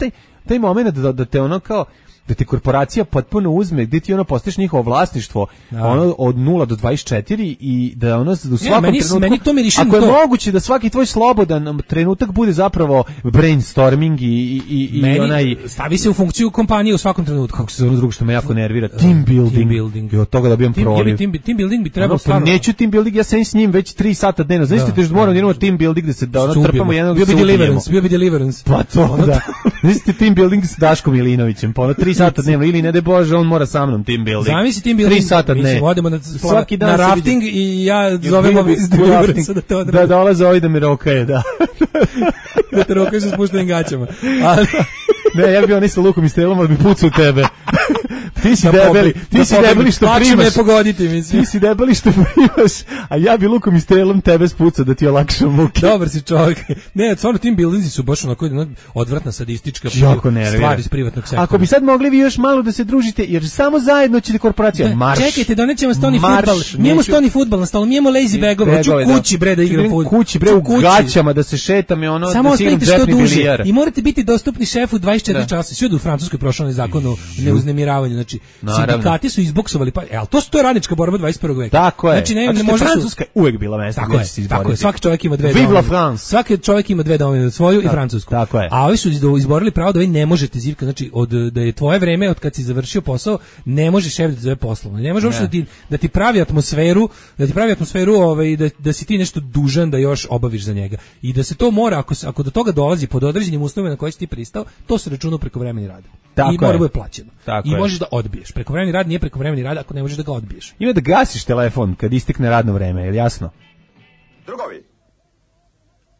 taj moment da te ono kao, da te korporacija potpuno uzme, gdje ti ono postaješ njihovo vlasništvo, ono od 0 do 24 i da ono u svakom trenutku, ako je moguće da svaki tvoj slobodan trenutak bude zapravo brainstorming i onaj... Stavi se u funkciju kompanije u svakom trenutku. Kako se zove drugo što me jako nervira? Team building. I od toga dobijam proliv. Team building bi trebalo stvarno... Neću team building, ja sam s njim već 3 sata dnevno. Znači ti moram da imamo team building da ono trpamo jednog bio bi Deliverance. Pa to, da. Znači team building s Daškom Milinovićem, pa ono 3 sata dnevno, ili ne de Bože, on mora sa mnom team building. Zamisli team building. 3 sata dnevno. Mi odemo na rafting i ja zovem ovi iz Deliverance da to odradi. Da dolaze ovi da me rokaje, da. Da te rokaju sa spuštenim gaćama. Ali... Ne, ja bih bio sa lukom i strelom, ali bi pucao u tebe. Ti si debeli što primaš. Me pogoditi, mislim. Ti si debeli što primaš, a ja bi lukom i strelom tebe spucao da ti olakšam muke. Dobar si čovjek. Ne, stvarno team buildingsi su baš onako odvratna sadistička stvar iz privatnog sektora. Ako bi sad mogli vi još malo da se družite, jer samo zajedno će korporacija marš. Čekajte, donećemo stoni fudbal. Mi imamo stoni fudbal na stolu, mi imamo lazy bagove, hoću kući bre da igram fudbal. Kući bre u gaćama da se šetam i ono da se igram džepni bilijar. I morate biti dostupni šefu 24 časa. Svi u Francuskoj prošao zakon o neuznemiravanje, znači Znači, sindikati su izboksovali, ali to je radnička borba 21. veka. Tako je. Znači, ne možda Francuska je uvek bila mesto gdje će se izboriti. Tako je, svaki čovjek ima dve Vive la France. Svaki čovjek ima dve domovine, svoju i francusku. Tako je. A ovi su izborili pravo da vi ne možete zivka, znači da je tvoje vreme od kad si završio posao, ne može šef da zove poslovno. Ne može uopšte da ti pravi atmosferu, da si ti nešto dužan da još obaviš za njega. I da se to mora, ako do toga dolazi pod određenim uslovima na koje si ti pristao, to se računa u prekovremeni rad. I mora bude plaćeno. I možeš da odbiješ. Prekovremeni rad nije prekovremeni rad ako ne možeš da ga odbiješ. Ima da gasiš telefon kad istekne radno vreme, je li jasno? Drugovi,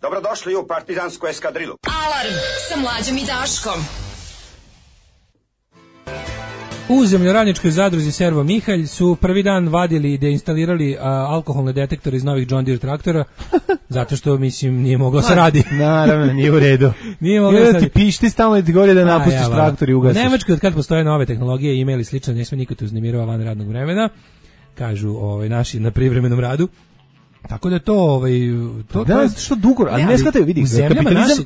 dobrodošli u partizansku eskadrilu. Alarm sa Mlađom i Daškom. U zemljoradničkoj zadruzi Servo Mihalj su prvi dan vadili i deinstalirali alkoholne detektore iz novih John Deere traktora, zato što, mislim, nije moglo se radi. Naravno, nije u redu. Nije moglo se radi. Ti pišti stalno ti govori da napustiš traktor i ugasiš. U Nemačkoj, od kad postoje nove tehnologije, imeli slično, ne sme niko te uznemirava van radnog vremena, kažu naši na privremenom radu. Tako da to da, što dugo, ali ne shvataju, vidi,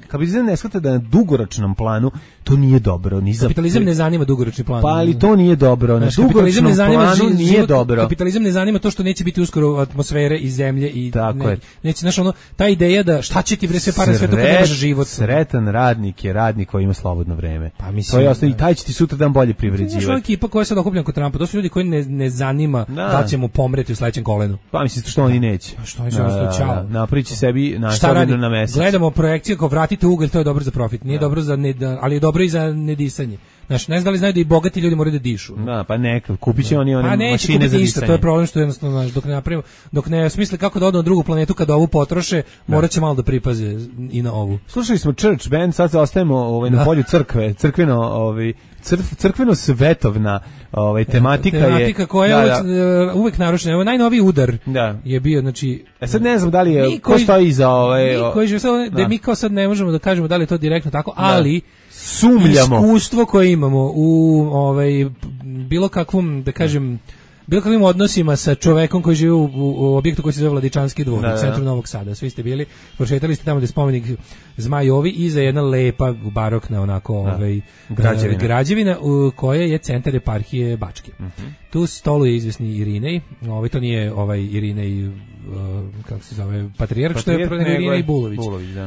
kapitalizam ne shvata da na dugoročnom planu to nije dobro, ni za kapitalizam ne zanima dugoročni plan. Pa ali to nije dobro, na dugoročnom planu nije dobro. Kapitalizam ne zanima to što neće biti uskoro atmosfere i zemlje i neće, znaš, ta ideja da šta će ti bre sve pare sve to kad nemaš život. Sretan radnik je radnik koji ima slobodno vreme. Pa mislim, to je osnovno, i taj će ti sutra dan bolje privređivati. Znaš, ekipa koja je sad okupljena kod Trumpa, to su ljudi koji ne zanima da će mu pomreti u sledećem kolenu. Pa mislim što oni neće. Što je čao. Napriči sebi nastavljeno na mesec. Gledamo projekcije kao vratite ugalj, to je dobro za profit. Nije dobro za ali je dobro i za nedisanje. Znaš, ne znam da li znaju da i bogati ljudi moraju da dišu. Da, pa neka, kupit će oni one mašine za disanje. To je problem što jednostavno, dok ne napravimo, dok ne smisle kako da odu na drugu planetu kada ovu potroše, morat će malo da pripaze i na ovu. Slušali smo Church Band, sad ostajemo na polju crkve, crkveno svetovna tematika koja je uvek narušena. Evo najnoviji udar je bio, znači sad ne znam da li je ko stoji iza da mi kao sad ne možemo da kažemo da li je to direktno tako, ali sumnjamo. Iskustvo koje imamo u bilo kakvom, da kažem, bilo kakvim odnosima sa čovekom koji živi u objektu koji se zove Vladičanski dvor u centru Novog Sada. Svi ste bili, prošetali ste tamo gde je spomenik Zmajovi i za jedna lepa barokna onako građevina koja je centar eparhije Bačke. Tu stoluje izvesni Irinej, to nije Irinej kako se zove, patrijarh, što je Irinej Bulović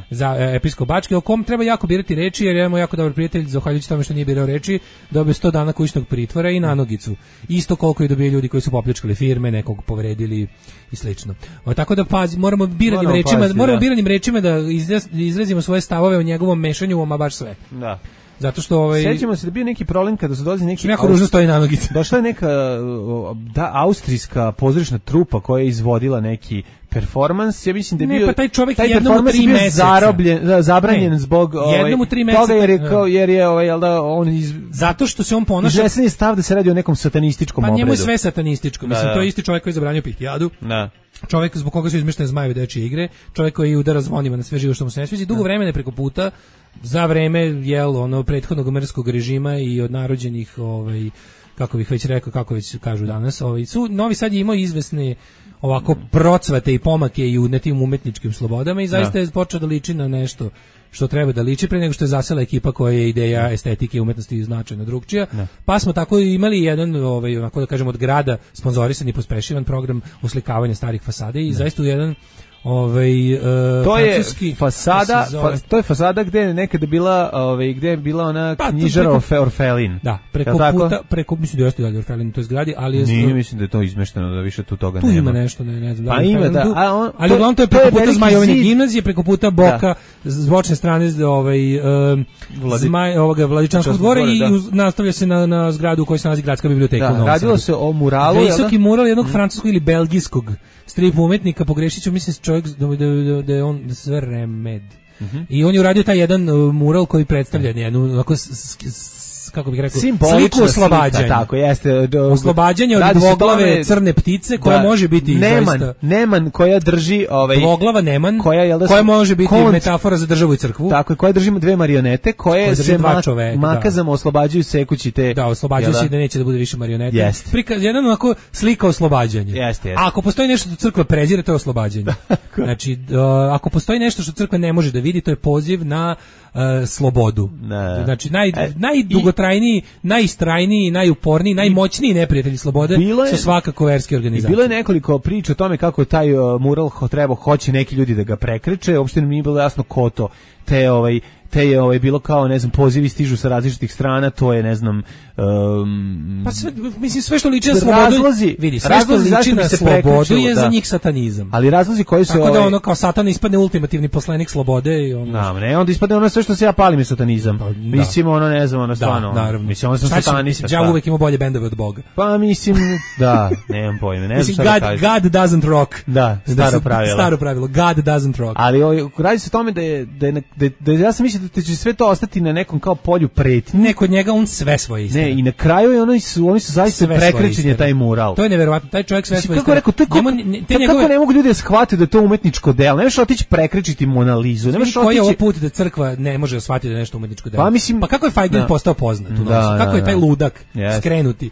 za episkop Bačke, o kom treba jako birati reči, jer je moj jako dobar prijatelj, zahvaljujući tome što nije birao reči, dobio 100 dana kućnog pritvora i nanogicu. Isto koliko i dobije ljudi koji su popljačkali firme, nekog povredili i slično. Tako da moramo biranim rečima da izrazimo svoje stavove o njegovom mešanju, ama baš sve. Da. Zato što sećamo se da bio neki problem kada su dolazi neki jako ružno stoji na nogice. Došla je neka austrijska pozorišna trupa koja je izvodila neki performans, ja mislim da je bio pa taj čovjek jednom u 3 meseca zabranjen zbog jednom u 3 meseca jer je on zato što se on ponaša izvesen je stav da se radi o nekom satanističkom obrazu. Pa njemu je sve satanističko, mislim to je isti čovjek koji je zabranio Pihtijadu. Čovjek zbog koga su izmeštene Zmajeve dečije igre, čovjek koji udara zvonima na sve živo što mu se ne sviđa, dugo vremena preko puta za vreme prethodnog mrskog režima i od narođenih kako bih već rekao, kako već kažu danas, Novi Sad je imao izvesne ovako procvate i pomake i u nekim umetničkim slobodama i zaista je počeo da liči na nešto što treba da liči pre nego što je zasela ekipa koja je ideja estetike i umetnosti značajno drugčija. Pa smo tako imali jedan, onako da kažemo, od grada sponzorisan i pospešivan program uslikavanja starih fasade i zaista u jedan to je fasada, to je fasada gde je nekada bila, gde je bila ona knjižara Orfelin. Da, preko mislim da jeste dalje Orfelin u toj zgradi, ali nije, mislim da je to izmešteno, da više tu toga nema. Tu ima nešto, ne znam. Pa ima, da. Ali uglavnom to je preko puta Zmajovine gimnazije, preko puta Boka, s bočne strane Vladičanskog dvora i nastavlja se na zgradu u kojoj se nalazi gradska biblioteka. Da, radilo se o muralu. Visoki mural jednog francuskog ili belgijskog strip umetnika, pogrešiću, mislim čovjek da je on sve Remed. I on je uradio taj jedan mural koji predstavlja jednu onako kako bih rekao, sliku oslobađanja. Tako, jeste. Oslobađanje od dvoglave crne ptice koja može biti Neman koja drži dvoglava Neman koja može biti metafora za državu i crkvu. Tako, koja držimo dve marionete koje se makazama oslobađaju sekući te. Da, oslobađaju se da neće da bude više marionete. Prikaz jedan onako slika oslobađanja. A ako postoji nešto što crkva prezire, to je oslobađanje. Znači, ako postoji nešto što crkva ne može da vidi, to je poziv na slobodu. Znači najdugotrajniji najistrajniji, najuporniji, najmoćniji neprijatelji slobode su svakako verske organizacije. Bilo je nekoliko priča o tome kako je taj mural hoće neki ljudi da ga prekreče, uopšte mi nije bilo jasno ko to, te je bilo kao, ne znam, pozivi stižu sa različitih strana, to je, ne znam... pa sve što liči na slobodu, vidi, sve što liči na slobodu je za njih satanizam. Ali razlozi koji su... Tako da ono kao satan ispadne ultimativni poslanik slobode i ono... Ne, onda ispadne ono sve što se ja palim je satanizam. Mislim, ono, ne znam, ono stvarno... Da, naravno. Mislim, ono sam satanista. Ja uvek imao bolje bendove od Boga. Pa mislim, da, nemam pojme, ne znam šta da kažem. God doesn't rock. Da, staro pravilo. God doesn't rock. Ali radi se o tome da ja sam mislio da će sve to ostati na nekom kao polju pretnje. Ne, kod njega on sve svoje istine. Ne, i na kraju oni su zaista prekrećen taj mural. To je neverovatno, taj čovjek sve svoje istine. Kako ne mogu ljudi da shvate da je to umetničko delo? Ne možeš otići prekrečiti Mona Lizu. Ne možeš koji je ovo put da crkva ne može shvatiti da je nešto umetničko delo. Pa kako je Feiglin postao poznat u nas? Kako je taj ludak skrenuti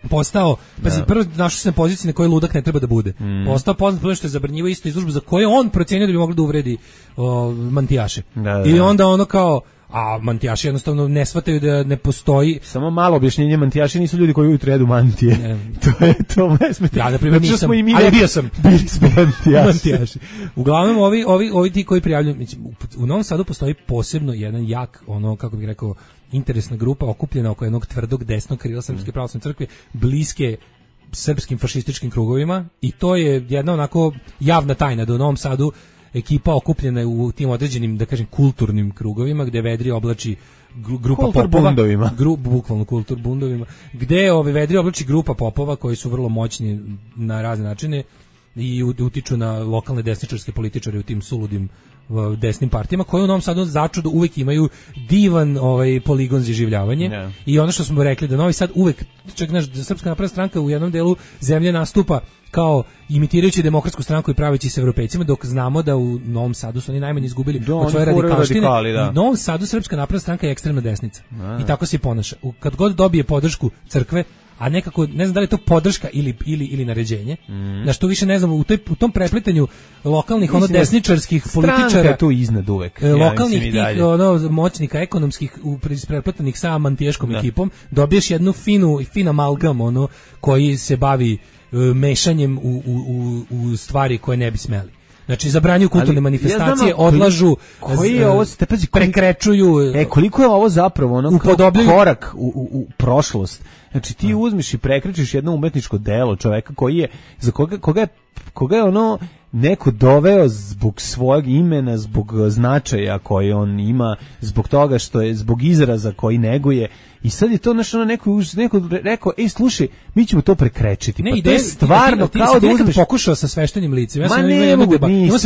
postao, prvo našao se na poziciji na kojoj ludak ne treba da bude. Postao poznat zato što je zabranjivao isto izložbu za koje on procenio da bi moglo da uvredi mantijaše. I onda ono kao, a mantijaši jednostavno ne shvataju da ne postoji. Samo malo objašnjenje, mantijaši nisu ljudi koji ujutro jedu mantije. To je to mesmeti. Ja, na primjer, nisam, ali bio sam. Bili smo mantijaši. Uglavnom, ovi ti koji prijavljuju, u Novom Sadu postoji posebno jedan jak, ono, kako bih rekao, interesna grupa okupljena oko jednog tvrdog desnog krila Srpske pravoslavne crkve, bliske srpskim fašističkim krugovima, i to je jedna onako javna tajna da u Novom Sadu ekipa okupljena u tim određenim, da kažem, kulturnim krugovima, gde vedri oblači grupa popova, bukvalno kultur bundovima, gde vedri oblači grupa popova koji su vrlo moćni na razne načine i utiču na lokalne desničarske političare u tim suludim desnim partijama, koje u Novom Sadu začudo uvek imaju divan poligon za življavanje. I ono što smo rekli, da Novi Sad uvek, čak naš Srpska napredna stranka u jednom delu zemlje nastupa kao imitirajući demokratsku stranku i praveći se evropejcima, dok znamo da u Novom Sadu su oni najmanje izgubili od svoje radikalštine. U Novom Sadu Srpska napredna stranka je ekstremna desnica. I tako se ponaša. Kad god dobije podršku crkve, a nekako, ne znam da li je to podrška ili naređenje, na što više ne znam, u tom lokalnih desničarskih političara, stranka je tu iznad uvek. Lokalnih tih moćnika ekonomskih isprepletanih sa mantiješkom ekipom, dobiješ jednu fin amalgam koji se bavi mešanjem u stvari koje ne bi smeli. Znači, zabranjuju kulturne manifestacije, odlažu, prekrečuju. Koliko je ovo zapravo korak u prošlost. Znači, ti uzmiš i prekrečiš jedno umetničko delo čoveka koji je, za koga je neko doveo zbog svojeg imena, zbog značaja koji on ima, zbog toga što je, zbog izraza koji neguje. I sad je to neko rekao, slušaj, mi ćemo to prekrečiti. Ne, to je stvarno kao da uzmeš... pokušao sa sveštenim licima. Ja sam imao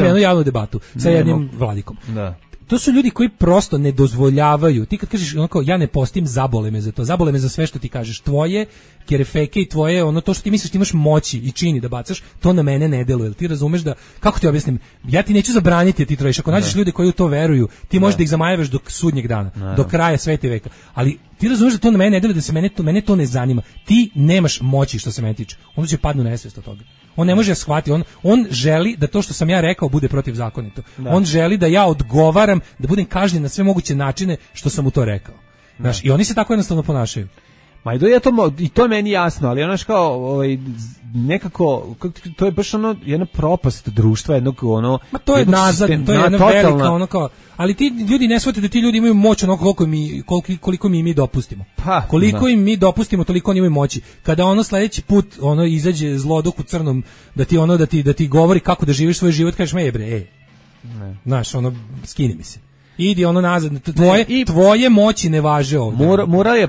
jednu javnu debatu sa jednim vladikom. Da. To su ljudi koji prosto ne dozvoljavaju. Ti kad kažeš ja ne postim, zabole me za to. Zabole me za sve što ti kažeš. Tvoje kerefeke i tvoje to što ti misliš ti imaš moći i čini da bacaš, to na mene ne deluje. Ti razumeš da, kako ti objasnim, ja ti neću zabraniti ti trojiš. Ako nađeš ljude koji u to veruju, ti možeš da ih zamajavaš do sudnjeg dana, do kraja sveta i veka. Ali ti razumeš da to na mene ne deluje, da se mene to ne zanima. Ti nemaš moći što se mene tiče. Onda će padnu nesvest od toga. On ne može shvatiti, on želi da to što sam ja rekao bude protivzakonito. On želi da ja odgovaram, da budem kažnjen na sve moguće načine što sam mu to rekao. Znaš, i oni se tako jednostavno ponašaju. Ma i to je meni jasno, ali kao nekako, to je baš jedna propast društva, jednog Ma to je nazad, to je jedna velika kao, ali ti ljudi ne shvataju da ti ljudi imaju moć koliko mi dopustimo. Koliko im mi dopustimo, toliko oni imaju moći. Kada sledeći put izađe zloduh u crnom da ti govori kako da živiš svoj život, kažeš znaš, skini mi se. Idi nazad, tvoje moći ne važe ovdje. Mural je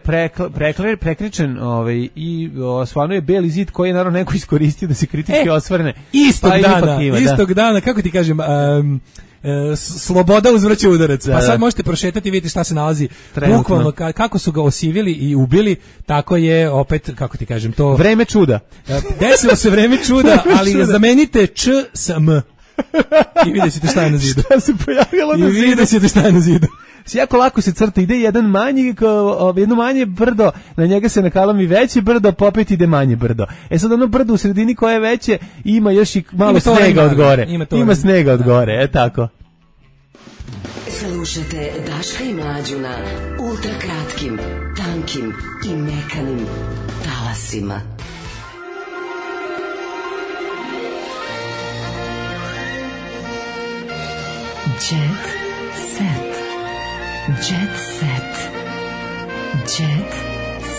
prekričen i stvarno je beli zid koji je naravno neko iskoristio da se kritički osvrne. Istog dana, kako ti kažem, sloboda uzvraća udarac. Pa sad možete prošetati i vidjeti šta se nalazi. Bukvalno, kako su ga osivili i ubili, tako je opet, kako ti kažem, to... Vreme čuda. Desilo se vreme čuda, ali zamenite Č sa M. I vidjet ćete šta je na zidu. Šta se pojavilo na zidu? I vidjet ćete šta je na zidu. Jako lako se crta, ide jedno manje brdo, na njega se nakalami veće brdo, popet ide manje brdo. Sad brdo u sredini koje je veće, ima još i malo snega od gore. Ima snega od gore, tako. Slušajte Daška i Mlađu na ultra kratkim, tankim i mekanim talasima. Jet set. Jet set. Jet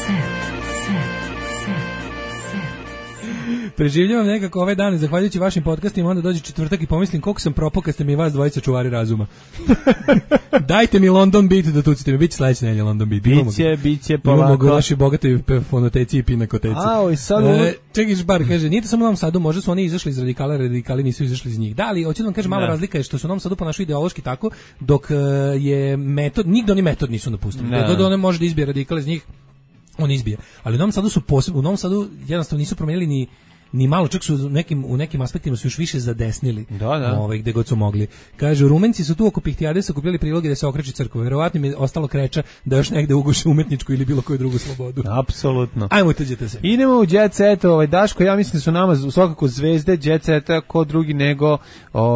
set. Preživljavam nekako ove dane, zahvaljujući vašim podcastima, onda dođe četvrtak i pomislim koliko sam propao kad ste mi vas dvojica čuvari razuma. Dajte mi London Beat da tucite mi, biće sledeće nedelje London Beat. Biće polako. Imamo vaši bogatoj fonoteci i pinakoteci. Čekaj, bar kaže, nije to samo u Novom Sadu, možda su oni izašli iz radikala, radikali nisu izašli iz njih. Da, ali hoću da vam kažem, mala razlika je što su u Novom Sadu ponašaju ideološki tako, dok je metod, nigde oni metod nisu napustili. Da one može da izbije radikale iz njih, on izbije. Ali u Novom Sadu su posebno, u Novom Sadu jednostavno nisu promenili ni malo, čak su u nekim aspektima su još više zadesnili. Gde god su mogli. Kažu, Rumenci su tu oko Pihtijade sakupljali priloge da se okreći crkva. Verovatno mi je ostalo kreča da još negde uguše umetničku ili bilo koju drugu slobodu. Apsolutno. Ajmo, tuđete se. Idemo u Jet Set, Daško, ja mislim da su nama svakako zvezde Jet Seta ko drugi nego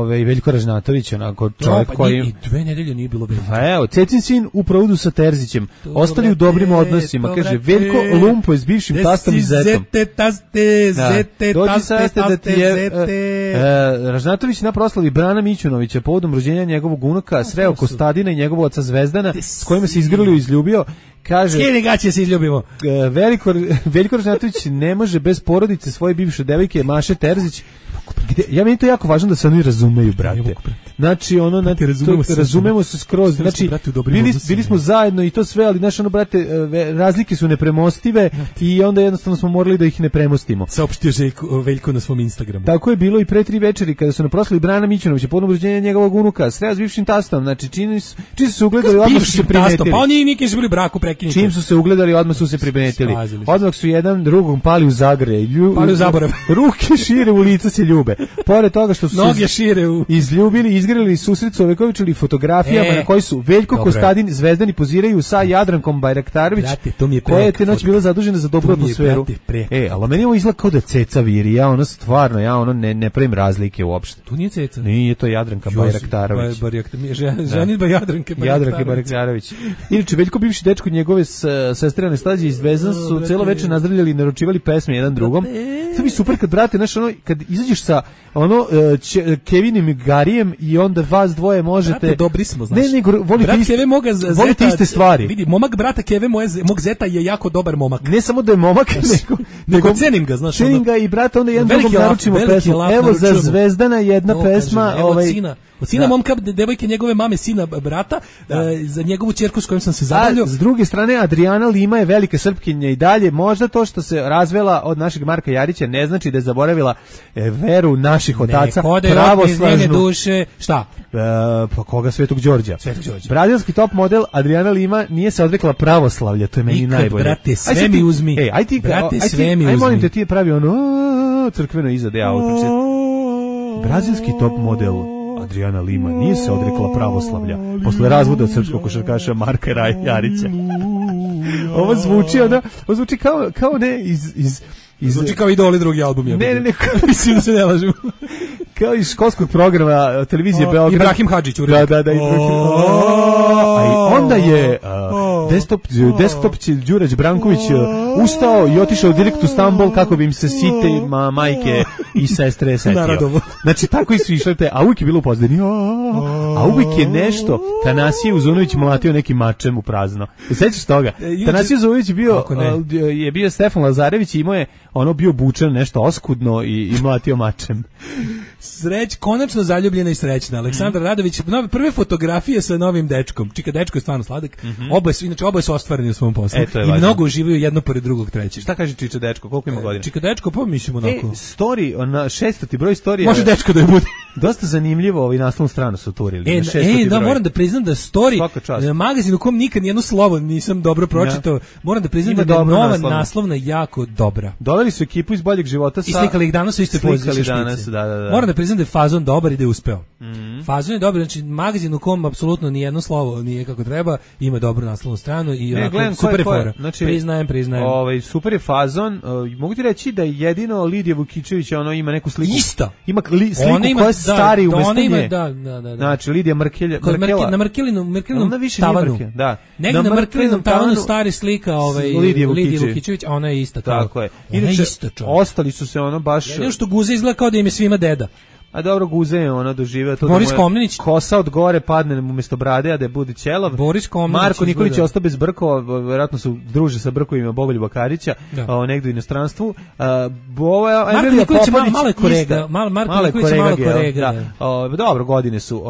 Veljko Ražnatović, onako čovjek koji... I 2 nedelje nije bilo Veljko. Pa evo, Cecin sin u provodu sa Terzićem. Ostali u dobrim odnosima. Kaže, Veljko Lumpo je s bivšim tastom i zetom. Dođi saste da ti je Ražnatović na proslavi Brana Mićunovića povodom rođenja njegovog unuka sreo Kostadina i njegovog oca Zvezdana s kojima se izgrlio i izljubio. Kaže, skini gaće se izljubimo. Veljko Ražnatović ne može bez porodice svoje bivše devojke Maše Terzić. Ja meni to jako važno da se oni razumeju, brate. Znači, razumemo se skroz. Znači, bili smo zajedno i to sve, ali znaš, brate, razlike su nepremostive i onda jednostavno smo morali da ih ne premostimo. Saopštio Veljko na svom Instagramu. Tako je bilo i pre 3 večeri kada su na proslavi Brana Mićunovića povodom rođenja njegovog unuka sreo s bivšim tastom. Znači, čim su se ugledali, odmah su se primetili. Pa oni nikad su bili braku prekinuti. Čim su se ugledali, odmah su se primetili. Odmah su jedan drugom pali u zagrlje. Pali u zaborav. Ruke šire, u lica se ljube. Pored toga što su noge šire izljubili, izgrlili susret su ovekovičili fotografijama na koji su Veljko Kostadin Zvezdani poziraju sa Jadrankom Bajraktarović, koja je te noć bila zadužena za dobru atmosferu. Ali meni ovo izgleda kao da Ceca viri, ja ne pravim razlike uopšte. Tu nije Ceca. Nije, to Jadranka Bajraktarović. Ženitba Jadranke Bajraktarović. Inače, Veljko bivši dečko njegove sestre Anastazije iz Zvezdan su celo večer nazdravljali i naručivali pesme jedan drugom. To mi super kad, brate, kad izađeš sa Kevinim Garijem i onda vas dvoje možete... Brate, dobri smo, znaš. Volite iste stvari. Vidi, momak brata Keve, mog zeta je jako dobar momak. Ne samo da je momak, nego cenim ga, znaš. Cenim ga i brata, onda jedan drugom naručimo pesmu. Evo za Zvezdana jedna pesma. Od sina momka, devojke njegove mame, sina brata, za njegovu ćerku s kojom sam se zabavljao. S druge strane, Adriana Lima je velika Srpkinja i dalje. Možda to što se razvela od našeg Marka Jarića ne znači da je zaboravila veru naših otaca, pravoslavnu duše. Šta? Pa koga? Svetog Đorđa. Brazilski top model Adriana Lima nije se odrekla pravoslavlja, to je meni najbolje. Brate, sve mi uzmi. Aj molim te, ti je pravi crkveno iza da Brazilski top model Adriana Lima nije se odrekla pravoslavlja posle razvoda od srpskog košarkaša Marka Jarića. Ovo zvuči kao ne iz zvuči kao Idoli drugi album. Ne, mislim da se ne lažemo. Kao iz školskog programa televizije Beograd. Ibrahim Hadžić. Da. A onda je desktop Đurać Branković ustao i otišao direkt u Stambol kako bi im se site majke i sestre setio. Znači, tako su išle te, a uvijek je bilo u pozadini. A uvijek je nešto Tanasije Uzunović mlatio nekim mačem u prazno. Sećaš toga? Tanasije Uzunović je bio Stefan Lazarević i imao je bio bučan nešto oskudno i mlatio mačem. Konačno zaljubljena i srećna. Aleksandra Radović, prve fotografije sa novim dečkom. Čika, dečko je stvarno sladak. Oboje su ostvareni u svom poslu. I mnogo uživaju jedno pored drugog trećeg. Šta kaže Čiča dečko? Koliko ima godina? Čika dečko, pa mislim onako. Story, na 600. broj storija. Može dečko da je bude. Dosta zanimljivo, naslovnu stranu su turili. Da, moram da priznam da story, magazin u kom nikad nijedno slovo nisam dobro pročitao, moram da priznam da je nova naslovna jako dobra. Doveli su ekipu iz Boljeg života i slikali ih danas u istoj poziciji. Moram da priznam da je fazon dobar i da je uspeo. Fazon je dobar, znači magazin u kom apsolutno ni jedno slovo nije kako treba, ima dobru naslovnu stranu i super je fora. Znači, priznajem. Super je fazon. Mogu ti reći da jedino Lidija Vukičević ima neku sliku. Isto. Ima sliku koja stari umesto nje. Da. Znači, Lidija Markela. Na Markelinom tavanu. Da. Negde na Markelinom tavanu stari slika Lidije Vukićević, a ona je ista. Tako je. Inače, ostali su se ono baš... Jedino što Guza izgleda kao da im je svima deda. A dobro, Guze je ono doživeo to Boris Komnenić. Kosa od gore padne umjesto brade, a da je bude ćelav. Boris Komnenić. Marko Nikolić je ostao bez brkova, verovatno su druže sa brkovima Bogoljuba Karića, negde u inostranstvu. Marko Nikolić je malo korega. Marko Nikolić je malo korega. Dobro, godine su.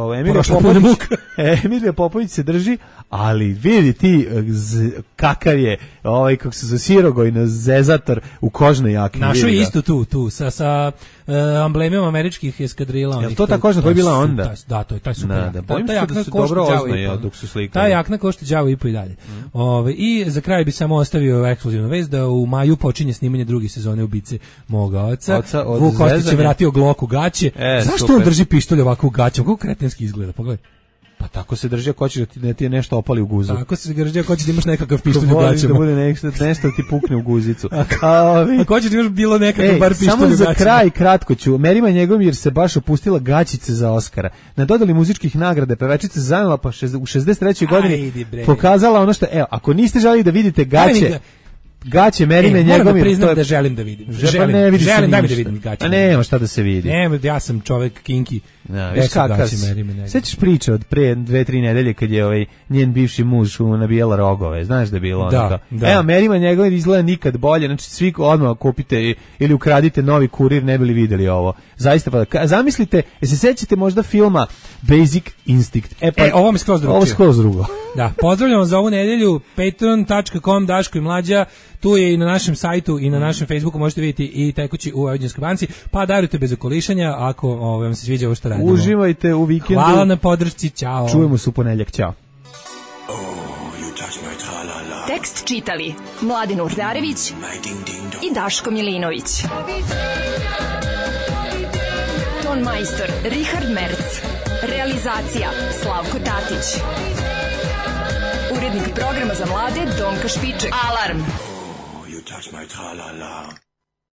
Emilija Popović se drži, ali vidi ti kakav je kako se zove Sirogojno zezator u kožnoj jakni. Našo je isto tu sa amblemima američkih eskadrila. Je to ta kožna koja je bila onda? Da, to je taj super. Da, bojim se da se dobro oznaje dok su slikali. Ta jakna košta đavo i po i dalje. I za kraj bi samo ostavio ekskluzivnu vest da u maju počinje snimanje druge sezone Ubice moga oca. Vuk Kostić je vratio Glock u gaće. Zašto on drži pištolj ovako u gaćama? Kako kretenski izgleda, pogledaj. Pa tako se drži ako hoćeš da ti je nešto opali u guzu. Tako se drži ako hoćeš da imaš nekakav pištolj u gaćama. Da bude nešto ti pukne u guzicu. Ako hoćeš da imaš bilo nekakav bar pištolj u gaćama. Samo za kraj kratko ću. Merima Njegomir se baš opustila gaćice za Oskara. Na dodali muzičkih nagrada pevačica zanela pa u 63. godini pokazala ono što, ako niste želeli da vidite gaće Merine Njegomir. Moram da priznam da želim da vidim. Želim da vidim gaće. A nema šta da se vidi. Ja sam čovek kinki. Sećaš priče od pre 2-3 nedelje kad je njen bivši muž nabijala rogove, znaš da je bilo da. Evo, Merima Njegomir izgleda nikad bolje, znači svi odmah kupite ili ukradite novi Kurir, ne bili videli ovo. Zaista, pa zamislite, se sećate možda filma Basic Instinct? Ovo mi skroz drugo. Ovo skroz drugo. Da, pozdravljamo za ovu nedelju, patreon.com Daško i Mlađa, tu je i na našem sajtu i na našem Facebooku možete vidjeti i tekući u Vojvođanskoj banci, pa darujte bez okolišanja ako vam se sviđa ovo što radimo. Uživajte u vikendu. Hvala na podršci, ćao. Čujemo se u ponedjeljak, ćao. Tekst čitali Mladin Urdarević i Daško Milinović. Ton majstor Richard Merc. Realizacija Slavko Tatić. Urednik programa za mlade Donka Špiček. Alarm! You touch my tra-la-la.